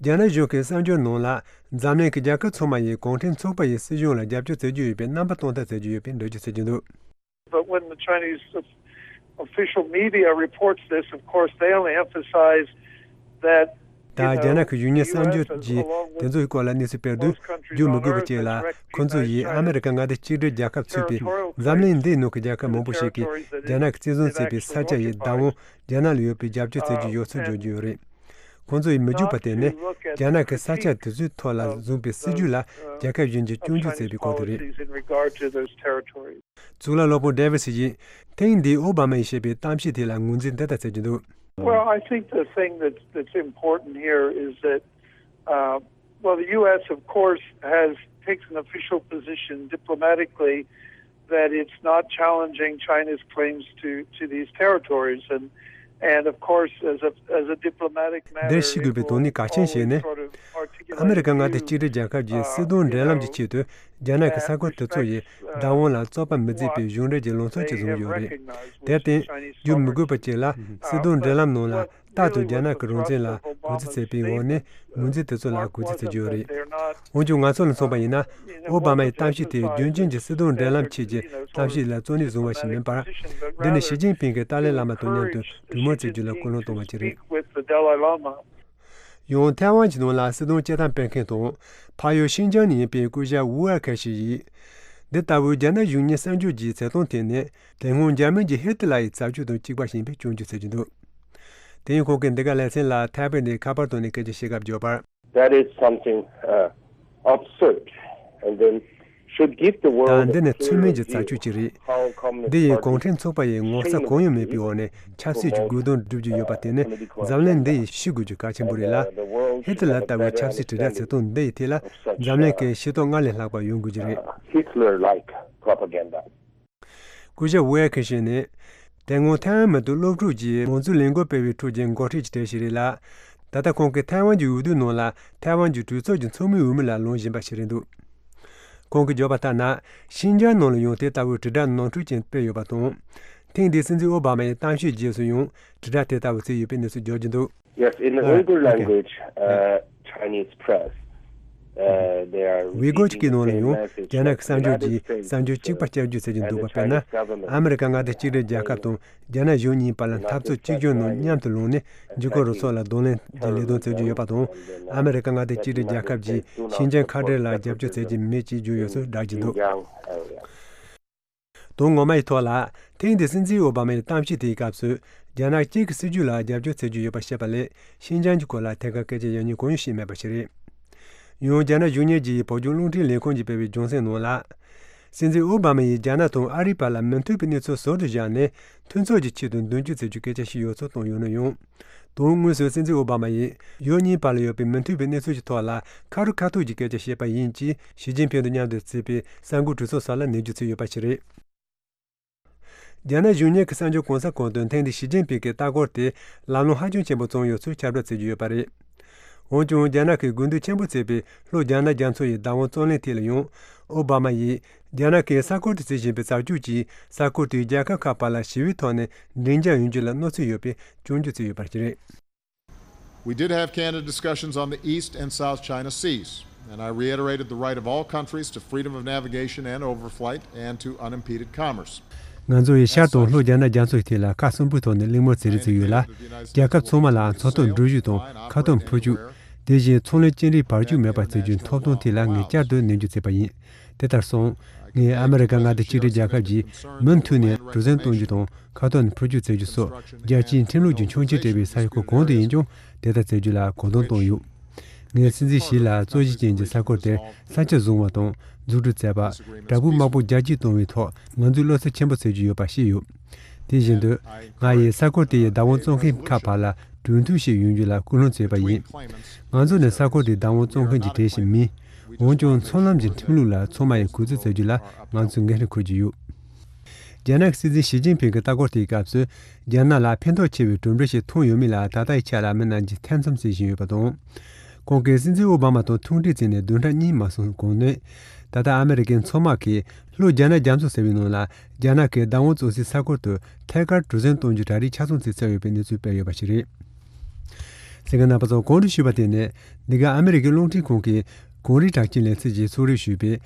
རྒྱ་ནག་གཞུང་གི་གསར་འགྱུར་ནང་ལ། འཛམ་གླིང་གི་རྒྱལ་ཁབ་ཚང་མ་ཡིས་གུང་ཁྲན་ཚོགས་པ་ཡི་སྲིད་གཞུང་ལ་རྒྱབ་སྐྱོར་བྱེད་ཀྱི་ཡོད་པའི་རྣམ་པ་སྟོན་ཐབས་བྱེད་ཀྱི་ཡོད་པའི་འགྲེལ་བརྗོད་བྱེད་ཀྱི་འདུག But when the Chinese official media reports this, of course, they only emphasize that ད་རྒྱ་ནག་གི་གཞུང་གཉེར་གསར་འགྱུར་གྱིས་དེ་ཚོའི་སྐོར་ལ་གནས་ཚུལ་སྤེལ་དུས། བརྗོད་མི་དགོས་པ་བཅས་ལ། ཁོ་ཚོ་ཡིས་ཨ་མེ་རི་ཀ་མངའ་སྡེ་གཅིག་སྒྲིལ་རྒྱལ་ཁབ་ཚུད་པའི་འཛམ་གླིང་འདིའི་ནང་གི་རྒྱལ་ཁབ་མང་པོ་ཞིག་གིས་རྒྱ་ནག་གིས་བཙན་བཟུང་བྱས་པའི་ས་ཆ་ཡི་བདག་དབང་རྒྱ་ནག་ལ་ཡོད་པའི་རྒྱབ་སྐྱོར་བྱེད་ཀྱི་ཡོད་ཚུལ་བརྗོད་ཀྱི་ཡོད་རེད། ཁོང་ཚོ་ཡིས་མི་འཇུག་པ་དེ་ནི་རྒྱ་ནག་གིས་ས་ཆ་དེ་ཚོའི་ཐོག་ལ་བཟུང་པའི་སྲིད་ཇུས་ལ་རྒྱལ་ཁབ་གཞན་གྱིས་སྐྱོན་བརྗོད་བྱས་པའི་སྐོར་དུ་རེད། གཙུག་ལག་སློབ་དཔོན་ཌེ་ཝི་སི་ཡིས་ཐེངས་འདིའི་ཨོ་བྷ་མ་ཡིས་བཤད་པའི་གཏམ་བཤད་དེ་ལ་ངོས་འཛིན་འདི་ལྟར་བྱེད་ཀྱི་འདུག Well, I think the thing that, that's important here is that, uh, well, the U S, of course, has taken an official position diplomatically that it's not challenging China's claims to, to these territories. And, and of course, as a, as a diplomatic matter, འདིར་ཤེས་དགོས་པའི་དོན་ནི་གལ་ཆེན་ཞིག་ནི། ཨ་མེ་རི་ཀ་མངའ་སྡེ་གཅིག་སྒྲིལ་རྒྱལ་ཁབ་ཀྱིས་སྲིད་དོན་འབྲེལ་ལམ་གྱི་ཆེད་དུ་རྒྱ་ནག་གི་ས་ཁུལ་དེ་ཚོ་ཡི་བདག་དབང་ལ་རྩོད་པ་མི་མཛད་པའི་གཞུང་འབྲེལ་གྱི་ལངས་ཕྱོགས་ཅིག་བཟུང་ཡོད་རེད། དེར་བརྟེན། བརྗོད་མི་དགོས་པ་ཅིག་ལ་སྲིད་དོན་འབྲེལ་ལམ་ནང་ལ། རྟག་ཏུ་རྒྱ་ནག་གི་རང་བཙན་ལ་གུས་བརྩི་བྱེད་པའི་འོག་ནས་ངོས་འཛིན་དེ་ཚོ་ལ་གུས་བརྩི་བྱེད་ཀྱི་ཡོད་རེད། འོན་ཀྱང་ང་ཚོ་ལ་མཚོན་པ་ཡིན་ན། ཨོ་བྷ་མ་ཡི་གཏམ་བཤད་དེ་རྒྱུན་རྐྱང་གི་སྲིད་དོན་འབྲེལ་ལམ་ཆེད་ཀྱི་གཏམ་བཤད་ལ་གཙོ་གནད་བཟུང་བ་ཞིག་མིན་པར། འདི་ནི་ཞི་ཅིན་ཕིང་གིས་ཏཱ་ལའི་བླ་མ་དང་མཉམ་དུ་གྲོས་མོལ་བྱེད་རྒྱུ་ལ་སྐུལ་སློང་བཏང་བ་ཞིག་རེད། With the Dalai Lama. ཡང་ཐའེ་ཝན་གྱི་ནང་ལ་སྲིད་དོན་སྐྱོད་སྟངས་སྤེལ་མཁན་དང་། ཕ་ཡུལ་ཤིན་ཅང་ནས་ཡིན་པའི་སྐུ་ཞབས་ཝུའུ་ཨར་ཁེ་ཞིག་ཡིས། འདི་ལྟ་བུའི་རྒྱ་ནག་གཞུང་གཉེར་གསར་འགྱུར་གྱི་བྱེད་སྟངས་དེ་ནི། དེ་སྔོན་འཇར་མན་གྱི་ཧི་ཏི་ལ་ཡི་བྱ་སྤྱོད་དང་གཅིག་པ་ཡིན་པའི་སྐྱོན་བརྗོད་བྱེད་ཀྱི་འདུག་དེ་ཡང་ཁོང་གིས་འདི་ག་ལེ་ཚན་ལ་ཐའེ་པེ་ནས་ཁ་པར་ཐོག་ནས་སྐད་ཆ་བཤད་སྐབས་བརྗོད་པར། That is something, uh, absurd, and then should give the world ད་འདི་ནི་ཚུལ་མིན་གྱི་བྱ་སྤྱོད་ཅིག་རེད། འདི་ཡིས་གུང་ཁྲན་ཚོགས་པ་ཡི་ངོ་ཚ་གང་ཡང་མེད་པའི་འོག་ནས་ཆབ་སྲིད་ཀྱི་རྒོལ་རྡུང་སྒྲུབ་ཀྱི་ཡོད་པ་དེ་ནི་འཛམ་གླིང་འདི་ཡིས་ཤེས་དགོས་རྒྱུ་གལ་ཆེན་པོ་རེད་ལ། ཧི་ཏི་ལ་ལྟ་བུའི་ཆབ་སྲིད་དྲིལ་བསྒྲགས་བྱེད་སྟངས་འདི་ཡི་ཐད་ལ་འཛམ་གླིང་གི་ཤེས་རྟོགས་སྔར་ལས་ལྷག་པ་ཡོང་དགོས་ཀྱི་རེད། Hitler-like propaganda. སྐུ་ཞབས་ཝེ་ཁེ་ཤིན་ནི། དེ་སྔོན་ཐའེ་ཝན་མི་དོན་སློབ་ཕྲུག་ཅེས་མང་གཙོའི་ལས་འགུལ་སྤེལ་བའི་ཁྲོད་ཀྱི་འགོ་ཁྲིད་ཀྱི་གྲས་ཤིག་རེད་ལ། ད་ལྟ་ཁོང་གིས་ཐའེ་ཝན་གྱི་འོས་བསྡུའི་ནང་ལ་ཐའེ་ཝན་གྱི་གྲོས་ཚོགས་ཀྱི་ཚོགས་མིའི་འོས་མི་ལ་ལངས་བཞིན་པ་ཞིག་རེད་འདུག་ཁོང་གིས་བརྗོད་པ་ལྟར་ན། ཤིན་ཅང་ནང་ལ་ཡང་དེ་ལྟ་བུའི་དྲིལ་བསྒྲགས་ནོར་འཁྲུལ་ཅན་སྤེལ་ཡོད་པ་དང་། ཐེངས་འདིའི་སྲིད་འཛིན་ཨོ་བྷ་མ་ཡི་གཏམ་བཤད་རྗེས་སུ་ཡང་དྲིལ་བསྒྲགས་དེ་ལྟ་བུ་བྱས་ཡོད་པའི་གནས་ཚུལ་འབྱོར་གྱི་འདུག Yes, in the Uyghur language, uh, Chinese press, uh, they are ཝི་གོ་སྐད་ནང་ལ་ཡང་རྒྱ་ནག་གི་གསར་འགྱུར་གྱིས་གསར་འགྱུར་གཅིག་པ་བསྐྱར་བརྗོད་བྱེད་ཀྱི་འདུག་པ། དཔེར་ན། ཨ་མེ་རི་ཀ་མངའ་སྡེ་གཅིག་སྒྲིལ་རྒྱལ་ཁབ་དང་རྒྱ་ནག་གཞུང་གཉིས་བར་ལ་འཐབ་རྩོད་གཅིག་གྱུར་ནང་མཉམ་དུ་ལངས་ནས་འཇིགས་སྐུལ་རུ་ཚོགས་ལ་གདོང་ལེན་གྱི་ལས་དོན་བྱེད་ཀྱི་ཡོད་པ་དང་། ཨ་མེ་རི་ཀ་མངའ་སྡེ་གཅིག་སྒྲིལ་རྒྱལ་ཁབ་ཀྱིས་ཤིན་ཅང་ཁ་བྲལ་ལ་རྒྱབ་སྐྱོར་བྱེད་ཀྱི་མེད་ཅེས་བརྗོད་ཡོད་ཚུལ་བསྒྲགས་ཀྱི་འདུག་དོན་ངོ་མ་ཡི་ཐོག་ལ། ཐེངས་འདིའི་སྲིད་འཛིན་ཨོ་བྷ་མ་ཡི་གཏམ་བཤད་དེའི་སྐབས་སུ། རྒྱ་ནག་གཅིག་གི་སྲིད་ཇུས་ལ་རྒྱབ་སྐྱོར་བྱེད་ཀྱི་ཡོད་པ་བཤད་པ་ལས། ཤིན་ཅང་གི་སྐོར་ལ་ཐད་ཀར་སྐད་ཆ་ཡང་སྙིང་གང་ཡང་བཤད་མེད་པ་ཞིག་རེད། ཡང་རྒྱ་ནག་གཞུང་གཉེར་གྱི་བོད་ལྗོངས་རླུང་འཕྲིན་ལས་ཁུངས་ཀྱིས་སྤེལ་བའི་རྒྱང་སྲིང་ནང་ལ། སྲིད་འཛིན་ཨོ་བྷ་མ་ཡིས་རྒྱ་ནག་དང་ཨ་རིའི་བར་ལ་མི་མཐུན་པའི་གནས་ཚུལ་ཟུར་དུ་བཞག་ནས། མཐུན་ཚོགས་ཀྱི་ཆེད་དུ་མདུན་སྐྱོད་བྱེད་རྒྱུའི་སྐད་ཆ་བཤད་ཡོད་ཚུལ་བཏོན་ཡོད་ན་ཡང་། དོན་དངོས་སུ་སྲིད་འཛིན་ཨོ་བྷ་མ་ཡིས་ཡུལ་གཉིས་བར་ལ་ཡོད་པའི་མི་མཐུན་པའི་གནས་ཚུལ་གྱི་ཐོག་ལ་ཁ་རུ་ཁ་ཐུག་གི་སྐད་ཆ་བཤད་པ་ཡིན་ཅེས་ཞི་ཅིན་ཕིང་དང་མཉམ་དུ་བརྩིས་པའི་གསར་འགོད་གྲོས་ཚོགས་སོགས་ལ་ནན་བརྗོད་བྱས་ཡོད་པ་ཞིག་རེད། རྒྱ་ནག་གཞུང་གཉེར་གྱི་གསར་འགྱུར་གོང་ས་གོང་དུ་ཐེངས་འདིའི་ཞི་ཅིན་ཕིང་གི་ལྟ་སྐོར་དེ་ལམ་ལྷོང་ཧ་ཅང་ཆེན་པོ་བྱུང་ཡོད་ཚུལ་ཁྱབ་བསྒྲགས་བྱེད་ཀྱི་ཡོད་པ་རེད། འོན་ཀྱང་རྒྱ་ནག་གིས་དགོས་འདུན་ཆེན་པོ་བྱས་པའི་ལྷོ་རྒྱ་ནག་རྒྱ་མཚོ་ཡི་བདག་དབང་རྩོད་གླེང་ཐད་ལ་ཡང་། ཨོ་བྷ་མ་ཡིས་རྒྱ་ནག་གིས་ས་ཁུལ་དུ་བྱེད་བཞིན་པའི་བྱ་སྤྱོད་ཀྱིས་ས་ཁུལ་དེའི་རྒྱལ་ཁབ་ཁག་བར་ལ་ཞི་བའི་ཐོག་ནས་མགྲིན་འཇགས་ཡོང་རྒྱུ་ལ་གནོད་འཚེ་ཡོད་པའི་སྐྱོན་བརྗོད་བྱས་ཡོད་པ་ཞིག་རེད། We did have candid discussions on the East and South China Seas, and I reiterated the right of all countries to freedom of navigation and overflight and to unimpeded commerce. ང་ཚོ་ཡིས་ཤར་དང་ལྷོ་རྒྱ་ནག་རྒྱ་མཚོའི་ཐད་ལ་ཁ་གསུམ་པོའི་ཐོག་ནས་གླེང་མོལ་བྱེད་རེས་བྱས་ཡོད་ལ། རྒྱལ་ཁབ་ཚང་མ་ལ་མཚོ་ཐོག་འགྲུལ་བཞུད་དང་མཁའ་ཐོག་འཕུར་སྐྱོད། དེ་བཞིན་ཚོང་ལས་སྐྱེལ་འདྲེན་བར་སྐྱོད་མེད་པར་བྱེད་རྒྱུའི་ཐོབ་ཐང་ཐད་ལ་ངས་བསྐྱར་དུ་ནན་བརྗོད་བྱས་པ་ཡིན། དེ་ལྟར་སོང་། ངས་ཨ་མི་རི་ཀ་མངའ་སྡེ་གཅིག་སྒྲིལ་རྒྱལ་ཁབ་ཀྱིས་མུ་མཐུད་ནས་གྲུ་གཟིངས་གཏོང་རྒྱུ་དང་མཁའ་ཐོག་ནས་འཕུར་སྐྱོད་བྱེད་རྒྱུ་སོགས་རྒྱལ་སྤྱིའི་ཁྲིམས་ལུགས་ཀྱི་ཆོག་མཆན་སྤྲད་པའི་ས་ཁུལ་གང་དུ་ཡིན་ཀྱང་དེ་ལྟར་བྱེད་རྒྱུ་ལ་གོ་བསྡུར་བཏང་ཡོད། ངས་སྲིད་འཛིན་ཞི་ལ་རྩོད་གཞི་ཅན་གྱི་ས་ཁུལ་དེར་ས་ཆ་བཟུང་བ་དང་འཛུགས་སྐྲུན་མཛད་པ། བྲག་ཕུག་དམར་པོ་རྒྱ་སྐྱེད་གཏོང་བའི་ཐོག་ང་ཚོས་བློ་འཚབ་ཆེན་པོ་བྱེད་ཀྱི་ཡོད་པ་ཤེས་ཡོད། དེ་བཞིན་དུ། ང་ཡིས་ས་ཁུལ་དེ་ཡི་བདག་དབང་བཙོང་མཁན་ཁག་བར་ལ་གྲོས་མཐུན་ཞིག་ཡོང་རྒྱུ་ལ་སྐུལ་སློང་བྱས་པ་ཡིན། ང་ཚོ་ནི་ས་ཁུལ་དེའི་བདག་དབང་བཙོང་མཁན་གྱི་གྲས་ཤིག་མིན། འོན་ཀྱང་མཚོ་ལམ་གྱི་ཁྲིམས་ལུགས་ལ་ཚང་མ་ཡིས་གུས་བརྩི་བྱ་རྒྱུ་ལ་ང་ཚོས་འགན་འཁྲི་འཁུར་གྱི་ཡོད། རྒྱ་ནག་གི་སྲིད་འཛིན་ཞི་ཅིན་ཕིང་གི་ལྟ་སྐོར་དེའི་སྐབས་སུ། རྒྱ་ནག་ལ་ཕན་ཐོགས་ཆེ་བའི་གྲུབ་འབྲས་ཤིག་ཐོན་ཡོད་མེད་ལ་ད་ལྟའི་ཆ་ལ་མི་རྣམས་ཀྱིས་ཐེ་ཚོམ་བྱེད་བཞིན་ཡོད་པ་དང་། ཁོང་གིས་སྲིད་འཛིན་ཨོ་བྷ་མ་དང་ཐུག་འཕྲད་བྱས་ནས་བདུན་ཕྲག་གཉིས་མ་སོང་གོང་ནས། ད་ལྟ་ཨ་མི་རི་ཀའི་མཚོ་དམག་གིས་ལྷོ་རྒྱ་ནག་རྒྱ་མཚོ་ཟེར་བའི་ནང་ལ་རྒྱ་ནག་གི་བདག་དབང་བཙོང་སའི་ས་ཁུལ་དུ་ཐད་ཀར་གྲུ་གཟིངས་གཏོང་རྒྱུ་གྲ་སྒྲིག་ཆ་ཚང་བྱས་ཚར་ཡོད་པའི་གནས་ཚུལ་སྤེལ་ཡོད་པ་ཞིག་རེད། གསན་མཁན་རྣམ་པ་ཚོ། གོང་དུ་ཞུས་པ་དེ་ནི་འདི་ག་ཨ་མི་རི་ཀའི་རླུང་འཕྲིན་ཁང་གིས་གངས་རིའི་གྲགས་ཅན་ལེ་ཚན་གྱིས་གསན་རེས་ཞུས་པའི།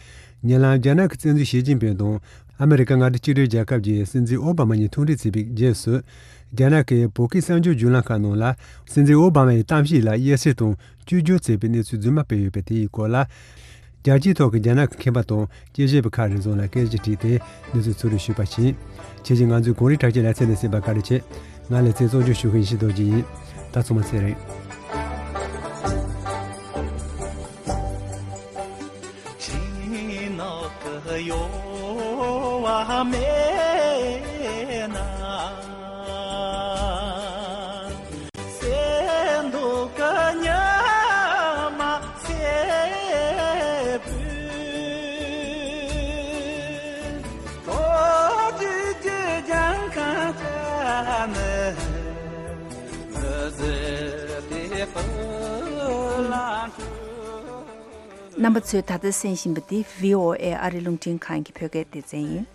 ཉེ་ལམ་རྒྱ་ནག་གི་སྲིད་འཛིན་ཞི་ཅིན་ཕིང་དང་ཨ་མི་རི་ཀ་མངའ་སྡེ་གཅིག་སྒྲིལ་རྒྱལ་ཁབ་ཀྱི་སྲིད་འཛིན་ཨོ་བྷ་མ་གཉིས་ཐུག་འཕྲད་བྱས་པའི་རྗེས་སུ། རྒྱ་ནག་གིས་བོད་ཀྱི་གསར་འགྱུར་བརྒྱུད་ལམ་ཁག་ནང་ལ་སྲིད་འཛིན་ཨོ་བྷ་མ་ཡི་གཏམ་བཤད་ལ་དབྱེ་གསེས་དང་བཅོས་བསྒྱུར་བྱས་པའི་གནས་ཚུལ་རྫུན་མ་སྤེལ་ཡོད་པ་དེའི་སྐོར་ལ། རྒྱལ་སྤྱིའི་ཐོག་གི་རྒྱ་ནག་གི་མཁས་པ་དང་དཔྱད་ཞིབ་པ་ཁག་རེ་ཟུང་ལ་སྐད་ཆ་དྲིས་ཏེ་གནས་ཚུལ་གསན་རེས་ཞུས་པ་བཞིན། ཁྱེད་ཀྱིས་ང་ཚོའི་གངས་རིའི་གྲགས་ཅན་ལེ་ཚན་དེ་གསན་པར་བཀའ་དྲིན་ཆེ། ང་ལེ་ཚན་གཙོ་སྐྱོང་ཞུ་མཁན་ཡེ་ཤེས་རྡོ་རྗེ་ཡིན། ད་ཚང་མ་ཚེ་རིང་། རྣམ་པ་ཚོས་ད་ལྟ་གསན་བཞིན་པ་འདི་བྷི་ཨོ་ཨེ་ཨ་རི་རླུང་འཕྲིན་ཁང་གི་བོད་སྐད་སྡེ་ཚན་ཡིན།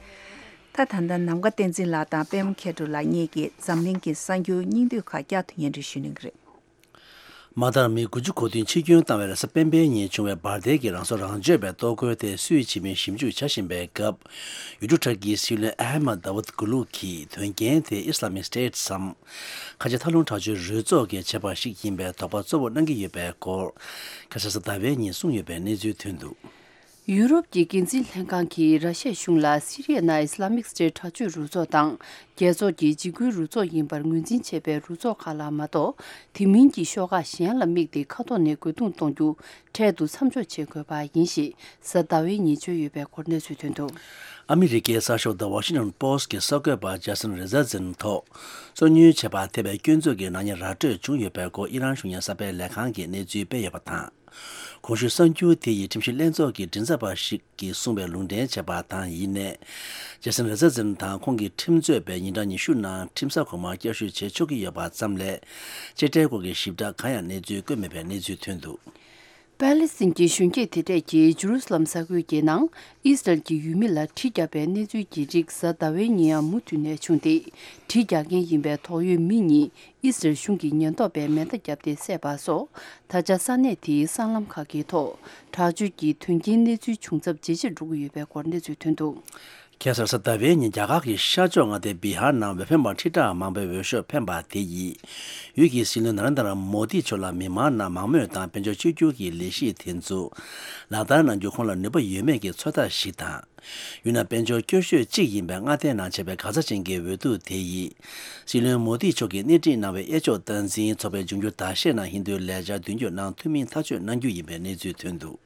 ད་ད་ལྟ་ནམ་མཁའ་བསྟན་འཛིན་ལགས་དང་པད་མ་མཁས་གྲུབ་ལགས་གཉིས་ཀྱིས་འཛམ་གླིང་གི་གསར་འགྱུར་སྙིང་བསྡུས་ཁག་བསྐྱར་དུ་སྙན་སྒྲོན་ཞུ་གནང་གི་རེད། མ་མཐར་མི་དགུ་བཅུ་གོ་བདུན་འཆི་སྐྱོན་བཏང་བའི་རེས་གཟའ་སྤེན་པའི་ཉིན་བྱུང་བའི་འབར་མདེལ་གྱི་རང་སྲོག་རང་གཅོད་པའི་ལྟོ་གོས་དེ་སུས་བྱིན་མིན་ཞིབ་འཇུག་བྱ་བཞིན་པའི་སྐབས། ཡུལ་གྲུ་ཁྲག་གི་སྲིད་བློན་ཨ་ཧ་མ་དཱ་ཝུད་གུ་ལུག་གིས་དོན་རྐྱེན་དེ་Islamic State སམ། ཁ་ཆེ་མཐའ་ལྷུང་དྲག་སྤྱོད་རུ་ཚོགས་ཀྱིས་བྱས་པ་ཞིག་ཡིན་པའི་དོགས་པ་གཙོ་བོ་གནང་གི་ཡོད་པའི་སྐོར། ཁ་སང་གཟའ་ཟླ་བའི་ཉིན་གསུངས་ཡོད་པའི་གནས་ཚུལ་ཐོན་འདུག། ཡུ་རོབ་ཀྱི་འགན་འཛིན་ལྷན་ཁང་གིས་ར་ཤ་གཞུང་ལ་སི་རི་ཡའི་ནང་Islamic State དྲག་སྤྱོད་རུ་ཚོགས་དང་རྒྱལ་ཚོགས་ཀྱི་འཇིགས་སྐུལ་རུ་ཚོགས་ཡིན་པར་ངོས་འཛིན་བྱས་པའི་རུ་ཚོགས་ཁག་ལ་མ་གཏོགས། དེ་མིན་གྱི་ཤོག་ཁག་གཞན་ལ་དམིགས་ཏེ་མཁའ་ཐོག་ནས་རྒོལ་རྡུང་གཏོང་རྒྱུ་འཕྲལ་དུ་མཚམས་འཇོག་བྱེད་དགོས་པ་ཡིན་ཞེས་གཟའ་ཟླ་བའི་ཉིན་བརྗོད་ཡོད་པའི་སྐོར་གནས་ཚུལ་ཐོན་འདུག། ཨ་མི་རི་ཀའི་གསར་ཤོག་The Washington Post གྱི་གསར་འགོད་པ་ཇེ་སན་རེ་ཛར་ཛིན་ཐོག་རྩོད་རྙོག་བྱས་པར་ཐེབས་པའི་སྐྱོན་འཛུགས་ཀྱི་ནག་ཉེས་ར་སྤྲོད་བྱུང་ཡོད་པའི་སྐོར་ཨི་རན་གཞུང་གཉེར་གསར་སྤེལ་ལས་ཁང་གིས་གནས་ཚུལ་སྤེལ་ཡོད་པ་དང་། གོང་ཞུས་གསར་འགྱུར་དེ་ཡི་ཁྲིམས་ཞིབ་ལྷན་ཚོགས་ཀྱི་མགྲིན་ཚབ་པ་ཞིག་གིས་གསུངས་པའི་ལུང་འདྲེན་བྱས་པ་དང་ཡིན་ནའི། ཇེ་སན་རེ་ཛར་ཛིན་དང་ཁོང་གི་ཁྲིམས་རྩོད་པས་ཉིན་གྲངས་ཉི་ཤུ་ནང་ཁྲིམས་ས་གོང་མར་བསྐྱར་ཞུ་བྱེད་ཆོག་གི་ཡོད་པ་ཙམ་ལས། གཅེས་སྤྲས་སྐོར་གྱི་ཞིབ་ཕྲ་གང་ཡང་གནས་ཚུལ་བཀོད་མེད་པའི་གནས་ཚུལ་ཐོན་འདུག། པཱ་ལི་སི་ཐན་གྱི་གཞོན་སྐྱེས་དེ་གྲས་ཀྱིས་ཇུ་རུ་སི་ལམ་ས་ཁུལ་གྱི་ནང་ཨི་སི་རལ་གྱི་ཡུལ་མི་ལ་གྲི་བརྒྱབ་པའི་གནས་ཚུལ་གྱི་རིགས་གཟའ་ཟླ་བའི་ཉིན་ཡང་མུ་མཐུད་ནས་བྱུང་སྟེ། གྲི་རྒྱག་མཁན་ཡིན་པའི་དོགས་ཡོད་མི་གཉིས་ཨི་སི་རལ་གཞུང་གི་ཉེན་རྟོག་པས་མེ་མདའ་བརྒྱབ་སྟེ་བསད་པ་སོགས། ད་ཆ་ས་གནས་དེའི་སྲང་ལམ་ཁག་གི་ཐོག་དྲག་སྤྱོད་ཀྱི་དོན་རྐྱེན་གནས་ཚུལ་བྱུང་ཚབས་ཇེ་ཆེར་འགྲོ་གི་ཡོད་པའི་སྐོར་གནས་ཚུལ་ཐོན་འདུག། ཁ་སང་གཟའ་ཟླ་བའི་ཉིན་རྒྱ་གར་གྱི་ཤར་ཕྱོགས་མངའ་སྡེ་བི་ཧར་ནང་འོས་འཕེན་པ་ཁྲི་ཕྲག་མང་པོའི་འོས་ཤོག་འཕེན་པ་དེ་ཡིས། ཡུལ་གྱི་སྲིད་བློན་ན་རེན་དྲ་མོ་དི་མཆོག་ལ་མི་མང་ནང་མང་མོས་དང་དཔལ་འབྱོར་བཅོས་བསྒྱུར་གྱི་ལས་གཞི་དེ་ཚོ་ལག་བསྟར་གནང་རྒྱུ་ཁོང་ལ་ནུས་པ་ཡོད་མེད་ཀྱི་ཚོད་ལྟ་ཞིག་དང་། ཡུལ་ནང་དཔལ་འབྱོར་སྐྱོ་ཤོས་གཅིག་ཡིན་པའི་མངའ་སྡེའི་ནང་བྱས་པའི་གང་ཟག་ཅན་གྱི་འོས་བསྡུ་དེ་ཡིས། སྲིད་བློན་མོ་དི་མཆོག་གིས་སྣེ་ཁྲིད་གནང་བའི་གཡས་ཕྱོགས་སྟངས་འཛིན་ཚོགས་པའི་འབྱུང་འགྱུར་ཟླ་ཤས་ནང་ཧིན་རྡུའི་ལས་འཆར་མདུན་སྐྱོད་གནང་ཐུབ་མིན་ཐག་གཅོད་གནང་རྒྱུ་ཡིན་པའི་གནས་ཚུལ་ཐོན་འདུག།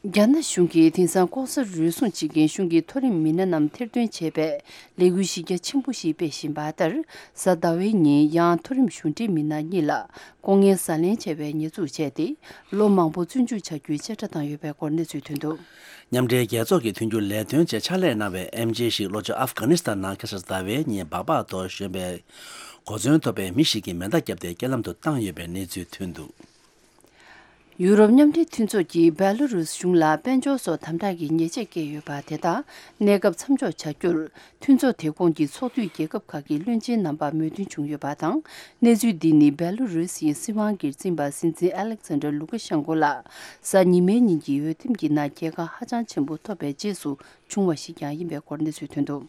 རྒྱ་ནག་གཞུང་གིས་དེང་སང་ལྐོག་ཟ་རུལ་སུངས་བྱེད་མཁན་གཞུང་གི་མཐོ་རིམ་མི་སྣ་རྣམས་ཐེར་འདོན་བྱེད་པའི་ལས་འགུལ་གཞི་རྒྱ་ཆེན་པོ་ཞིག་སྤེལ་བཞིན་པ་ལྟར། གཟའ་ཟླ་བའི་ཉིན་ཡང་མཐོ་རིམ་གཞུང་འབྲེལ་མི་སྣ་གཉིས་ལ་ལྐོག་རྔན་ཟ་ལེན་བྱས་པའི་ཉེས་འཛུགས་བྱས་ཏེ། ལོ་མང་པོ་བཙོན་འཇུག་བྱ་རྒྱུའི་བཅད་ཁྲ་བཏང་ཡོད་པའི་སྐོར་གནས་ཚུལ་ཐོན་འདུག། མཉམ་འབྲེལ་རྒྱལ་ཚོགས་ཀྱི་མཐུན་འགྱུར་ལས་དོན་ཆེད་ཕྱག་ལས་གནང་བའི་ཨེམ་ཆི་ཞིག་ལྷོ་ཕྱོགས་ཨབ་གྷ་ནི་སི་ཐན་ནང་ཁ་སང་ཟླ་བའི་ཉིན་སྦག་སྦག་ཏུ་ཞོན་པའི་གོ་མཚོན་ཐོབ་པའི་མི་ཞིག་གིས་མེ་མདའ་བརྒྱབ་སྟེ་རྐྱེན་ལམ་དུ་བཏང་ཡོད་པའི་གནས་ཚུལ་ཐོན་འདུག། ཡུ་རོབ་མཉམ་འབྲེལ་མཐུན་ཚོགས་ཀྱིས་བེ་ལོ་རུས་གཞུང་ལ་དཔལ་འབྱོར་སོགས་དམ་དྲག་གི་ཉེས་ཆད་བཀལ་ཡོད་པ་དེ་དག་གནས་སྐབས་མཚམས་འཇོག་བྱ་རྒྱུར། མཐུན་ཚོགས་དེ་ཁོངས་ཀྱི་ཚོགས་འཐུས་རྒྱལ་ཁབ་ཁག་གི་བློན་ཆེན་རྣམ་པར་མོས་མཐུན་བྱུང་ཡོད་པ་དང་། གནས་ཚུལ་འདི་ནི་བེ་ལོ་རུས་ཡི་སྲིད་དབང་སྒེར་འཛིན་པ་སྲིད་འཛིན་ཨ་ལེག་ཛན་ཌར་ལུ་ཀ་ཤན་ཀོ་ལགས་གཟའ་ཉི་མའི་ཉིན་གྱི་འོས་འདེམས་ཀྱི་ནང་རྒྱལ་ཁ་ཧ་ཅང་ཆེན་པོ་ཐོབ་པའི་རྗེས་སུ་བྱུང་བ་ཞིག་ཀྱང་ཡིན་པའི་སྐོར་གནས་ཚུལ་ཐོན་འདུག།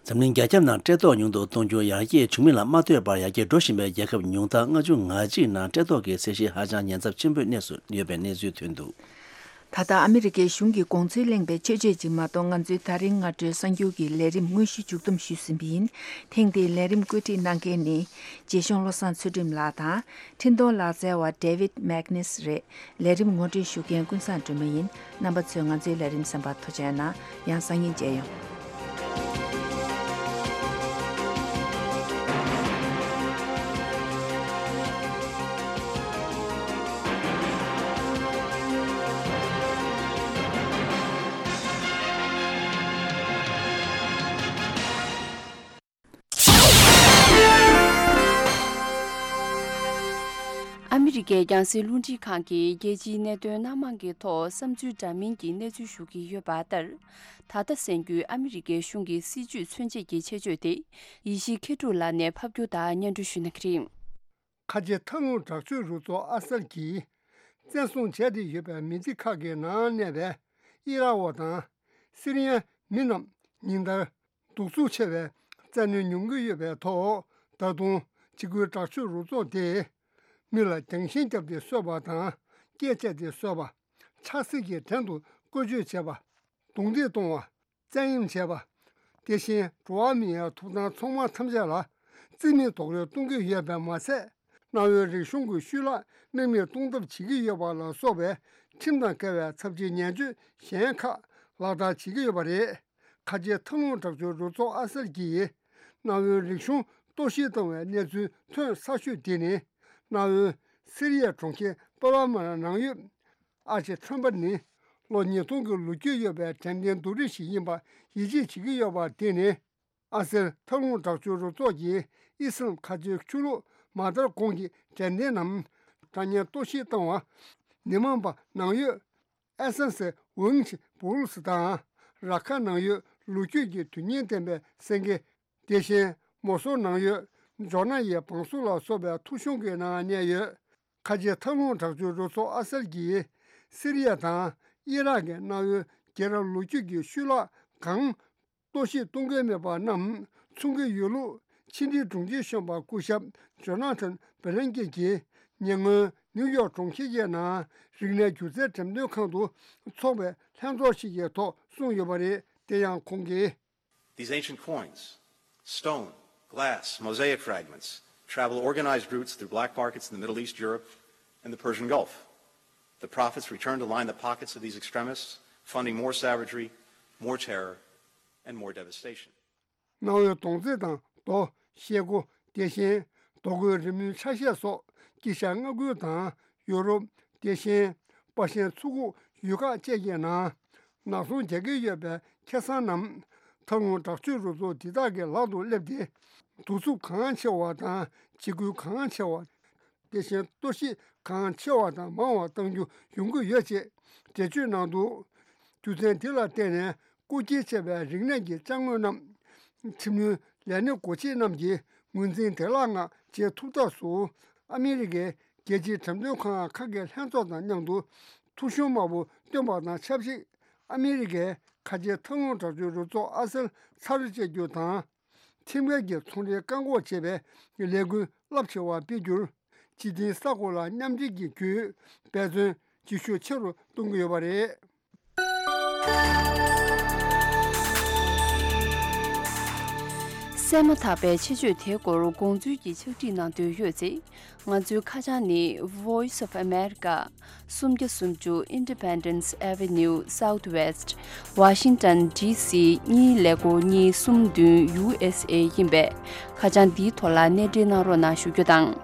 འཛམ་གླིང་རྒྱ་ཁྱབ་ནང་བཀྲེས་ལྟོགས་ཉུང་དུ་གཏོང་རྒྱུར་ཡར་རྒྱས་བྱུང་མིན་ལ་མ་ལྟོས་པར་ཡར་རྒྱས་འགྲོ་བཞིན་པའི་རྒྱལ་ཁབ་ཉུང་མཐའ་ལྔ་བཅུ་ང་གཅིག་ནང་བཀྲེས་ལྟོགས་ཀྱི་ཚད་གཞི་ཧ་ཅང་ཉེན་ཚབས་ཆེན་པོའི་གནས་སུ་ཡོད་པའི་གནས་ཚུལ་ཐོན་འདུག། ད་ལྟ་ཨ་མི་རི་ཀའི་གཞུང་གིས་དགོངས་ཚུལ་གླེང་པའི་ཆོས་ཆོས་ཅིག་མ་གཏོགས། ང་ཚོའི་ད་རིང་སྔ་དྲོའི་གསར་འགྱུར་གྱི་ལས་རིམ་དངོས་གཞི་མཇུག་བསྡོམས་ཞུས་ཟིན་པ་ཡིན། ཐེངས་འདིའི་ལས་རིམ་བཀོད་སྒྲིག་གནང་མཁན་ནི་རྗེ་གཞུང་བློ་བཟང་ཚུལ་ཁྲིམས་ལགས་དང་། འཕྲིན་གཏོང་ལག་རྩལ་བ་David Magnus་རེད། ལས་རིམ་ངོ་སྤྲོད་ཞུ་མཁན་ཀུན་བཟང་སྒྲོལ་མ་ཡིན། རྣམ་པ་ཚོས་ང་ཚོའི་ལས་རིམ་གསན་པར་ཐུགས་རྗེ་གནང་། ཡང་སང་ཉིན་མཇལ་ཡོང་། ཨ་མི་རི་ཀའི་རྒྱང་སྲིང་རླུང་འཕྲིན་ཁང་གིས་རྒྱལ་སྤྱིའི་གནད་དོན་སྣ་མང་གི་ཐོག་བསམ་ཚུལ་འདྲ་མིན་གྱི་གནས་ཚུལ་ཞུ་གི་ཡོད་པ་ལྟར། ད་ལྟ་གསན་རྒྱུའི་ཨ་མི་རི་ཀའི་གཞུང་གི་སྲིད་བྱུས་མཚོན་བྱེད་ཀྱི་ཆེད་བརྗོད་དེ། ཡེ་ཤེས་མཁས་གྲུབ་ལགས་ནས་ཕབ་སྒྱུར་དང་སྙན་སྒྲོན་ཞུ་གནང་གི་རེད། ཁ་ཆེ་མཐའ་ལྷུང་དྲག་སྤྱོད་རུ་ཚོགས་ཨ་སལ་གྱིས་བཙན་བཟུང་བྱས་ཏེ་ཡོད་པའི་མི་སྡེ་ཁག་གི་ནང་གནས་པའི་ཨི་རག་དང་སི་རི་ཡའི་མི་རྣམས་ཉིན་ལྟར་གདུག་རྩུབ་ཆེ་བའི་བཙན་གནོན་མྱོང་གི་ཡོད་པའི་ཐོག། ད་དུང་འཇིགས་སྐུལ་དྲག་སྤྱོད་རུ་ཚོགས་དེས་མི་ལ་རྒྱང་ཤིང་བརྒྱབ་སྟེ་གསོད་པ་དང་། སྐེ་བཅད་དེ་གསོད་པ། ཆབ་སྲིད་ཀྱི་བྲན་དུ་བཀོལ་སྤྱོད་བྱས་པ། རྡུང་རྡེག་གཏོང་བ། བཙན་གཡེམ་བྱས་པ། དེ་བཞིན་འགྲོ་བ་མིའི་ཐོབ་ཐང་ཚང་མ་ཐམས་ཅད་ལ་རྩིས་མེད་རྡོག་རོལ་གཏོང་གི་ཡོད་པ་མ་ཟད། གནའ་བོའི་རིག་གཞུང་གི་ཤུལ་ལ་རྨེག་མེད་གཏོང་ཐབས་བྱེད་ཀྱི་ཡོད་པ་ལ་སོགས་པའི་ཁྲིམས་དང་འགལ་བའི་ཚབས་ཆེའི་ཉེས་སྤྱོད་གཞན་ཁག་ལག་བསྟར་བྱེད་ཀྱི་ཡོད་པ་རེད། ཁ་ཆེ་མཐའ་ལྷུང་དྲག་སྤྱོད་རུ་ཚོགས་ཨ་སལ་གྱིས་གནའ་བོའི་རིག་གཞུང་གཏོར་བཤིག་བཏང་བའི་གནས་ཚུལ་ཐོན་གསར་ཤོས་དེ་ནི། གནའ་བོའི་སི་རི་ཡའི་གྲོང་ཁྱེར་པ་ལ་མ་ར་ནང་ཡོད། ཨར་ཆེ་ཁྲོན་པ་ནི་ལོ་ཉིས་སྟོང་གི་ལོ་རྒྱུས་ཡོད་པའི་དྲན་རྟེན་རྡོ་རིང་ཞིག་ཡིན་པ་ཡིད་ཆེས་བྱེད་ཀྱི་ཡོད་པ་དེ་ནི། ཨ་སེར་མཐའ་ལྷུང་དྲག་སྤྱོད་རུ་ཚོགས་ཀྱིས་ཨི་སི་ལམ་མཁའ་སྤྱོད་ཆུ་ལོག་མ་དར་གོང་གི་དྲན་རྟེན་ནམ་དྲ་བརྙན་གཏོར་བཤིག་བཏང་བ། མི་མང་པ་ནང་ཡོད་ཨེ་སན་སི་ཝུང་ཆི་པུ་རུ་སི་དང་ར་ཁ་ནང་ཡོད་ལོ་རྒྱུས་ཀྱི་དོན་སྙིང་ལྡན་པའི་སེང་གེ། དེ་བཞིན་མོ་སོ་ནང་ཡོད་ཇོ་ན་ཡི་བང་སོ་ལ་སོགས་པའི་ཐོ་གཞུང་གི་ནང་གནས་ཡོད། ཁ་ཆེ་མཐའ་ལྷུང་དྲག་སྤྱོད་རུ་ཚོགས་ཨ་སལ་གྱིས་སི་རི་ཡ་དང་ཨི་རག་གི་གནའ་བོའི་རྒྱལ་རབས་ལོ་རྒྱུས་ཀྱི་ཤུལ་ལ་གང་གཏོར་བཤིག་གཏོང་གི་མེད་པ་རྣམས་མཚོན་གྱི་ཡོད་ལུགས་ཕྱི་འབྲེལ་དྲུང་ཆེ་གཞོན་པ་སྐུ་ཞབས་ཇོ་ན་ཐན་བྷི་ལན་ཀེ་གྱིས་ཉེ་སྔོན་ནིའུ་ཡོག་གྲོང་ཁྱེར་གྱི་ནང་རིག་གནས་སྒྱུ་རྩལ་འགྲེམས་སྟོན་ཁང་དུ་འཚོགས་པའི་ལྷན་ཚོགས་ཤིག་གི་ཐོག་གསུངས་ཡོད་པ་རེད། དེ་ཡང་ཁོང་གིས། These ancient coins, stone, glass, mosaic fragments, travel organized routes through black markets in the Middle East, Europe, and the Persian Gulf. The profits return to line the pockets of these extremists, funding more savagery, more terror, and more devastation. གནའ་བོའི་མདོང་རྩེ་དང་རྡོ། ཤེལ་སྒོ། དེ་བཞིན་རྡོ་བརྐོས་རི་མོའི་ཆ་ཤས་སོགས་དཀྱིལ་ཤར་མངའ་ཁུལ་དང་ཡོ་རོབ། དེ་བཞིན་པ་ཤན་མཚོ་ཁུག་ཡུལ་ཁག་བཅས་ཀྱི་ནང་ནག་ཚོང་རྒྱག་གི་ཡོད་པའི་ཁེ་བཟང་རྣམས་མཐའ་ལྷུང་དྲག་སྤྱོད་རུ་ཚོགས་འདི་དག་གི་ལག་ཏུ་སླེབས་ཏེ། གདུག་རྩུབ་གང་ཆེ་བ་དང་འཇིགས་སྐུལ་གང་ཆེ་བ། དེ་བཞིན་གཏོར་བཤིག་གང་ཆེ་བ་དང་མང་བ་གཏང་རྒྱུ་ཡོང་གི་ཡོད་ཅེས་འགྲེལ་བརྗོད་གནང་འདུག་རྒྱུ་མཚན་འདི་ལ་བརྟེན་ནས་རྐུ་འཁྱེར་བྱས་པའི་རིག་གནས་ཀྱི་ཅ་དངོས་རྣམས་ཁྲིམས་ལུགས་ལས་སྣེ་འགོ་ཁྲིད་རྣམས་ཀྱིས་ངོས་འཛིན་བདེ་བླག་ངང་བྱེད་ཐུབ་ཐབས་སུ། ཨ་མི་རི་ཀའི་རྒྱལ་སྤྱིའི་འགྲེམས་སྟོན་ཁང་ཁག་གི་ལྷན་ཚོགས་དང་མཉམ་དུ་ཐོ་གཞུང་དམར་པོ་བཏོན་པ་དང་ཆབས་ཅིག་ཨ་མི་རི་ཀའི་ཁ་ཆེ་མཐའ་ལྷུང་དྲག་སྤྱོད་རུ་ཚོགས་ཨ་སེལ་ཚར་བཅད་རྒྱུ་དང་། ཁྲིམས་འགལ་གྱི་ཚོང་འབྲེལ་བཀག་འགོག་བྱེད་པའི་ལས་འགུལ་རླབས་ཆེ་བ་སྤེལ་རྒྱུར། སྤྱི་བདེའི་ས་ཁོངས་ལ་མཉམ་འབྲེལ་གྱི་བརྒྱུད་འབད་བརྩོན་ཇེ་ཤུགས་ཆེ་རུ་གཏོང་གི་ཡོད་པ་རེད། གསན་མ་ཐག་པའི་ཆེད་བརྗོད་དེའི་སྐོར་དགོངས་ཚུལ་གྱི་ཕྱག་བྲིས་གནང་འདོད་ཡོད་ཚེ། ང་ཚོའི་ཁ་བྱང་ནི། Voice of America། སུམ་བརྒྱ་སུམ་ཅུ། Independence Avenue Southwest། Washington D C གཉིས་ཀླད་ཀོར་གཉིས་གསུམ་བདུན། U S A ཡིན་པས། ཁ་བྱང་འདིའི་ཐོག་ལ་གནས་འབྲེལ་གནང་རོགས་གནང་ཞུ་རྒྱུ་དང་།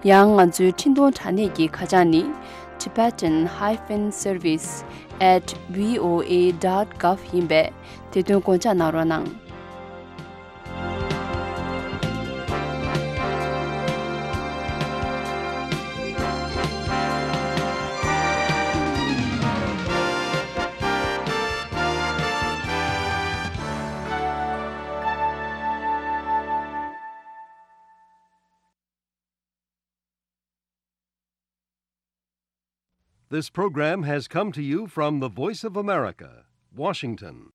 ཡང་ང་ཚོའི་འཕྲིན་གཏོང་དྲ་གནས་ཀྱི་ཁ་བྱང་ནི། Tibetan hyphen service at V O A dot gov ཡིན་པས། དེ་དོན་དགོངས་འཇགས་གནང་རོགས་གནང་། This program has come to you from the Voice of America, Washington.